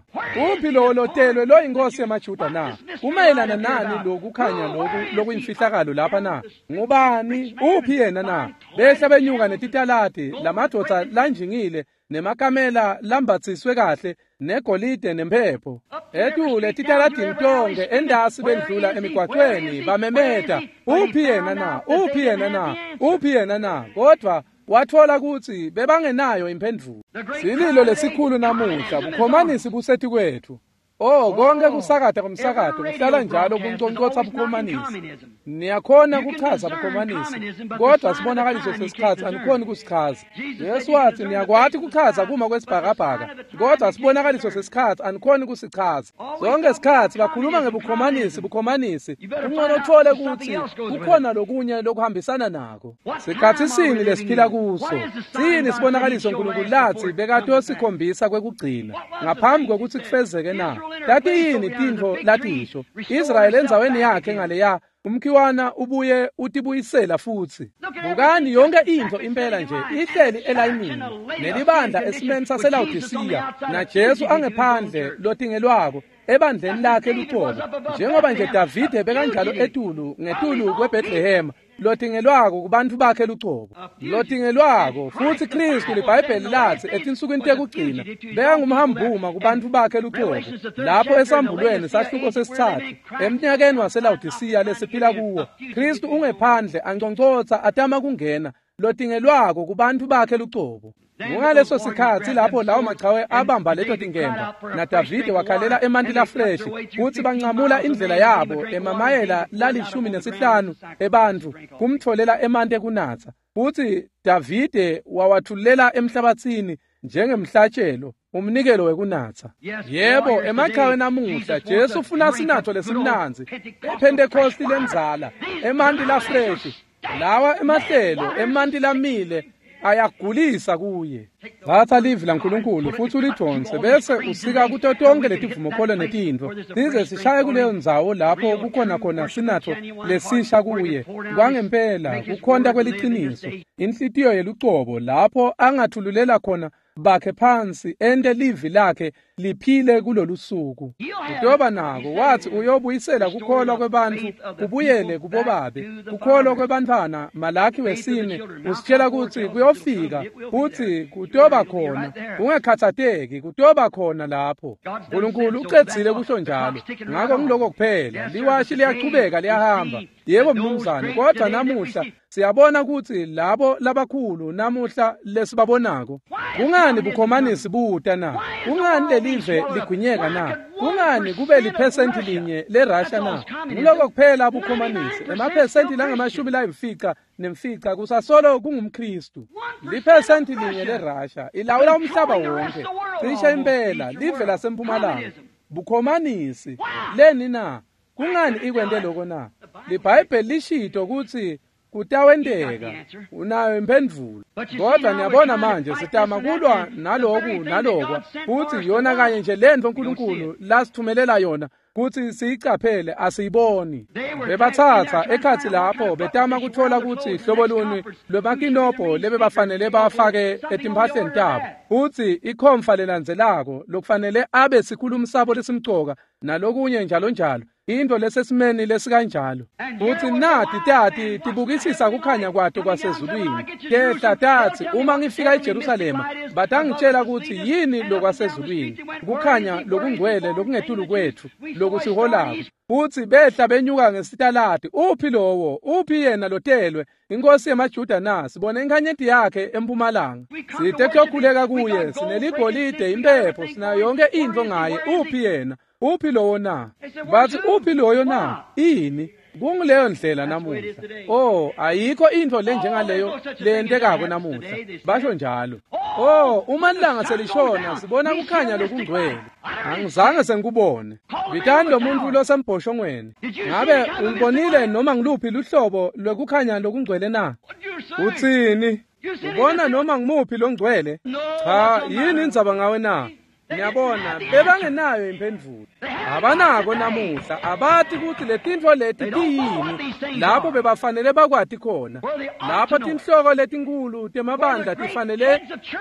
S1: Uphi lo lotelwe lo inkosi yamaJuda na? Kumayelana nani lokukhanya loku lokuyimfihlakalo lapha na? Ngubani? Uphi yena na? Behla benyuka netitaladi lamadoda lanjingile nemakamela lambatsiswe kahle negolide nemphepho etule titaladini tonke endasi bendlula emigwaqweni bamemeta uphi yena na? Uphi yena na? Uphi yena na? Kodwa wathola kutsi bebangenayo imphendvulo. Sililo lesikhulu namuhla bukhomanisi busethi kwethu. Oh, konke kusakata komsakato kuhlala njalo kunconcotsa bukhomanisi. Niyakhona kuchaza bukhomanisi, kodwa sibonakaliso sesikhatsi anikhoni kusichaza. Jesu watsi niyakwati kuchaza kuma kwesibhakabhaka, kodwa sibonakaliso sesikhatsi anikhoni kusichaza. Zonke sikhatsi bakhuluma ngebukhomanisi, bukhomanisi. Kungcono uthole kutsi kukhona lokunye lokuhambisana nako. Sikhatsi sini lesiphila kuso? Sini sibonakaliso uNkulunkulu latsi bekatosikhombisa kwekugcina ngaphambi kwekutsi kufezeke na? Tati yini tintfo latisho? Israyeli endzaweni yakhe ngaleya umkhiwana ubuye utibuyisela futsi. Bukani yonke intfo impela nje ihleli elayinini nelibandla esimeni saseLawodisiya naJesu angephandle lotingelwako ebandleni lakhe lucobo, njengoba nje Davide bekanjalo etulu ngetulu kweBethlehem lotingelwako kubantfu bakhe lucobo, lotingelwako futsi Kristu liBhayibheli latsi etinsukwini tekugcina bekangumhambuma kubantfu bakhe lucobo. Lapho esambulweni sahluko sesitsatfu emnyakeni waseLawodisiya lesiphila kuwo, Kristu ungephandle anconcotsa atama kungena lotingelwako kubantfu bakhe lucobo. Ngaleso sikhatsi lapho lawo machawe abamba leto tinkemba naDavide wakhalela emanti lafreshi kutsi bancamula indlela yabo emamayela lalishumi nesihlanu ebantfu kumtfolela emanti ekunatsa, futsi Davide wawathulela emhlabatsini njengemhlatshelo, umnikelo wekunatsa. Yebo, emachawe namuhla Jesu ufuna sinatfo lesimnandzi, ePhentekosti lendzala, emanti lafreshi, lawa emahlelo, emanti lamile ayagulisa kuye. Thatha livi laNkulunkulu futsi ulidvonse bese usika kuto tonke letivumokholo netintfo size sishaye kuleyo ndzawo lapho kukhona khona sinatfo lesisha kuye kwangempela, kukhonta kweliciniso, inhlitiyo yelucobo, lapho angathululela khona bakhe phansi ente livi lakhe liphile kulolusuku. Utoba nako, wathi uyobuyisela kukholwa kwebantfu kubuyele kubobabe, kukholwa kwebantfwana. Malaki wesine usitshela kutsi kuyofika futsi kutoba khona, ungakhatsateki, kutoba khona lapho. Nkulunkulu ucedzile kusho njalo, ngako ngiloko kuphela. Liwashi liyachubeka liyahamba. Yebo mnumzane, kodwa namuhla siyabona kutsi labo labakhulu namuhla lesibabonako, kungani bukhomanisi buta na? Kungani lelive ligwinyeka na? Kungani kube liphesenti linye leRussia na? Ngiloko kuphela bukhomanisi, emaphesenti langamashumi layimfica nemfica kusasolo kungumKristu. Liphesenti linye leRussia ilawula umhlaba wonke, cishe impela live lasempumalanga. Bukhomanisi leni na? Kungani ikwente lokho na? LiBhayibheli lishito kutsi kutawenteka. Unayo imphendvulo. Kodwa niyabona manje sitama kulwa naloku nalokwa, futsi yona kanye nje lentfo uNkulunkulu lasithumelela yona kutsi siyicaphele asiyiboni. Bebathatha ekhatsi lapho betama kutfola kutsi hlobo luni lwemakinobho lebebafanele bafake etimphahleni tabo, futsi ikhomfa lelandzelako lokufanele abe sikhulumi sabo lesimcoka nalokunye njalo njalo, into lesesimeni lesikanjalo. Futsi nati tati tibukisisa kukhanya kwato kwasezulwini, tehla tatsi uma ngifika eJerusalema batangitshela kutsi yini lokwasezulwini, kukhanya lokungcwele lokungetulu kwetfu lokusiholako. Futsi behla benyuka ngesitaladi, uphi lowo, uphi yena lotelwe inkosi yemaJuda na? Sibone inkhanyeti yakhe empumalanga, site kuyokhuleka kuye, sineligolide, impepho, sinayo yonke intfo ngaye. Uphi yena? Uphi lowo na? Bathi uphi loyo na? Ini? Kunguleyo ndlela namuhla. Oh, ayikho intfo lenjengaleyo leyentekako namuhla, basho njalo. Oh, uma ilanga selishona sibona kukhanya lokungcwele. Angizange sengikubone. Bitani lo muntu losembhoshongweni. Ngabe ulibonile noma ngiluphi luhlobo lwekukhanya lokungcwele na? Utsini? Ubona noma ngimuphi longcwele? Cha, yini indzaba ngawe na? Niyabona, bebangenayo imphendvulo. Abanako namuhla, abati kutsi letintfo leti tiyini lapho bebafanele bakwati khona, lapho tinhloko letinkhulu temabandla tifanele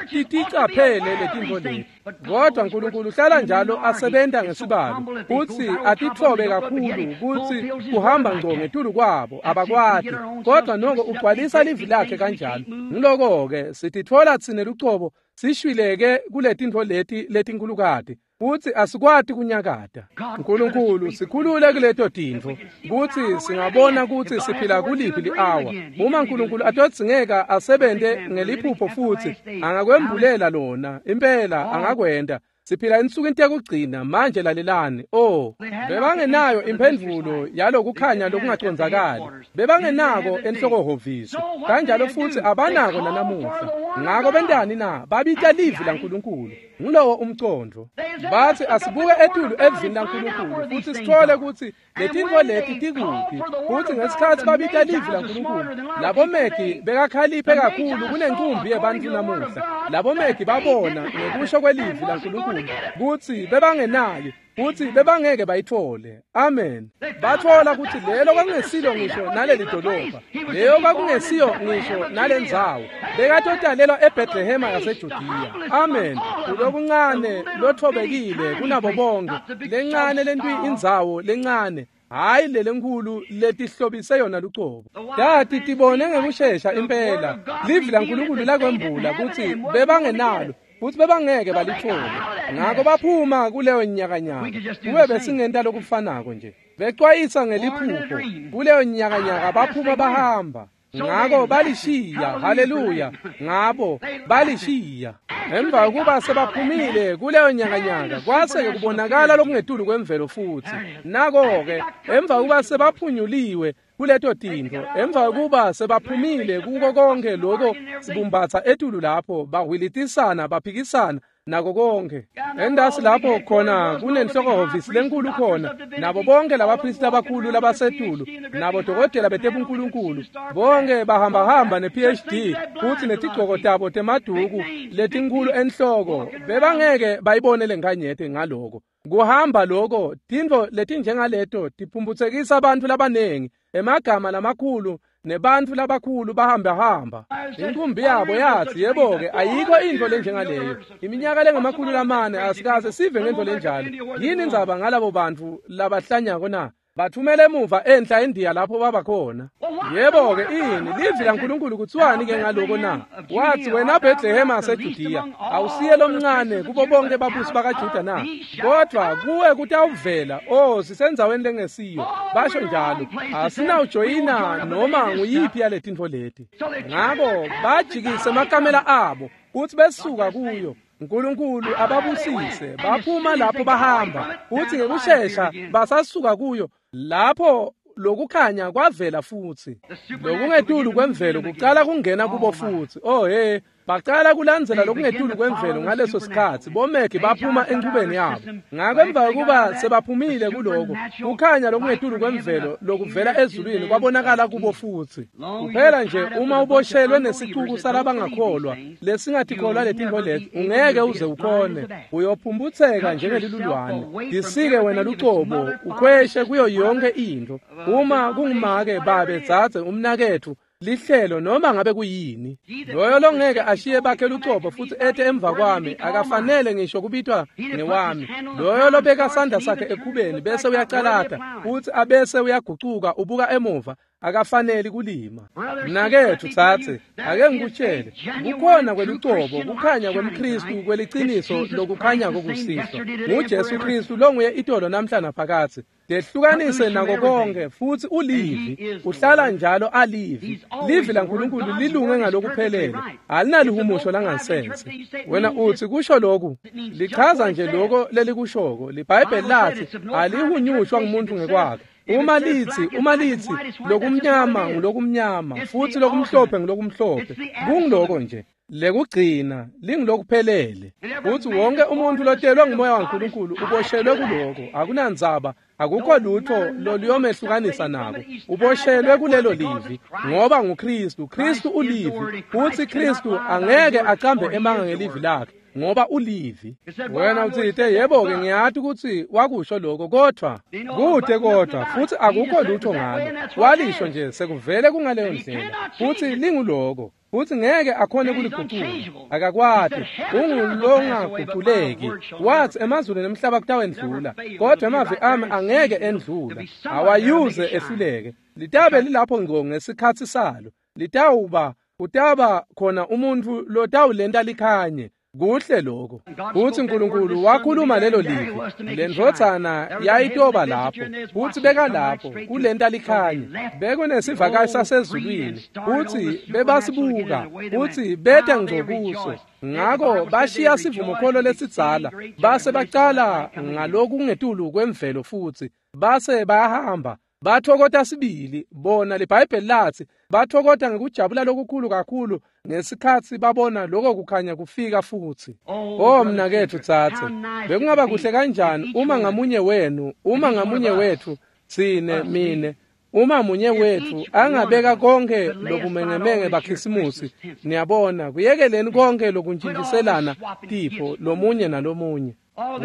S1: titicaphele letintfo leti. Kodwa uNkulunkulu uhlala njalo asebenta ngesibalo, kutsi atitfobe kakhulu kutsi kuhamba ngco ngetulu kwabo abakwati, kodwa noko ugcwalisa livi lakhe kanjalo. Ngiloko-ke sititfola tsine lucobo sishwileke kuletintfo leti letinkhulukati, futsi asikwati kunyakata. Nkulunkulu sikhulule kuleto tintfo kutsi singabona kutsi siphila kuliphi li-awa. Uma Nkulunkulu atodzingeka asebente ngeliphupho futsi angakwembulela lona, impela angakwenta. Siphila ensukwini tekugcina manje lalelani. Oh, bebangenayo imphendvulo yalokukhanya lokungacondzakali. Bebangenako enhlokohhovisi. Kanjalo futsi abanako nanamuhla. Ngako bentani na? Babita livi laNkulunkulu. Ngulowo umcondvo. Bathi asibuke etulu evini laNkulunkulu futsi sithole kutsi letintfo leti tikuphi. Futsi ngesikhatsi babita livi laNkulunkulu, labo megi bekakhaliphe kakhulu kunenkumbi yebantfu namuhla. Labo megi babona ngekusho kwelivi laNkulunkulu kutsi bebangenayo futsi bebangeke bayithole. Amen. Bathola kutsi lelo kwakungesilo ngisho naleli dolobha, leyo kwakungesiyo ngisho nalendzawo. Bekatotalelwa eBethlehema yaseJudiya. Amen. Kulokuncane lothobekile kunabo bonke, lencane lentwi indzawo lencane, hayi lelenkulu letihlobise yona lucobo. Tati tibone ngekushesha impela livi laNkulunkulu lakwembula kutsi bebangenalo futsi bebangeke balithole. Ngako baphuma kuleyo nyakanyaka. Kube besingenta lokufanako nje. Becwayisa ngeliphupho kuleyo nyakanyaka baphuma bahamba. Ngako balishiya, haleluya, ngabo balishiya. Emva kuba sebaphumile kuleyo nyakanyaka kwase kubonakala lokungetulu kwemvelo futsi. Nako-ke emva kuba sebaphunyuliwe kuleto tintfo, emva kuba sebaphumile kuko konke loko sibumbatsa etulu lapho bahwilitisana baphikisana nako konke. Endasi lapho khona kunenhlokohhovisi lenkulu khona, nabo bonke labaphristi abakhulu labasetulu, nabo dokotela betebunkulunkulu, bonke bahambahamba ne-P H D futsi netigcoko tabo temaduku letinkulu enhloko. Bebangeke bayibone lenkanyete ngaloko. Kuhamba loko, tintfo letinjengaleto tiphumputsekisa bantfu labanengi, emagama lamakhulu nebantfu labakhulu bahambahamba. Inkumbi yabo yathi, yebo-ke, ayikho intfo lenjengaleyo. Iminyaka lengamakhulu lamane asikaze sive ngentfo lenjalo. Yini indzaba ngalabo bantfu labahlanyako na? Bathumela emuva enhla eNdiya lapho babakhona. Yebo-ke, ini livi laNkulunkulu kutsiwani-ke ngaloko na? Wathi, wena Bhethlehema yaseJudiya, awusiye lomncane kubo bonke babusi bakaJuda na? Kodwa kuwe kutawuvela, oh, sisendzaweni lengesiyo. Basho njalo, asinawujoyina noma nguyiphi yaletintfo leti. Ngako bajikise emakamela abo kutsi besuka kuyo. uNkulunkulu ababusise, baphuma lapho bahamba, futhi ngekushesha basasuka kuyo lapho lokukhanya kwavela futsi. Lokungetulu kwemvelo kucala kungena kubo futsi. Oh hey, bacala kulandzela lokungetulu kwemvelo ngaleso sikhatsi. Bomegi baphuma enchubeni yabo. Ngako emva kokuba sebaphumile kuloko, kukhanya lokungetulu kwemvelo lokuvela ezulwini kwabonakala kubo futsi. Kuphela nje uma uboshelwe nesicuku salabangakholwa lesingatikholwa letintfo leti, ungeke uze ukhone. Uyophumputseka njengelilulwane. Disike wena lucobo, ukhweshe kuyo yonke intfo. Uma kungumake, babe, dzadze, umnaketfu, lihlelo noma ngabe kuyini, loyo longeke ashiye bakhe lucobo futsi ete emva kwami akafanele ngisho kubitwa ngewami. Loyo lobeka sandla sakhe ekhubeni bese uyacalata futsi abese uyagucuka ubuka emuva akafanele kulima. Mnaketfu tsatse, ake ngikutshele, kukhona kwelucobo kukhanya kwemKhristu kweliciniso lokukhanya kokusihlwa nguJesu Khristu longuye itolo namhla naphakadze. Dehlukanise nako konke futsi ulivi, uhlala njalo alivi. Livi laNkulunkulu lilunge ngalokuphelele, alinalihumusho langansense. Wena uthi kusho lokhu, lichaza nje lokho lelikushoko. LiBhayibheli lathi alihunyushwa ngumuntu ngekwakhe. Uma lithi, uma lithi lokumnyama ngulokumnyama futsi lokumhlophe ngulokumhlophe, kungiloko nje. Lekugcina lingilokuphelele. Futhi wonke umuntu lotelwe ngumoya waNkulunkulu uboshelwe kuloko. Akunandzaba, akukho lutho loluyomehlukanisa nako. Uboshelwe kulelo livi ngoba nguKristu. Kristu ulivi, futhi Kristu angeke acambe emanga ngelivi lakhe ngoba ulivi. Wena utsite, yebo-ke, ngiyati kutsi wakusho lokho, kodwa kude kodwa futhi akukho lutho ngalo. Walisho nje sekuvele kungaleyo ndlela, futhi linguloko. Futhi ngeke akhone kuligucula, akakwati, ungulongaguculeki. Wathi emazulu nemhlaba kutawendlula, kodwa emavi ami angeke endlula, awayuze ehluleke. Litabe lilapho ngco ngesikhatsi salo. Litawuba kutaba khona umuntfu lotawulenta likhanye. Kuhle lokho. Futhi uNkulunkulu wakhuluma lelo livi. Lendvodzana yayitoba lapho, futhi bekalapho kulenta likhanya. Bekunesivakashi sasezulwini, futhi bebasibuka, futhi beta ngco kuso. Ngako bashiya sivumokholo lesidzala, base bacala ngalokungetulu kwemvelo futhi base bayahamba. Bathokota sibili bona liBhayibheli lathi bathokota ngekujabula lokukhulu kakhulu ngesikhatsi babona lokho kukhanya kufika futhi. Oh mnaketfu tsatse, bekungaba kuhle kanjani uma ngamunye wenu, uma ngamunye wethu, tsine mine, uma munye wethu angabeka konke lobumengemenge bakhisimusi, niyabona, kuyekeleni konke lokuntshintshiselana tipho lomunye nalomunye.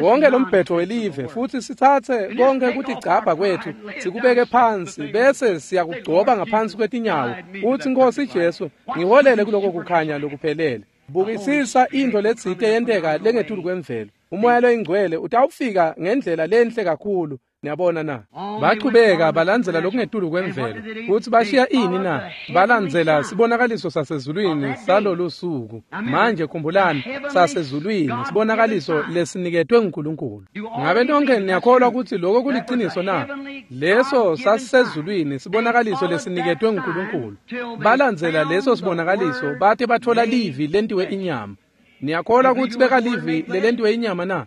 S1: Wonke lombhetho welive futhi sithathe konke kutigcabha kwethu sikubeke phansi bese siyakugcoba ngaphansi kwetinyawo uthi Nkosi Jesu ngiholele kuloko kukhanya lokuphelele. Bukisisa into letsite yenteka lengetulu kwemvelo. Umoya loyingcwele utawufika ngendlela lenhle kakhulu. Niyabona na? Bachubeka balandzela lokungetulu kwemvelo futhi bashiya ini na? Balandzela sibonakaliso sasezulwini salolu suku. Manje khumbulani, sasezulwini sibonakaliso lesiniketwe nguNkulunkulu. Ngabe nonke niyakholwa ukuthi lokho kuliciniso na? Leso sasezulwini sibonakaliso lesiniketwe nguNkulunkulu. Balandzela leso sibonakaliso bate bathola livi lentiwe inyama. Niyakholwa ukuthi bekalivi lelentiwe inyama na?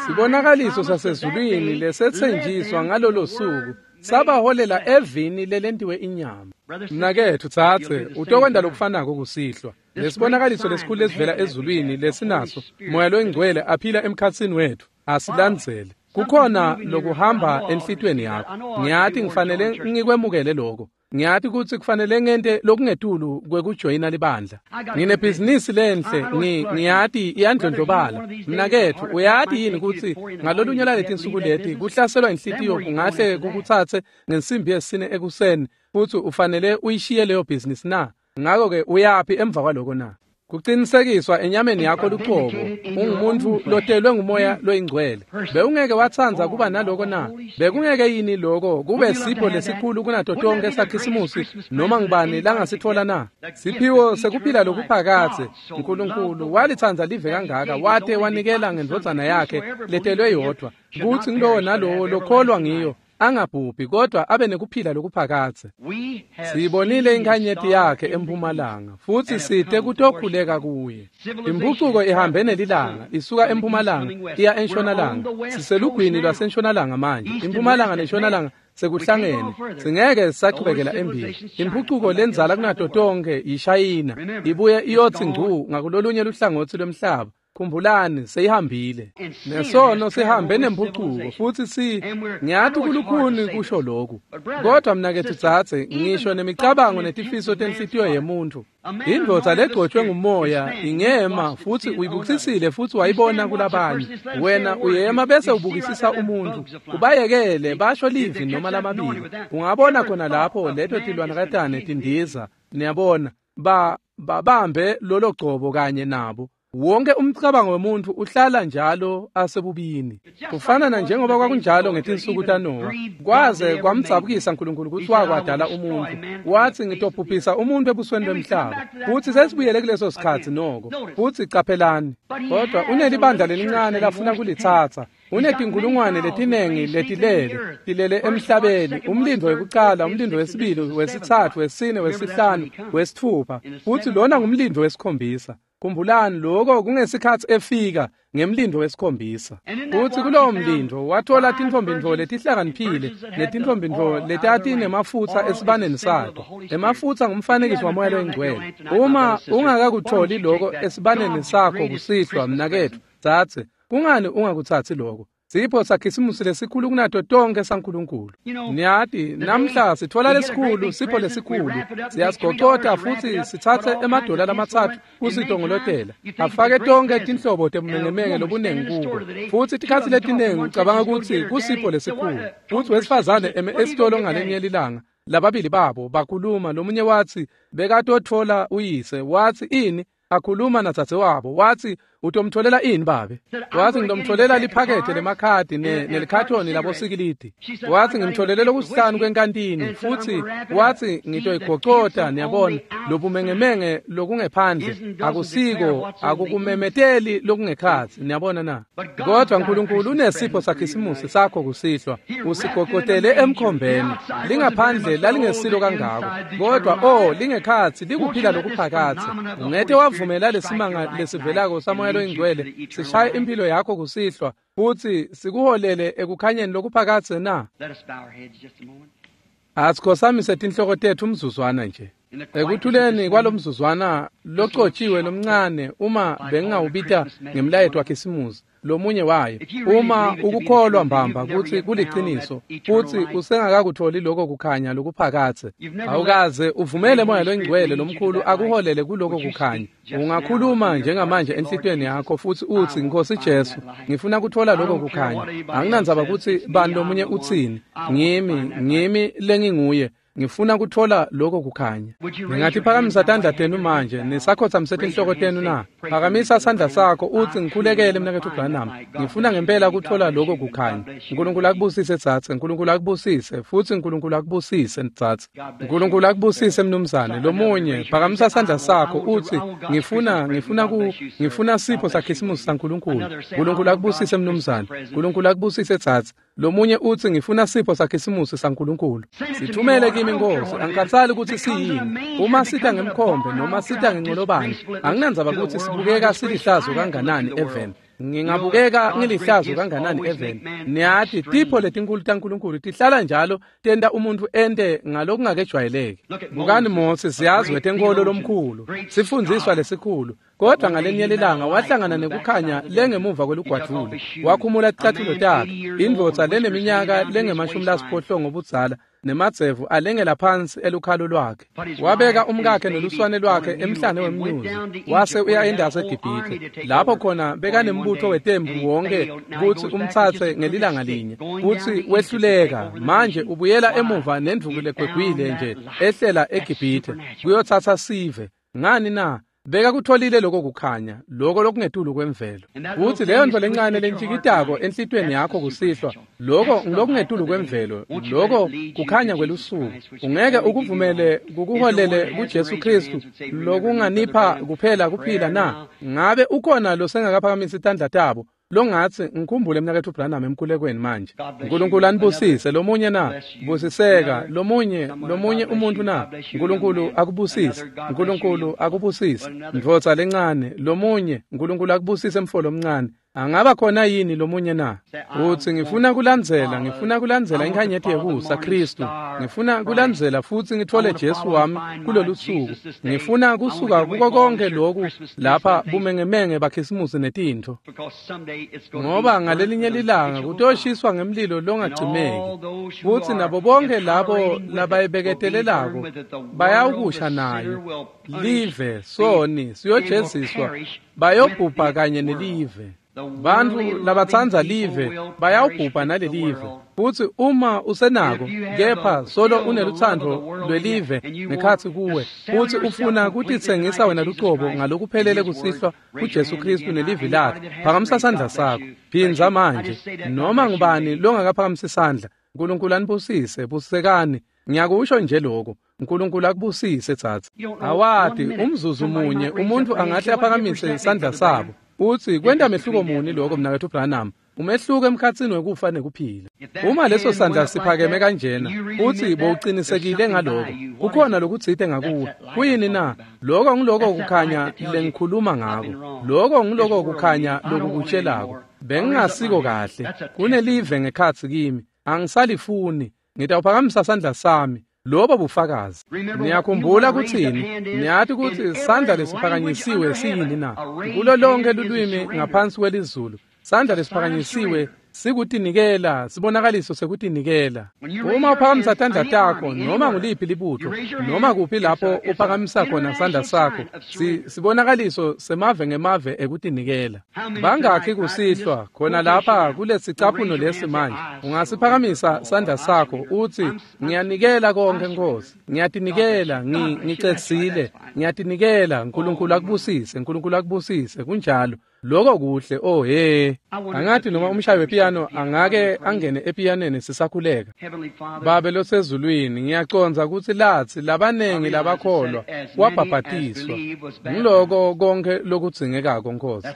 S1: Sibonakaliso sasezulwini lesetsenjiswa ngalolo suku sabaholela evini lelentiwe inyama. Mnaketfu tsatse, utokwenta lokufanako kusihlwa. Lesibonakaliso lesikhulu lesivela ezulwini lesinaso, Moya loyingcwele aphila emkhatsini wethu, asilandzele. Kukhona lokuhamba enhlitiyweni yakho. Ngiyati ngifanele ngikwemukele lokho. Ngiyati kutsi kufanele ngente lokungetulu kwekujoyina libandla. Nginebhizinisi lenhle, ngiyati iyandlondlobala. Mnaketfu, uyati yini kutsi ngalolunye lwaletinsuku leti kuhlaselwa inhlitiyo kungahle kukutsatse ngensimbi yesine ekuseni futsi ufanele uyishiye leyo bhizinisi na? Ngako-ke uyaphi emva kwaloko na? Kucinisekiswa enyameni yakho lucobo, ungumuntu lotelwe ngumoya loyingcwele. Bewungeke watsandza kuba naloko na? Bekungeke yini lokho kube sipho lesikhulu kunato tonke sakhisimusi noma ngubani langasitfola na? Siphiwo sekuphila lokuphakadze. uNkulunkulu walitsandza live kangaka wate wanikela ngendvodzana yakhe letelwe yodvwa, kutsi ngulowo nalowo lokholwa ngiyo angabhubhi kodwa abe nekuphila lokuphakadze. Siyibonile inkhanyeti yakhe empumalanga futhi site kutokhuleka kuye. Impucuko ihambe nelilanga isuka empumalanga iya entshonalanga. Siselugwini lwasentshonalanga manje. Impumalanga nentshonalanga sekuhlangene, singeke sachubekela embili. Impucuko lenzala kunato tonke yishayina, ibuye iyotsi ngcu ngakulolunye luhlangotsi lwemhlaba. Khumbulani, seyihambile. Nesono sihambe nempucuko futhi si ngiyati kulukhuni kusho lokhu. Kodwa mnaketfu tsatse, ngisho nemicabango netifiso tenhlitiyo yemuntu. Indvodza legcotshwe ngumoya ingema futhi uyibukisisile futhi wayibona kulabanye. Wena uyema bese ubukisisa umuntu, ubayekele basho livi noma lamabili. Ungabona khona lapho leto tilwanakatane tindiza. Niyabona, ba babambe lolo gcobo kanye nabo. Wonke umcabango wemuntu uhlala njalo asebubini. Kufana na njengoba kwakunjalo ngetinsuku taNowa. Kwaze kwamdzabukisa uNkulunkulu kutsi wakwadala umuntu. Wathi ngitobhubhisa umuntu ebusweni bemhlaba. Futhi sesibuyele kuleso sikhatsi noko. Futhi caphelani, kodwa unelibandla lelincane lafuna kulitsatsa. Unetinkulungwane letinengi letilele, tilele emhlabeni, umlindo wekucala, umlindo wesibili, wesitsatfu, wesine, wesihlanu, wesitfupha. Futhi lona ngumlindo wesikhombisa. Khumbulani lokho kungesikhatsi efika ngemlindo wesikhombisa. Futhi kulowo mlindo wathola tintfombi letihlakaniphile netintfombi letatinemafutsa esibaneni sato. Emafutsa ngumfanekiso wamoya loyingcwele. Uma ungakakutholi lokho esibaneni sakho kusihlwa mnaketfu, tsatse, kungani ungakutsatsi lokho? Sipho sakhisimusi lesikhulu kunato tonke saNkulunkulu. Niyati, namhla sithola lesikhulu, sipho lesikhulu. Siyasigocota futhi sitsatse emadola lamatsatfu kusitongolotela. Afake tonke tinhlobo tebumengemenge lobunengi kubo. Futhi tikhatsi letinengi ucabanga ukuthi kusipho lesikhulu. Futhi wesifazane eme esitolo ngalenye lilanga, lababili babo bakhuluma, lomunye wathi bekatotfola uyise, wathi ini akhuluma nadzadzewabo, wathi Utomtholela ini babe? Wathi ngitomtholela liphakethe lemakhadi nelikhathoni labosikilidi. Wathi ngimtholele lokusihlanu kwenkantini futhi wathi ngitoyigocota niyabona lobumengemenge lokungephandle akusiko akukumemeteli lokungekhatsi niyabona na. Kodwa uNkulunkulu unesipho sakhisimusi sakho kusihlwa usigocotele emkhombeni. Lingaphandle lalingesilo kangako kodwa oh lingekhatsi likuphila lokuphakatsi. Ungete wavumela lesimanga lesivelako samoya loyingcwele sishaye impilo yakho kusihlwa futhi sikuholele ekukhanyeni lokuphakatse na. Asikhosamise tinhloko tethu umzuzwana nje. Ekuthuleni kwalomzuzwana locotshiwe lomncane uma bengingawubita ngemlayeto wakhisimusi lomunye wayo uma ukukholwa mbamba kutsi kuliciniso futsi usengakakutholi lokho kukhanya lokuphakatse awukaze uvumele moya loyingcwele lomkhulu akuholele kuloko kukhanya. Ungakhuluma njengamanje enhlitiyweni yakho futsi utsi Nkosi Jesu ngifuna kuthola lokho kukhanya anginandzaba kutsi bani lomunye utsini ngimi ngimi lenginguye ngifuna kuthola lokho kukhanya. Ngingatiphakamisa tandla tenu manje nisakhotsamise tinhloko tenu na. Phakamisa sandla sakho utsi ngikhulekele mnaketfu Branham ngifuna ngempela kuthola lokho kukhanya. uNkulunkulu akubusise tsatse, uNkulunkulu akubusise futsi uNkulunkulu akubusise tsatse. uNkulunkulu akubusise mnumzane. Lomunye phakamisa sandla sakho utsi ngifuna ngifuna ku ngifuna sipho sakhisimusi saNkulunkulu. uNkulunkulu akubusise mnumzane. uNkulunkulu akubusise tsatse. Lomunye utsi ngifuna sipho sakhisimusi saNkulunkulu. Sithumele kimi Nkosi angikhathali ukuthi siyini uma sita ngemkhombe noma sita ngenqolobane anginandzaba ukuthi sibukeka silihlazo kanganani eveni ngingabukeka ngilihlazo kanganani eveni. Niyati tipho letinkulu taNkulunkulu tihlala njalo tenta umuntu ente ngalokungakejwayeleki. Bukani Mose siyazi wetenkolo lomkhulu sifundziswa lesikhulu kodwa ngalenye lilanga wahlangana nekukhanya lengemuva kwelugwadvule wakhumula ticathulo takhe indvodza leneminyaka lengemashumi lasiphohlongo budzala nemadzevu alengela phansi elukhalo lwakhe. Wabeka umkakhe neluswane lwakhe emhlane wemnyuzi wase uya endasi eGibhithe lapho khona bekanembutho wetembu wonke kutsi umtsatse ngelilanga linye kutsi wehluleka. Manje ubuyela emuva nendvuku legwegwile nje ehlela eGibhithe kuyotsatsa sive. Ngani na? Beka kutholile lokho kukhanya lokho lokungetulu kwemvelo. Utsi leyo nto lencane lentshikitako enhlitiyweni yakho kusihlwa lokho ngilokungetulu kwemvelo lokho kukhanya kwelusuku. Ungeke ukuvumele kukuholele kuJesu Kristu lokunganipha kuphela kuphila na? Ngabe ukhona losengakaphakamisa itandla tabo longatsi ngikhumbule mnaketfu Branham emkhulekweni manje? uNkulunkulu anibusise. Lomunye na? Busiseka. Lomunye lomunye umuntu na? uNkulunkulu akubusise. uNkulunkulu akubusise ndvodza lencane. Lomunye uNkulunkulu akubusise mfolo omncane. Angaba khona yini lomunye na? Utsi ngifuna kulandzela ngifuna kulandzela inkhanyeti yekusa Kristu ngifuna kulandzela futsi ngithole Jesu wami kulolu suku ngifuna kusuka kuko konke lokhu lapha bumengemenge bakhisimusi netintfo ngoba ngalelinye lilanga kutoshiswa ngemlilo longacimeki futsi nabo bonke labo labayibeketelelako bayawukusha nayo live soni siyojeziswa bayobhubha kanye nelive. Bantfu labatsandza live bayawubhubha nalelive futsi uma usenako kepha solo unelutsandvo lwelive ngekhatsi kuwe futsi ufuna kutitsengisa wena lucobo ngalokuphelele kusihlwa kuJesu Kristu nelivi lakhe phakamisa sandla sakho. Phindza manje noma ngubani longakaphakamisi sandla. uNkulunkulu anibusise. Busisekani. Ngiyakusho nje lokho. uNkulunkulu akubusise tsatsa. Awati umzuzu munye umuntu angahle aphakamise isandla sabo utsi kwenta mehluko muni lokho mnaketfu Branham? Umehluko emkhatsini wekufa nekuphila. Uma leso sandla siphakeme kanjena utsi bowucinisekile ngaloko kukhona lokutsite ngakuwe. Kuyini na? Lokho ngiloko kukhanya lengikhuluma ngako. Lokho ngiloko kukhanya lokukutshelako bengingasiko kahle kunelive ngekhatsi kimi angisalifuni ngitawuphakamisa sandla sami. Lobo bufakazi. Niyakhumbula kutsini? Niyati kutsi sandla lesiphakanyisiwe siyini na? Kulo lonke lulwimi ngaphansi kwelizulu sandla lesiphakanyisiwe sikutinikela sibonakaliso sekutinikela. Uma uphakamisa tandla takho noma nguliphi libutho noma kuphi lapho uphakamisa khona sandla sakho sibonakaliso semave ngemave ekutinikela. Bangakhi kusihlwa khona lapha kulesicaphuno lesi manje ungasiphakamisa sandla sakho utsi ngiyanikela konke Nkosi ngiyatinikela ngicedzile ngiyatinikela. uNkulunkulu akubusise. uNkulunkulu akubusise. Kunjalo. Lokho kuhle. Oh he, angathi noma umshayi wepiyano angake angene epiyaneni sisakhuleka. Babe losezulwini, ngiyacondza kutsi latsi labanengi labakholwa wabhabhatiswa. Ngiloko konke lokudzingekako, Nkosi.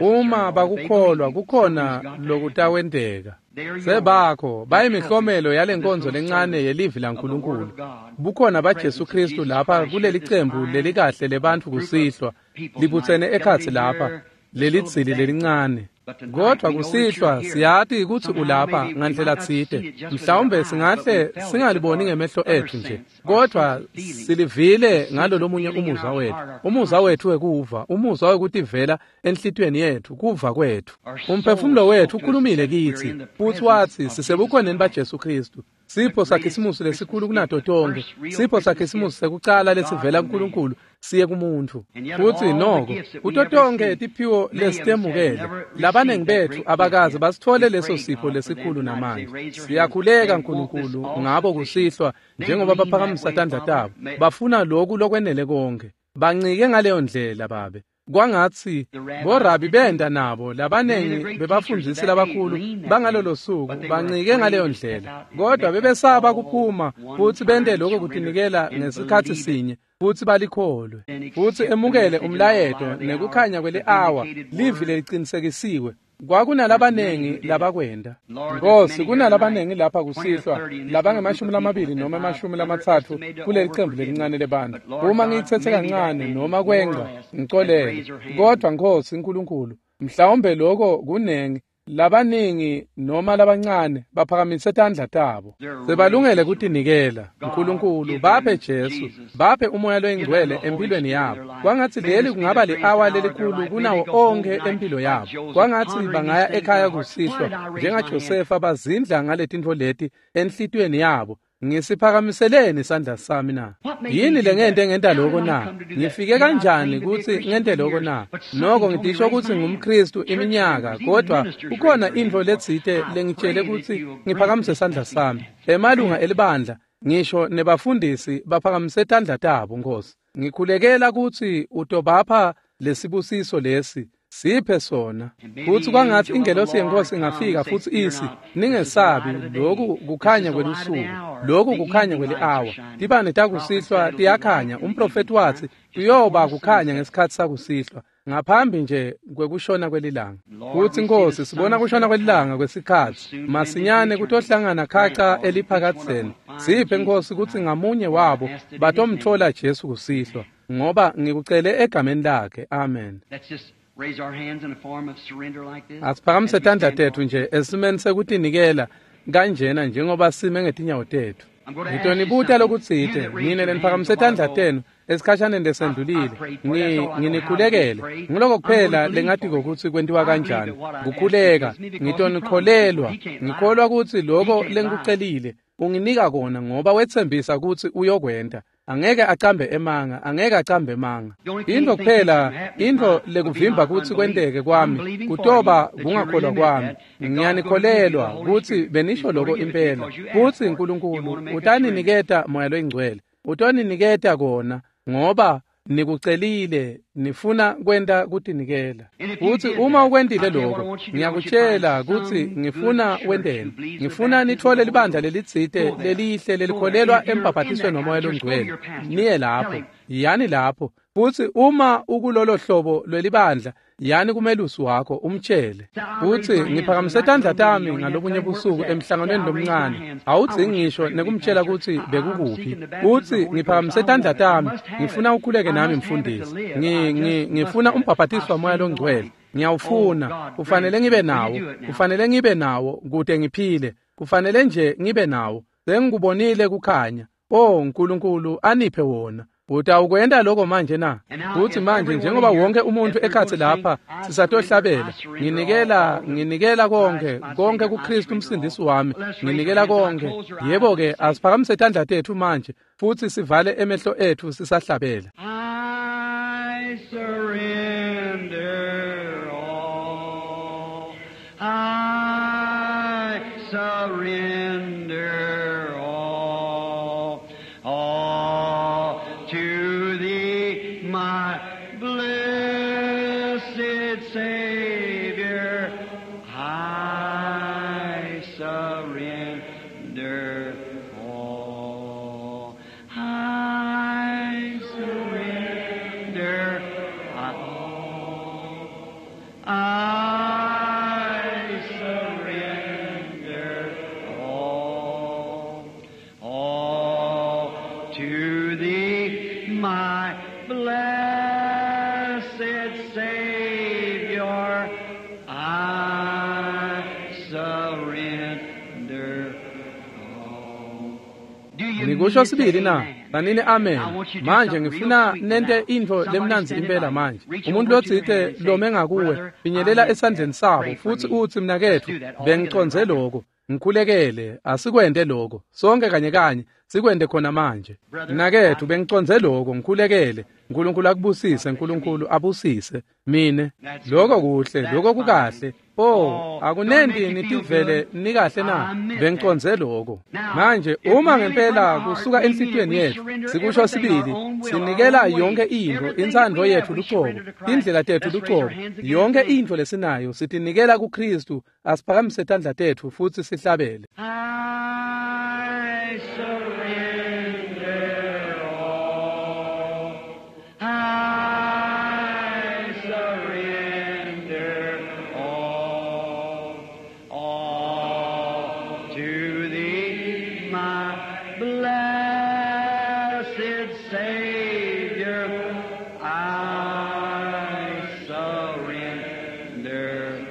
S1: Uma bakukholwa kukhona lokutawenteka. Sebakho bayimihlomelo yalenkonzo lencane yelivi laNkulunkulu. Bukhona baJesu Kristu lapha kuleli cembu lelikahle lebantfu kusihlwa libutsene ekhatsi lapha lelidzili lelincane. Kodwa kusihlwa siyati kutsi ulapha ngandlela tsite. Mhlawumbe singahle singaliboni ngemehlo etfu nje, kodwa silivile ngalolomunye umuzwa wetfu. Umuzwa wetfu wekuva, umuzwa wekutivela enhlitiyweni yetfu, kuva kwetfu. Umphefumulo wetfu ukhulumile kitsi, futsi watsi sisebukhoneni baJesu Kristu. Sipho saKhisimusi lesikhulu kunato tonkhe, sipho saKhisimusi sekucala lesivela kuNkulunkulu siye kumuntfu. Futsi noko kuto tonkhe tiphiwo lesitemukele, labanengi betfu abakaze basitfole leso sipho lesikhulu namanje. Siyakhuleka Nkulunkulu ngabo kusihlwa, njengoba baphakamisa tandla tabo, bafuna loku lokwenele konke. Bancike ngaleyo ndlela, Babe. Kwangatsi borabi benda nabo labanengi bebafundisi labakhulu bangalolo suku bancike ngaleyo ndlela, kodwa bebesaba kuphuma futsi bente lokho kutinikela ngesikhatsi sinye futsi balikholwe futsi emukele umlayeto nekukhanya kweli-awa, livi lelicinisekisiwe. Kwakunalabanengi labakwenda. Nkosi, kunalabanengi lapha kusihlwa labangemashumi lamabili noma emashumi lamatsatfu kuleli cembu lelincane lebantfu. Uma ngiyitsetse kancane noma kwenca, ngicolele. Kodwa Nkosi Nkulunkulu, mhlawumbe lokho kunengi, labaningi noma labancane baphakamise tandla tabo. Sebalungele kutinikela. Nkulunkulu, baphe Jesu, baphe umoya loyingcwele empilweni yabo. Kwangatsi leli kungaba li-awa lelikhulu kunawo onkhe empilo yabo. Kwangatsi bangaya ekhaya kusihlwa njengaJosefa, bazindla ngaletintfo leti enhlitiyweni yabo. Ngisiphakamiseleni isandla sami na? Yini lengente ngenta lokho na? Ngifike kanjani kutsi ngente lokho na? Noko ngitisho kutsi ngumKristu iminyaka, kodwa kukhona intfo letsite lengitshele kutsi ngiphakamise isandla sami. Emalunga elibandla, ngisho nebafundisi baphakamise tandla tabo, Nkosi. Ngikhulekela kutsi utobapha lesibusiso lesi. Siphe sona. Futsi kwangatsi ingelosi yeNkosi ingafika futsi isi, ningesabi, lokhu kukhanya kwelusuku, lokhu kukhanya kweli-awa. Tibane takusihlwa tiyakhanya. Umprofethi watsi kuyoba kukhanya ngesikhatsi sakusihlwa, ngaphambi nje kwekushona kwelilanga. Futsi Nkosi, sibona kushona kwelilanga kwesikhatsi masinyane kutohlangana khaca eliphakadzeni. Siphe Nkosi kutsi ngamunye wabo batomtfola Jesu kusihlwa, ngoba ngikucele egameni lakhe. Amen. Asiphakamise tandla tetfu nje esimeni sekutinikela kanjena njengoba sime ngetinyawo tetfu. Ngitonibuta lokutsite, nine leniphakamise tandla tenu esikhashaneni lesendlulile. Nginikhulekele. Ngiloko kuphela lengatiko kutsi kwentiwa kanjani. Kukhuleka, ngitonikholelwa. Ngikholwa kutsi lokho lengikucelile unginika kona, ngoba wetsembisa kutsi uyokwenta. Angeke acambe emanga, angeke acambe emanga. Intfo kuphela, intfo lekuvimba kutsi kwenteke kwami, kutoba kungakholwa kwami. Ngiyanikholelwa kutsi benisho lokho impela. Futsi Nkulunkulu utaniniketa Moya loyiNgcwele. Utoniniketa kona ngoba nikucelile, nifuna kwenta kutinikela. Futsi uma ukwentile lokho, ngiyakutshela kutsi ngifuna wenteni. Ngifuna nitfole libandla lelitsite lelihle lelikholelwa embhabhatisweni womoya longcwele. Niye lapho, yani lapho. Futsi uma ukulolo hlobo lwelibandla, yani kumelusi wakho umtshele. Futsi ngiphakamise tandla tami ngalobunye busuku emhlanganweni lomncane. Awudzingi ngisho nekumtshela kutsi bekukuphi. Futsi ngiphakamise tandla tami, ngifuna ukhuleke nami mfundisi. Ngi ngi ngifuna umbhabhatiso wamoya longcwele. Ngiyawufuna, kufanele ngibe nawo, kufanele ngibe nawo kute ngiphile. Kufanele nje ngibe nawo. Sengikubonile kukhanya. Oh Nkulunkulu, aniphe wona. Utawukwenta lokho manje na? Futsi manje njengoba wonke umuntu ekhatsi lapha sisatohlabela, nginikela nginikela konke, konke kuKristu umsindisi wami, nginikela konke. Yebo ke, asiphakamise tandla tetfu manje futsi sivale emehlo etfu sisahlabela.
S2: I surrender all. I surrender all. All to thee, my blessed Savior. all. I surrender all. I surrender all. All to thee, my blessed Savior, I surrender all. Do you
S1: Nikusho
S2: mean to
S1: sibili
S2: say
S1: na
S2: amen?
S1: tsanini amen
S2: I want you to do
S1: manje
S2: something real
S1: ngifuna
S2: sweet
S1: nente
S2: now.
S1: intfo
S2: Somebody
S1: lemnandzi
S2: standing
S1: impela
S2: by,
S1: manje
S2: reach
S1: umuntu
S2: over to your
S1: lotsite
S2: hand and say,
S1: lome ngakuwe
S2: Brother, I
S1: finyelela
S2: meant
S1: esandleni
S2: that.
S1: sabo
S2: Pray for
S1: futsi
S2: me.
S1: utsi
S2: Let's
S1: mnaketfu
S2: do that all together
S1: bengicondze
S2: right now.
S1: loko ngikhulekele asikwente loko sonke kanye kanye sikwente khona manje
S2: Brother,
S1: mnaketfu
S2: I
S1: bengicondze loko ngikhulekele nkulunkulu akubusise nkulunkulu abusise mine
S2: That's
S1: loko
S2: good.
S1: kuhle
S2: That's
S1: loko
S2: fine.
S1: kukahle oh
S2: Oh, don't it
S1: akunenti
S2: make you feel
S1: nitivele
S2: good?
S1: nikahle na
S2: I meant that.
S1: bengicondze loko
S2: Now,
S1: manje
S2: if
S1: uma
S2: really from
S1: ngempela
S2: our heart
S1: kusuka
S2: we mean it,
S1: enhlitiyweni
S2: we
S1: yethu
S2: surrender
S1: sikusho
S2: everything, our
S1: sibili
S2: own will, our
S1: sinikela
S2: own way,
S1: yonke intfo
S2: everything that
S1: intsandvo
S2: we have,
S1: yethu
S2: we
S1: lucobo
S2: surrender to Christ.
S1: tindlela tethu
S2: Let's raise our
S1: lucobo
S2: hands again and
S1: yonke
S2: sing.
S1: intfo lesinayo sitinikela kuKristu asiphakamise tandla tetfu futsi sihlabele
S2: I surrender all. I surrender all. All to thee, my blessed Savior. I surrender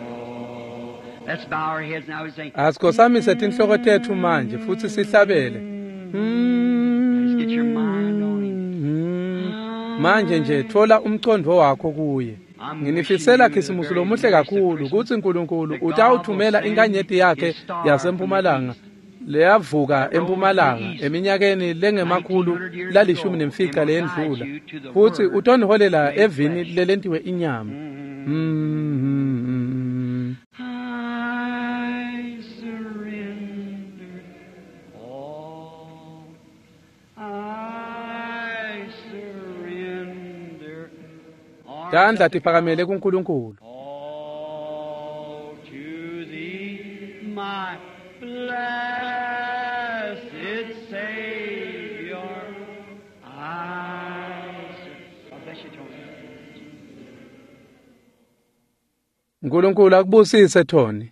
S2: all. Let's bow our heads now and say,
S1: asikhosamise tinhloko tetfu manje futsi sihlabele
S2: Just get your mind on him.
S1: Mm. manje nje thola umcondvo wakho kuye
S2: I'm wishing
S1: nginifisela
S2: you the
S1: khisimusi
S2: very
S1: lomuhle
S2: merriest of
S1: kakhulu
S2: Christmas,
S1: kutsi nkulunkulu
S2: that God will
S1: utawuthumela
S2: send
S1: inkanyeti yakhe
S2: his star from the
S1: yasempumalanga
S2: east
S1: leyavuka
S2: that rose in the
S1: empumalanga
S2: east
S1: eminyakeni lengemakhulu
S2: nineteen hundred years
S1: lalishumi
S2: ago and
S1: nemfica
S2: will guide
S1: leyendlula
S2: you to the
S1: futsi
S2: Word
S1: utoniholela
S2: made
S1: evini
S2: flesh.
S1: lelentiwe inyama
S2: Mm.
S1: Mm.
S2: I surrender all. I surrender. Arms
S1: tandla
S2: up to
S1: tiphakamele
S2: God.
S1: kuNkulunkulu
S2: All to thee, my blessed Savior. I sur- God bless you, Tony.
S1: nkulunkulu akubusise Tony.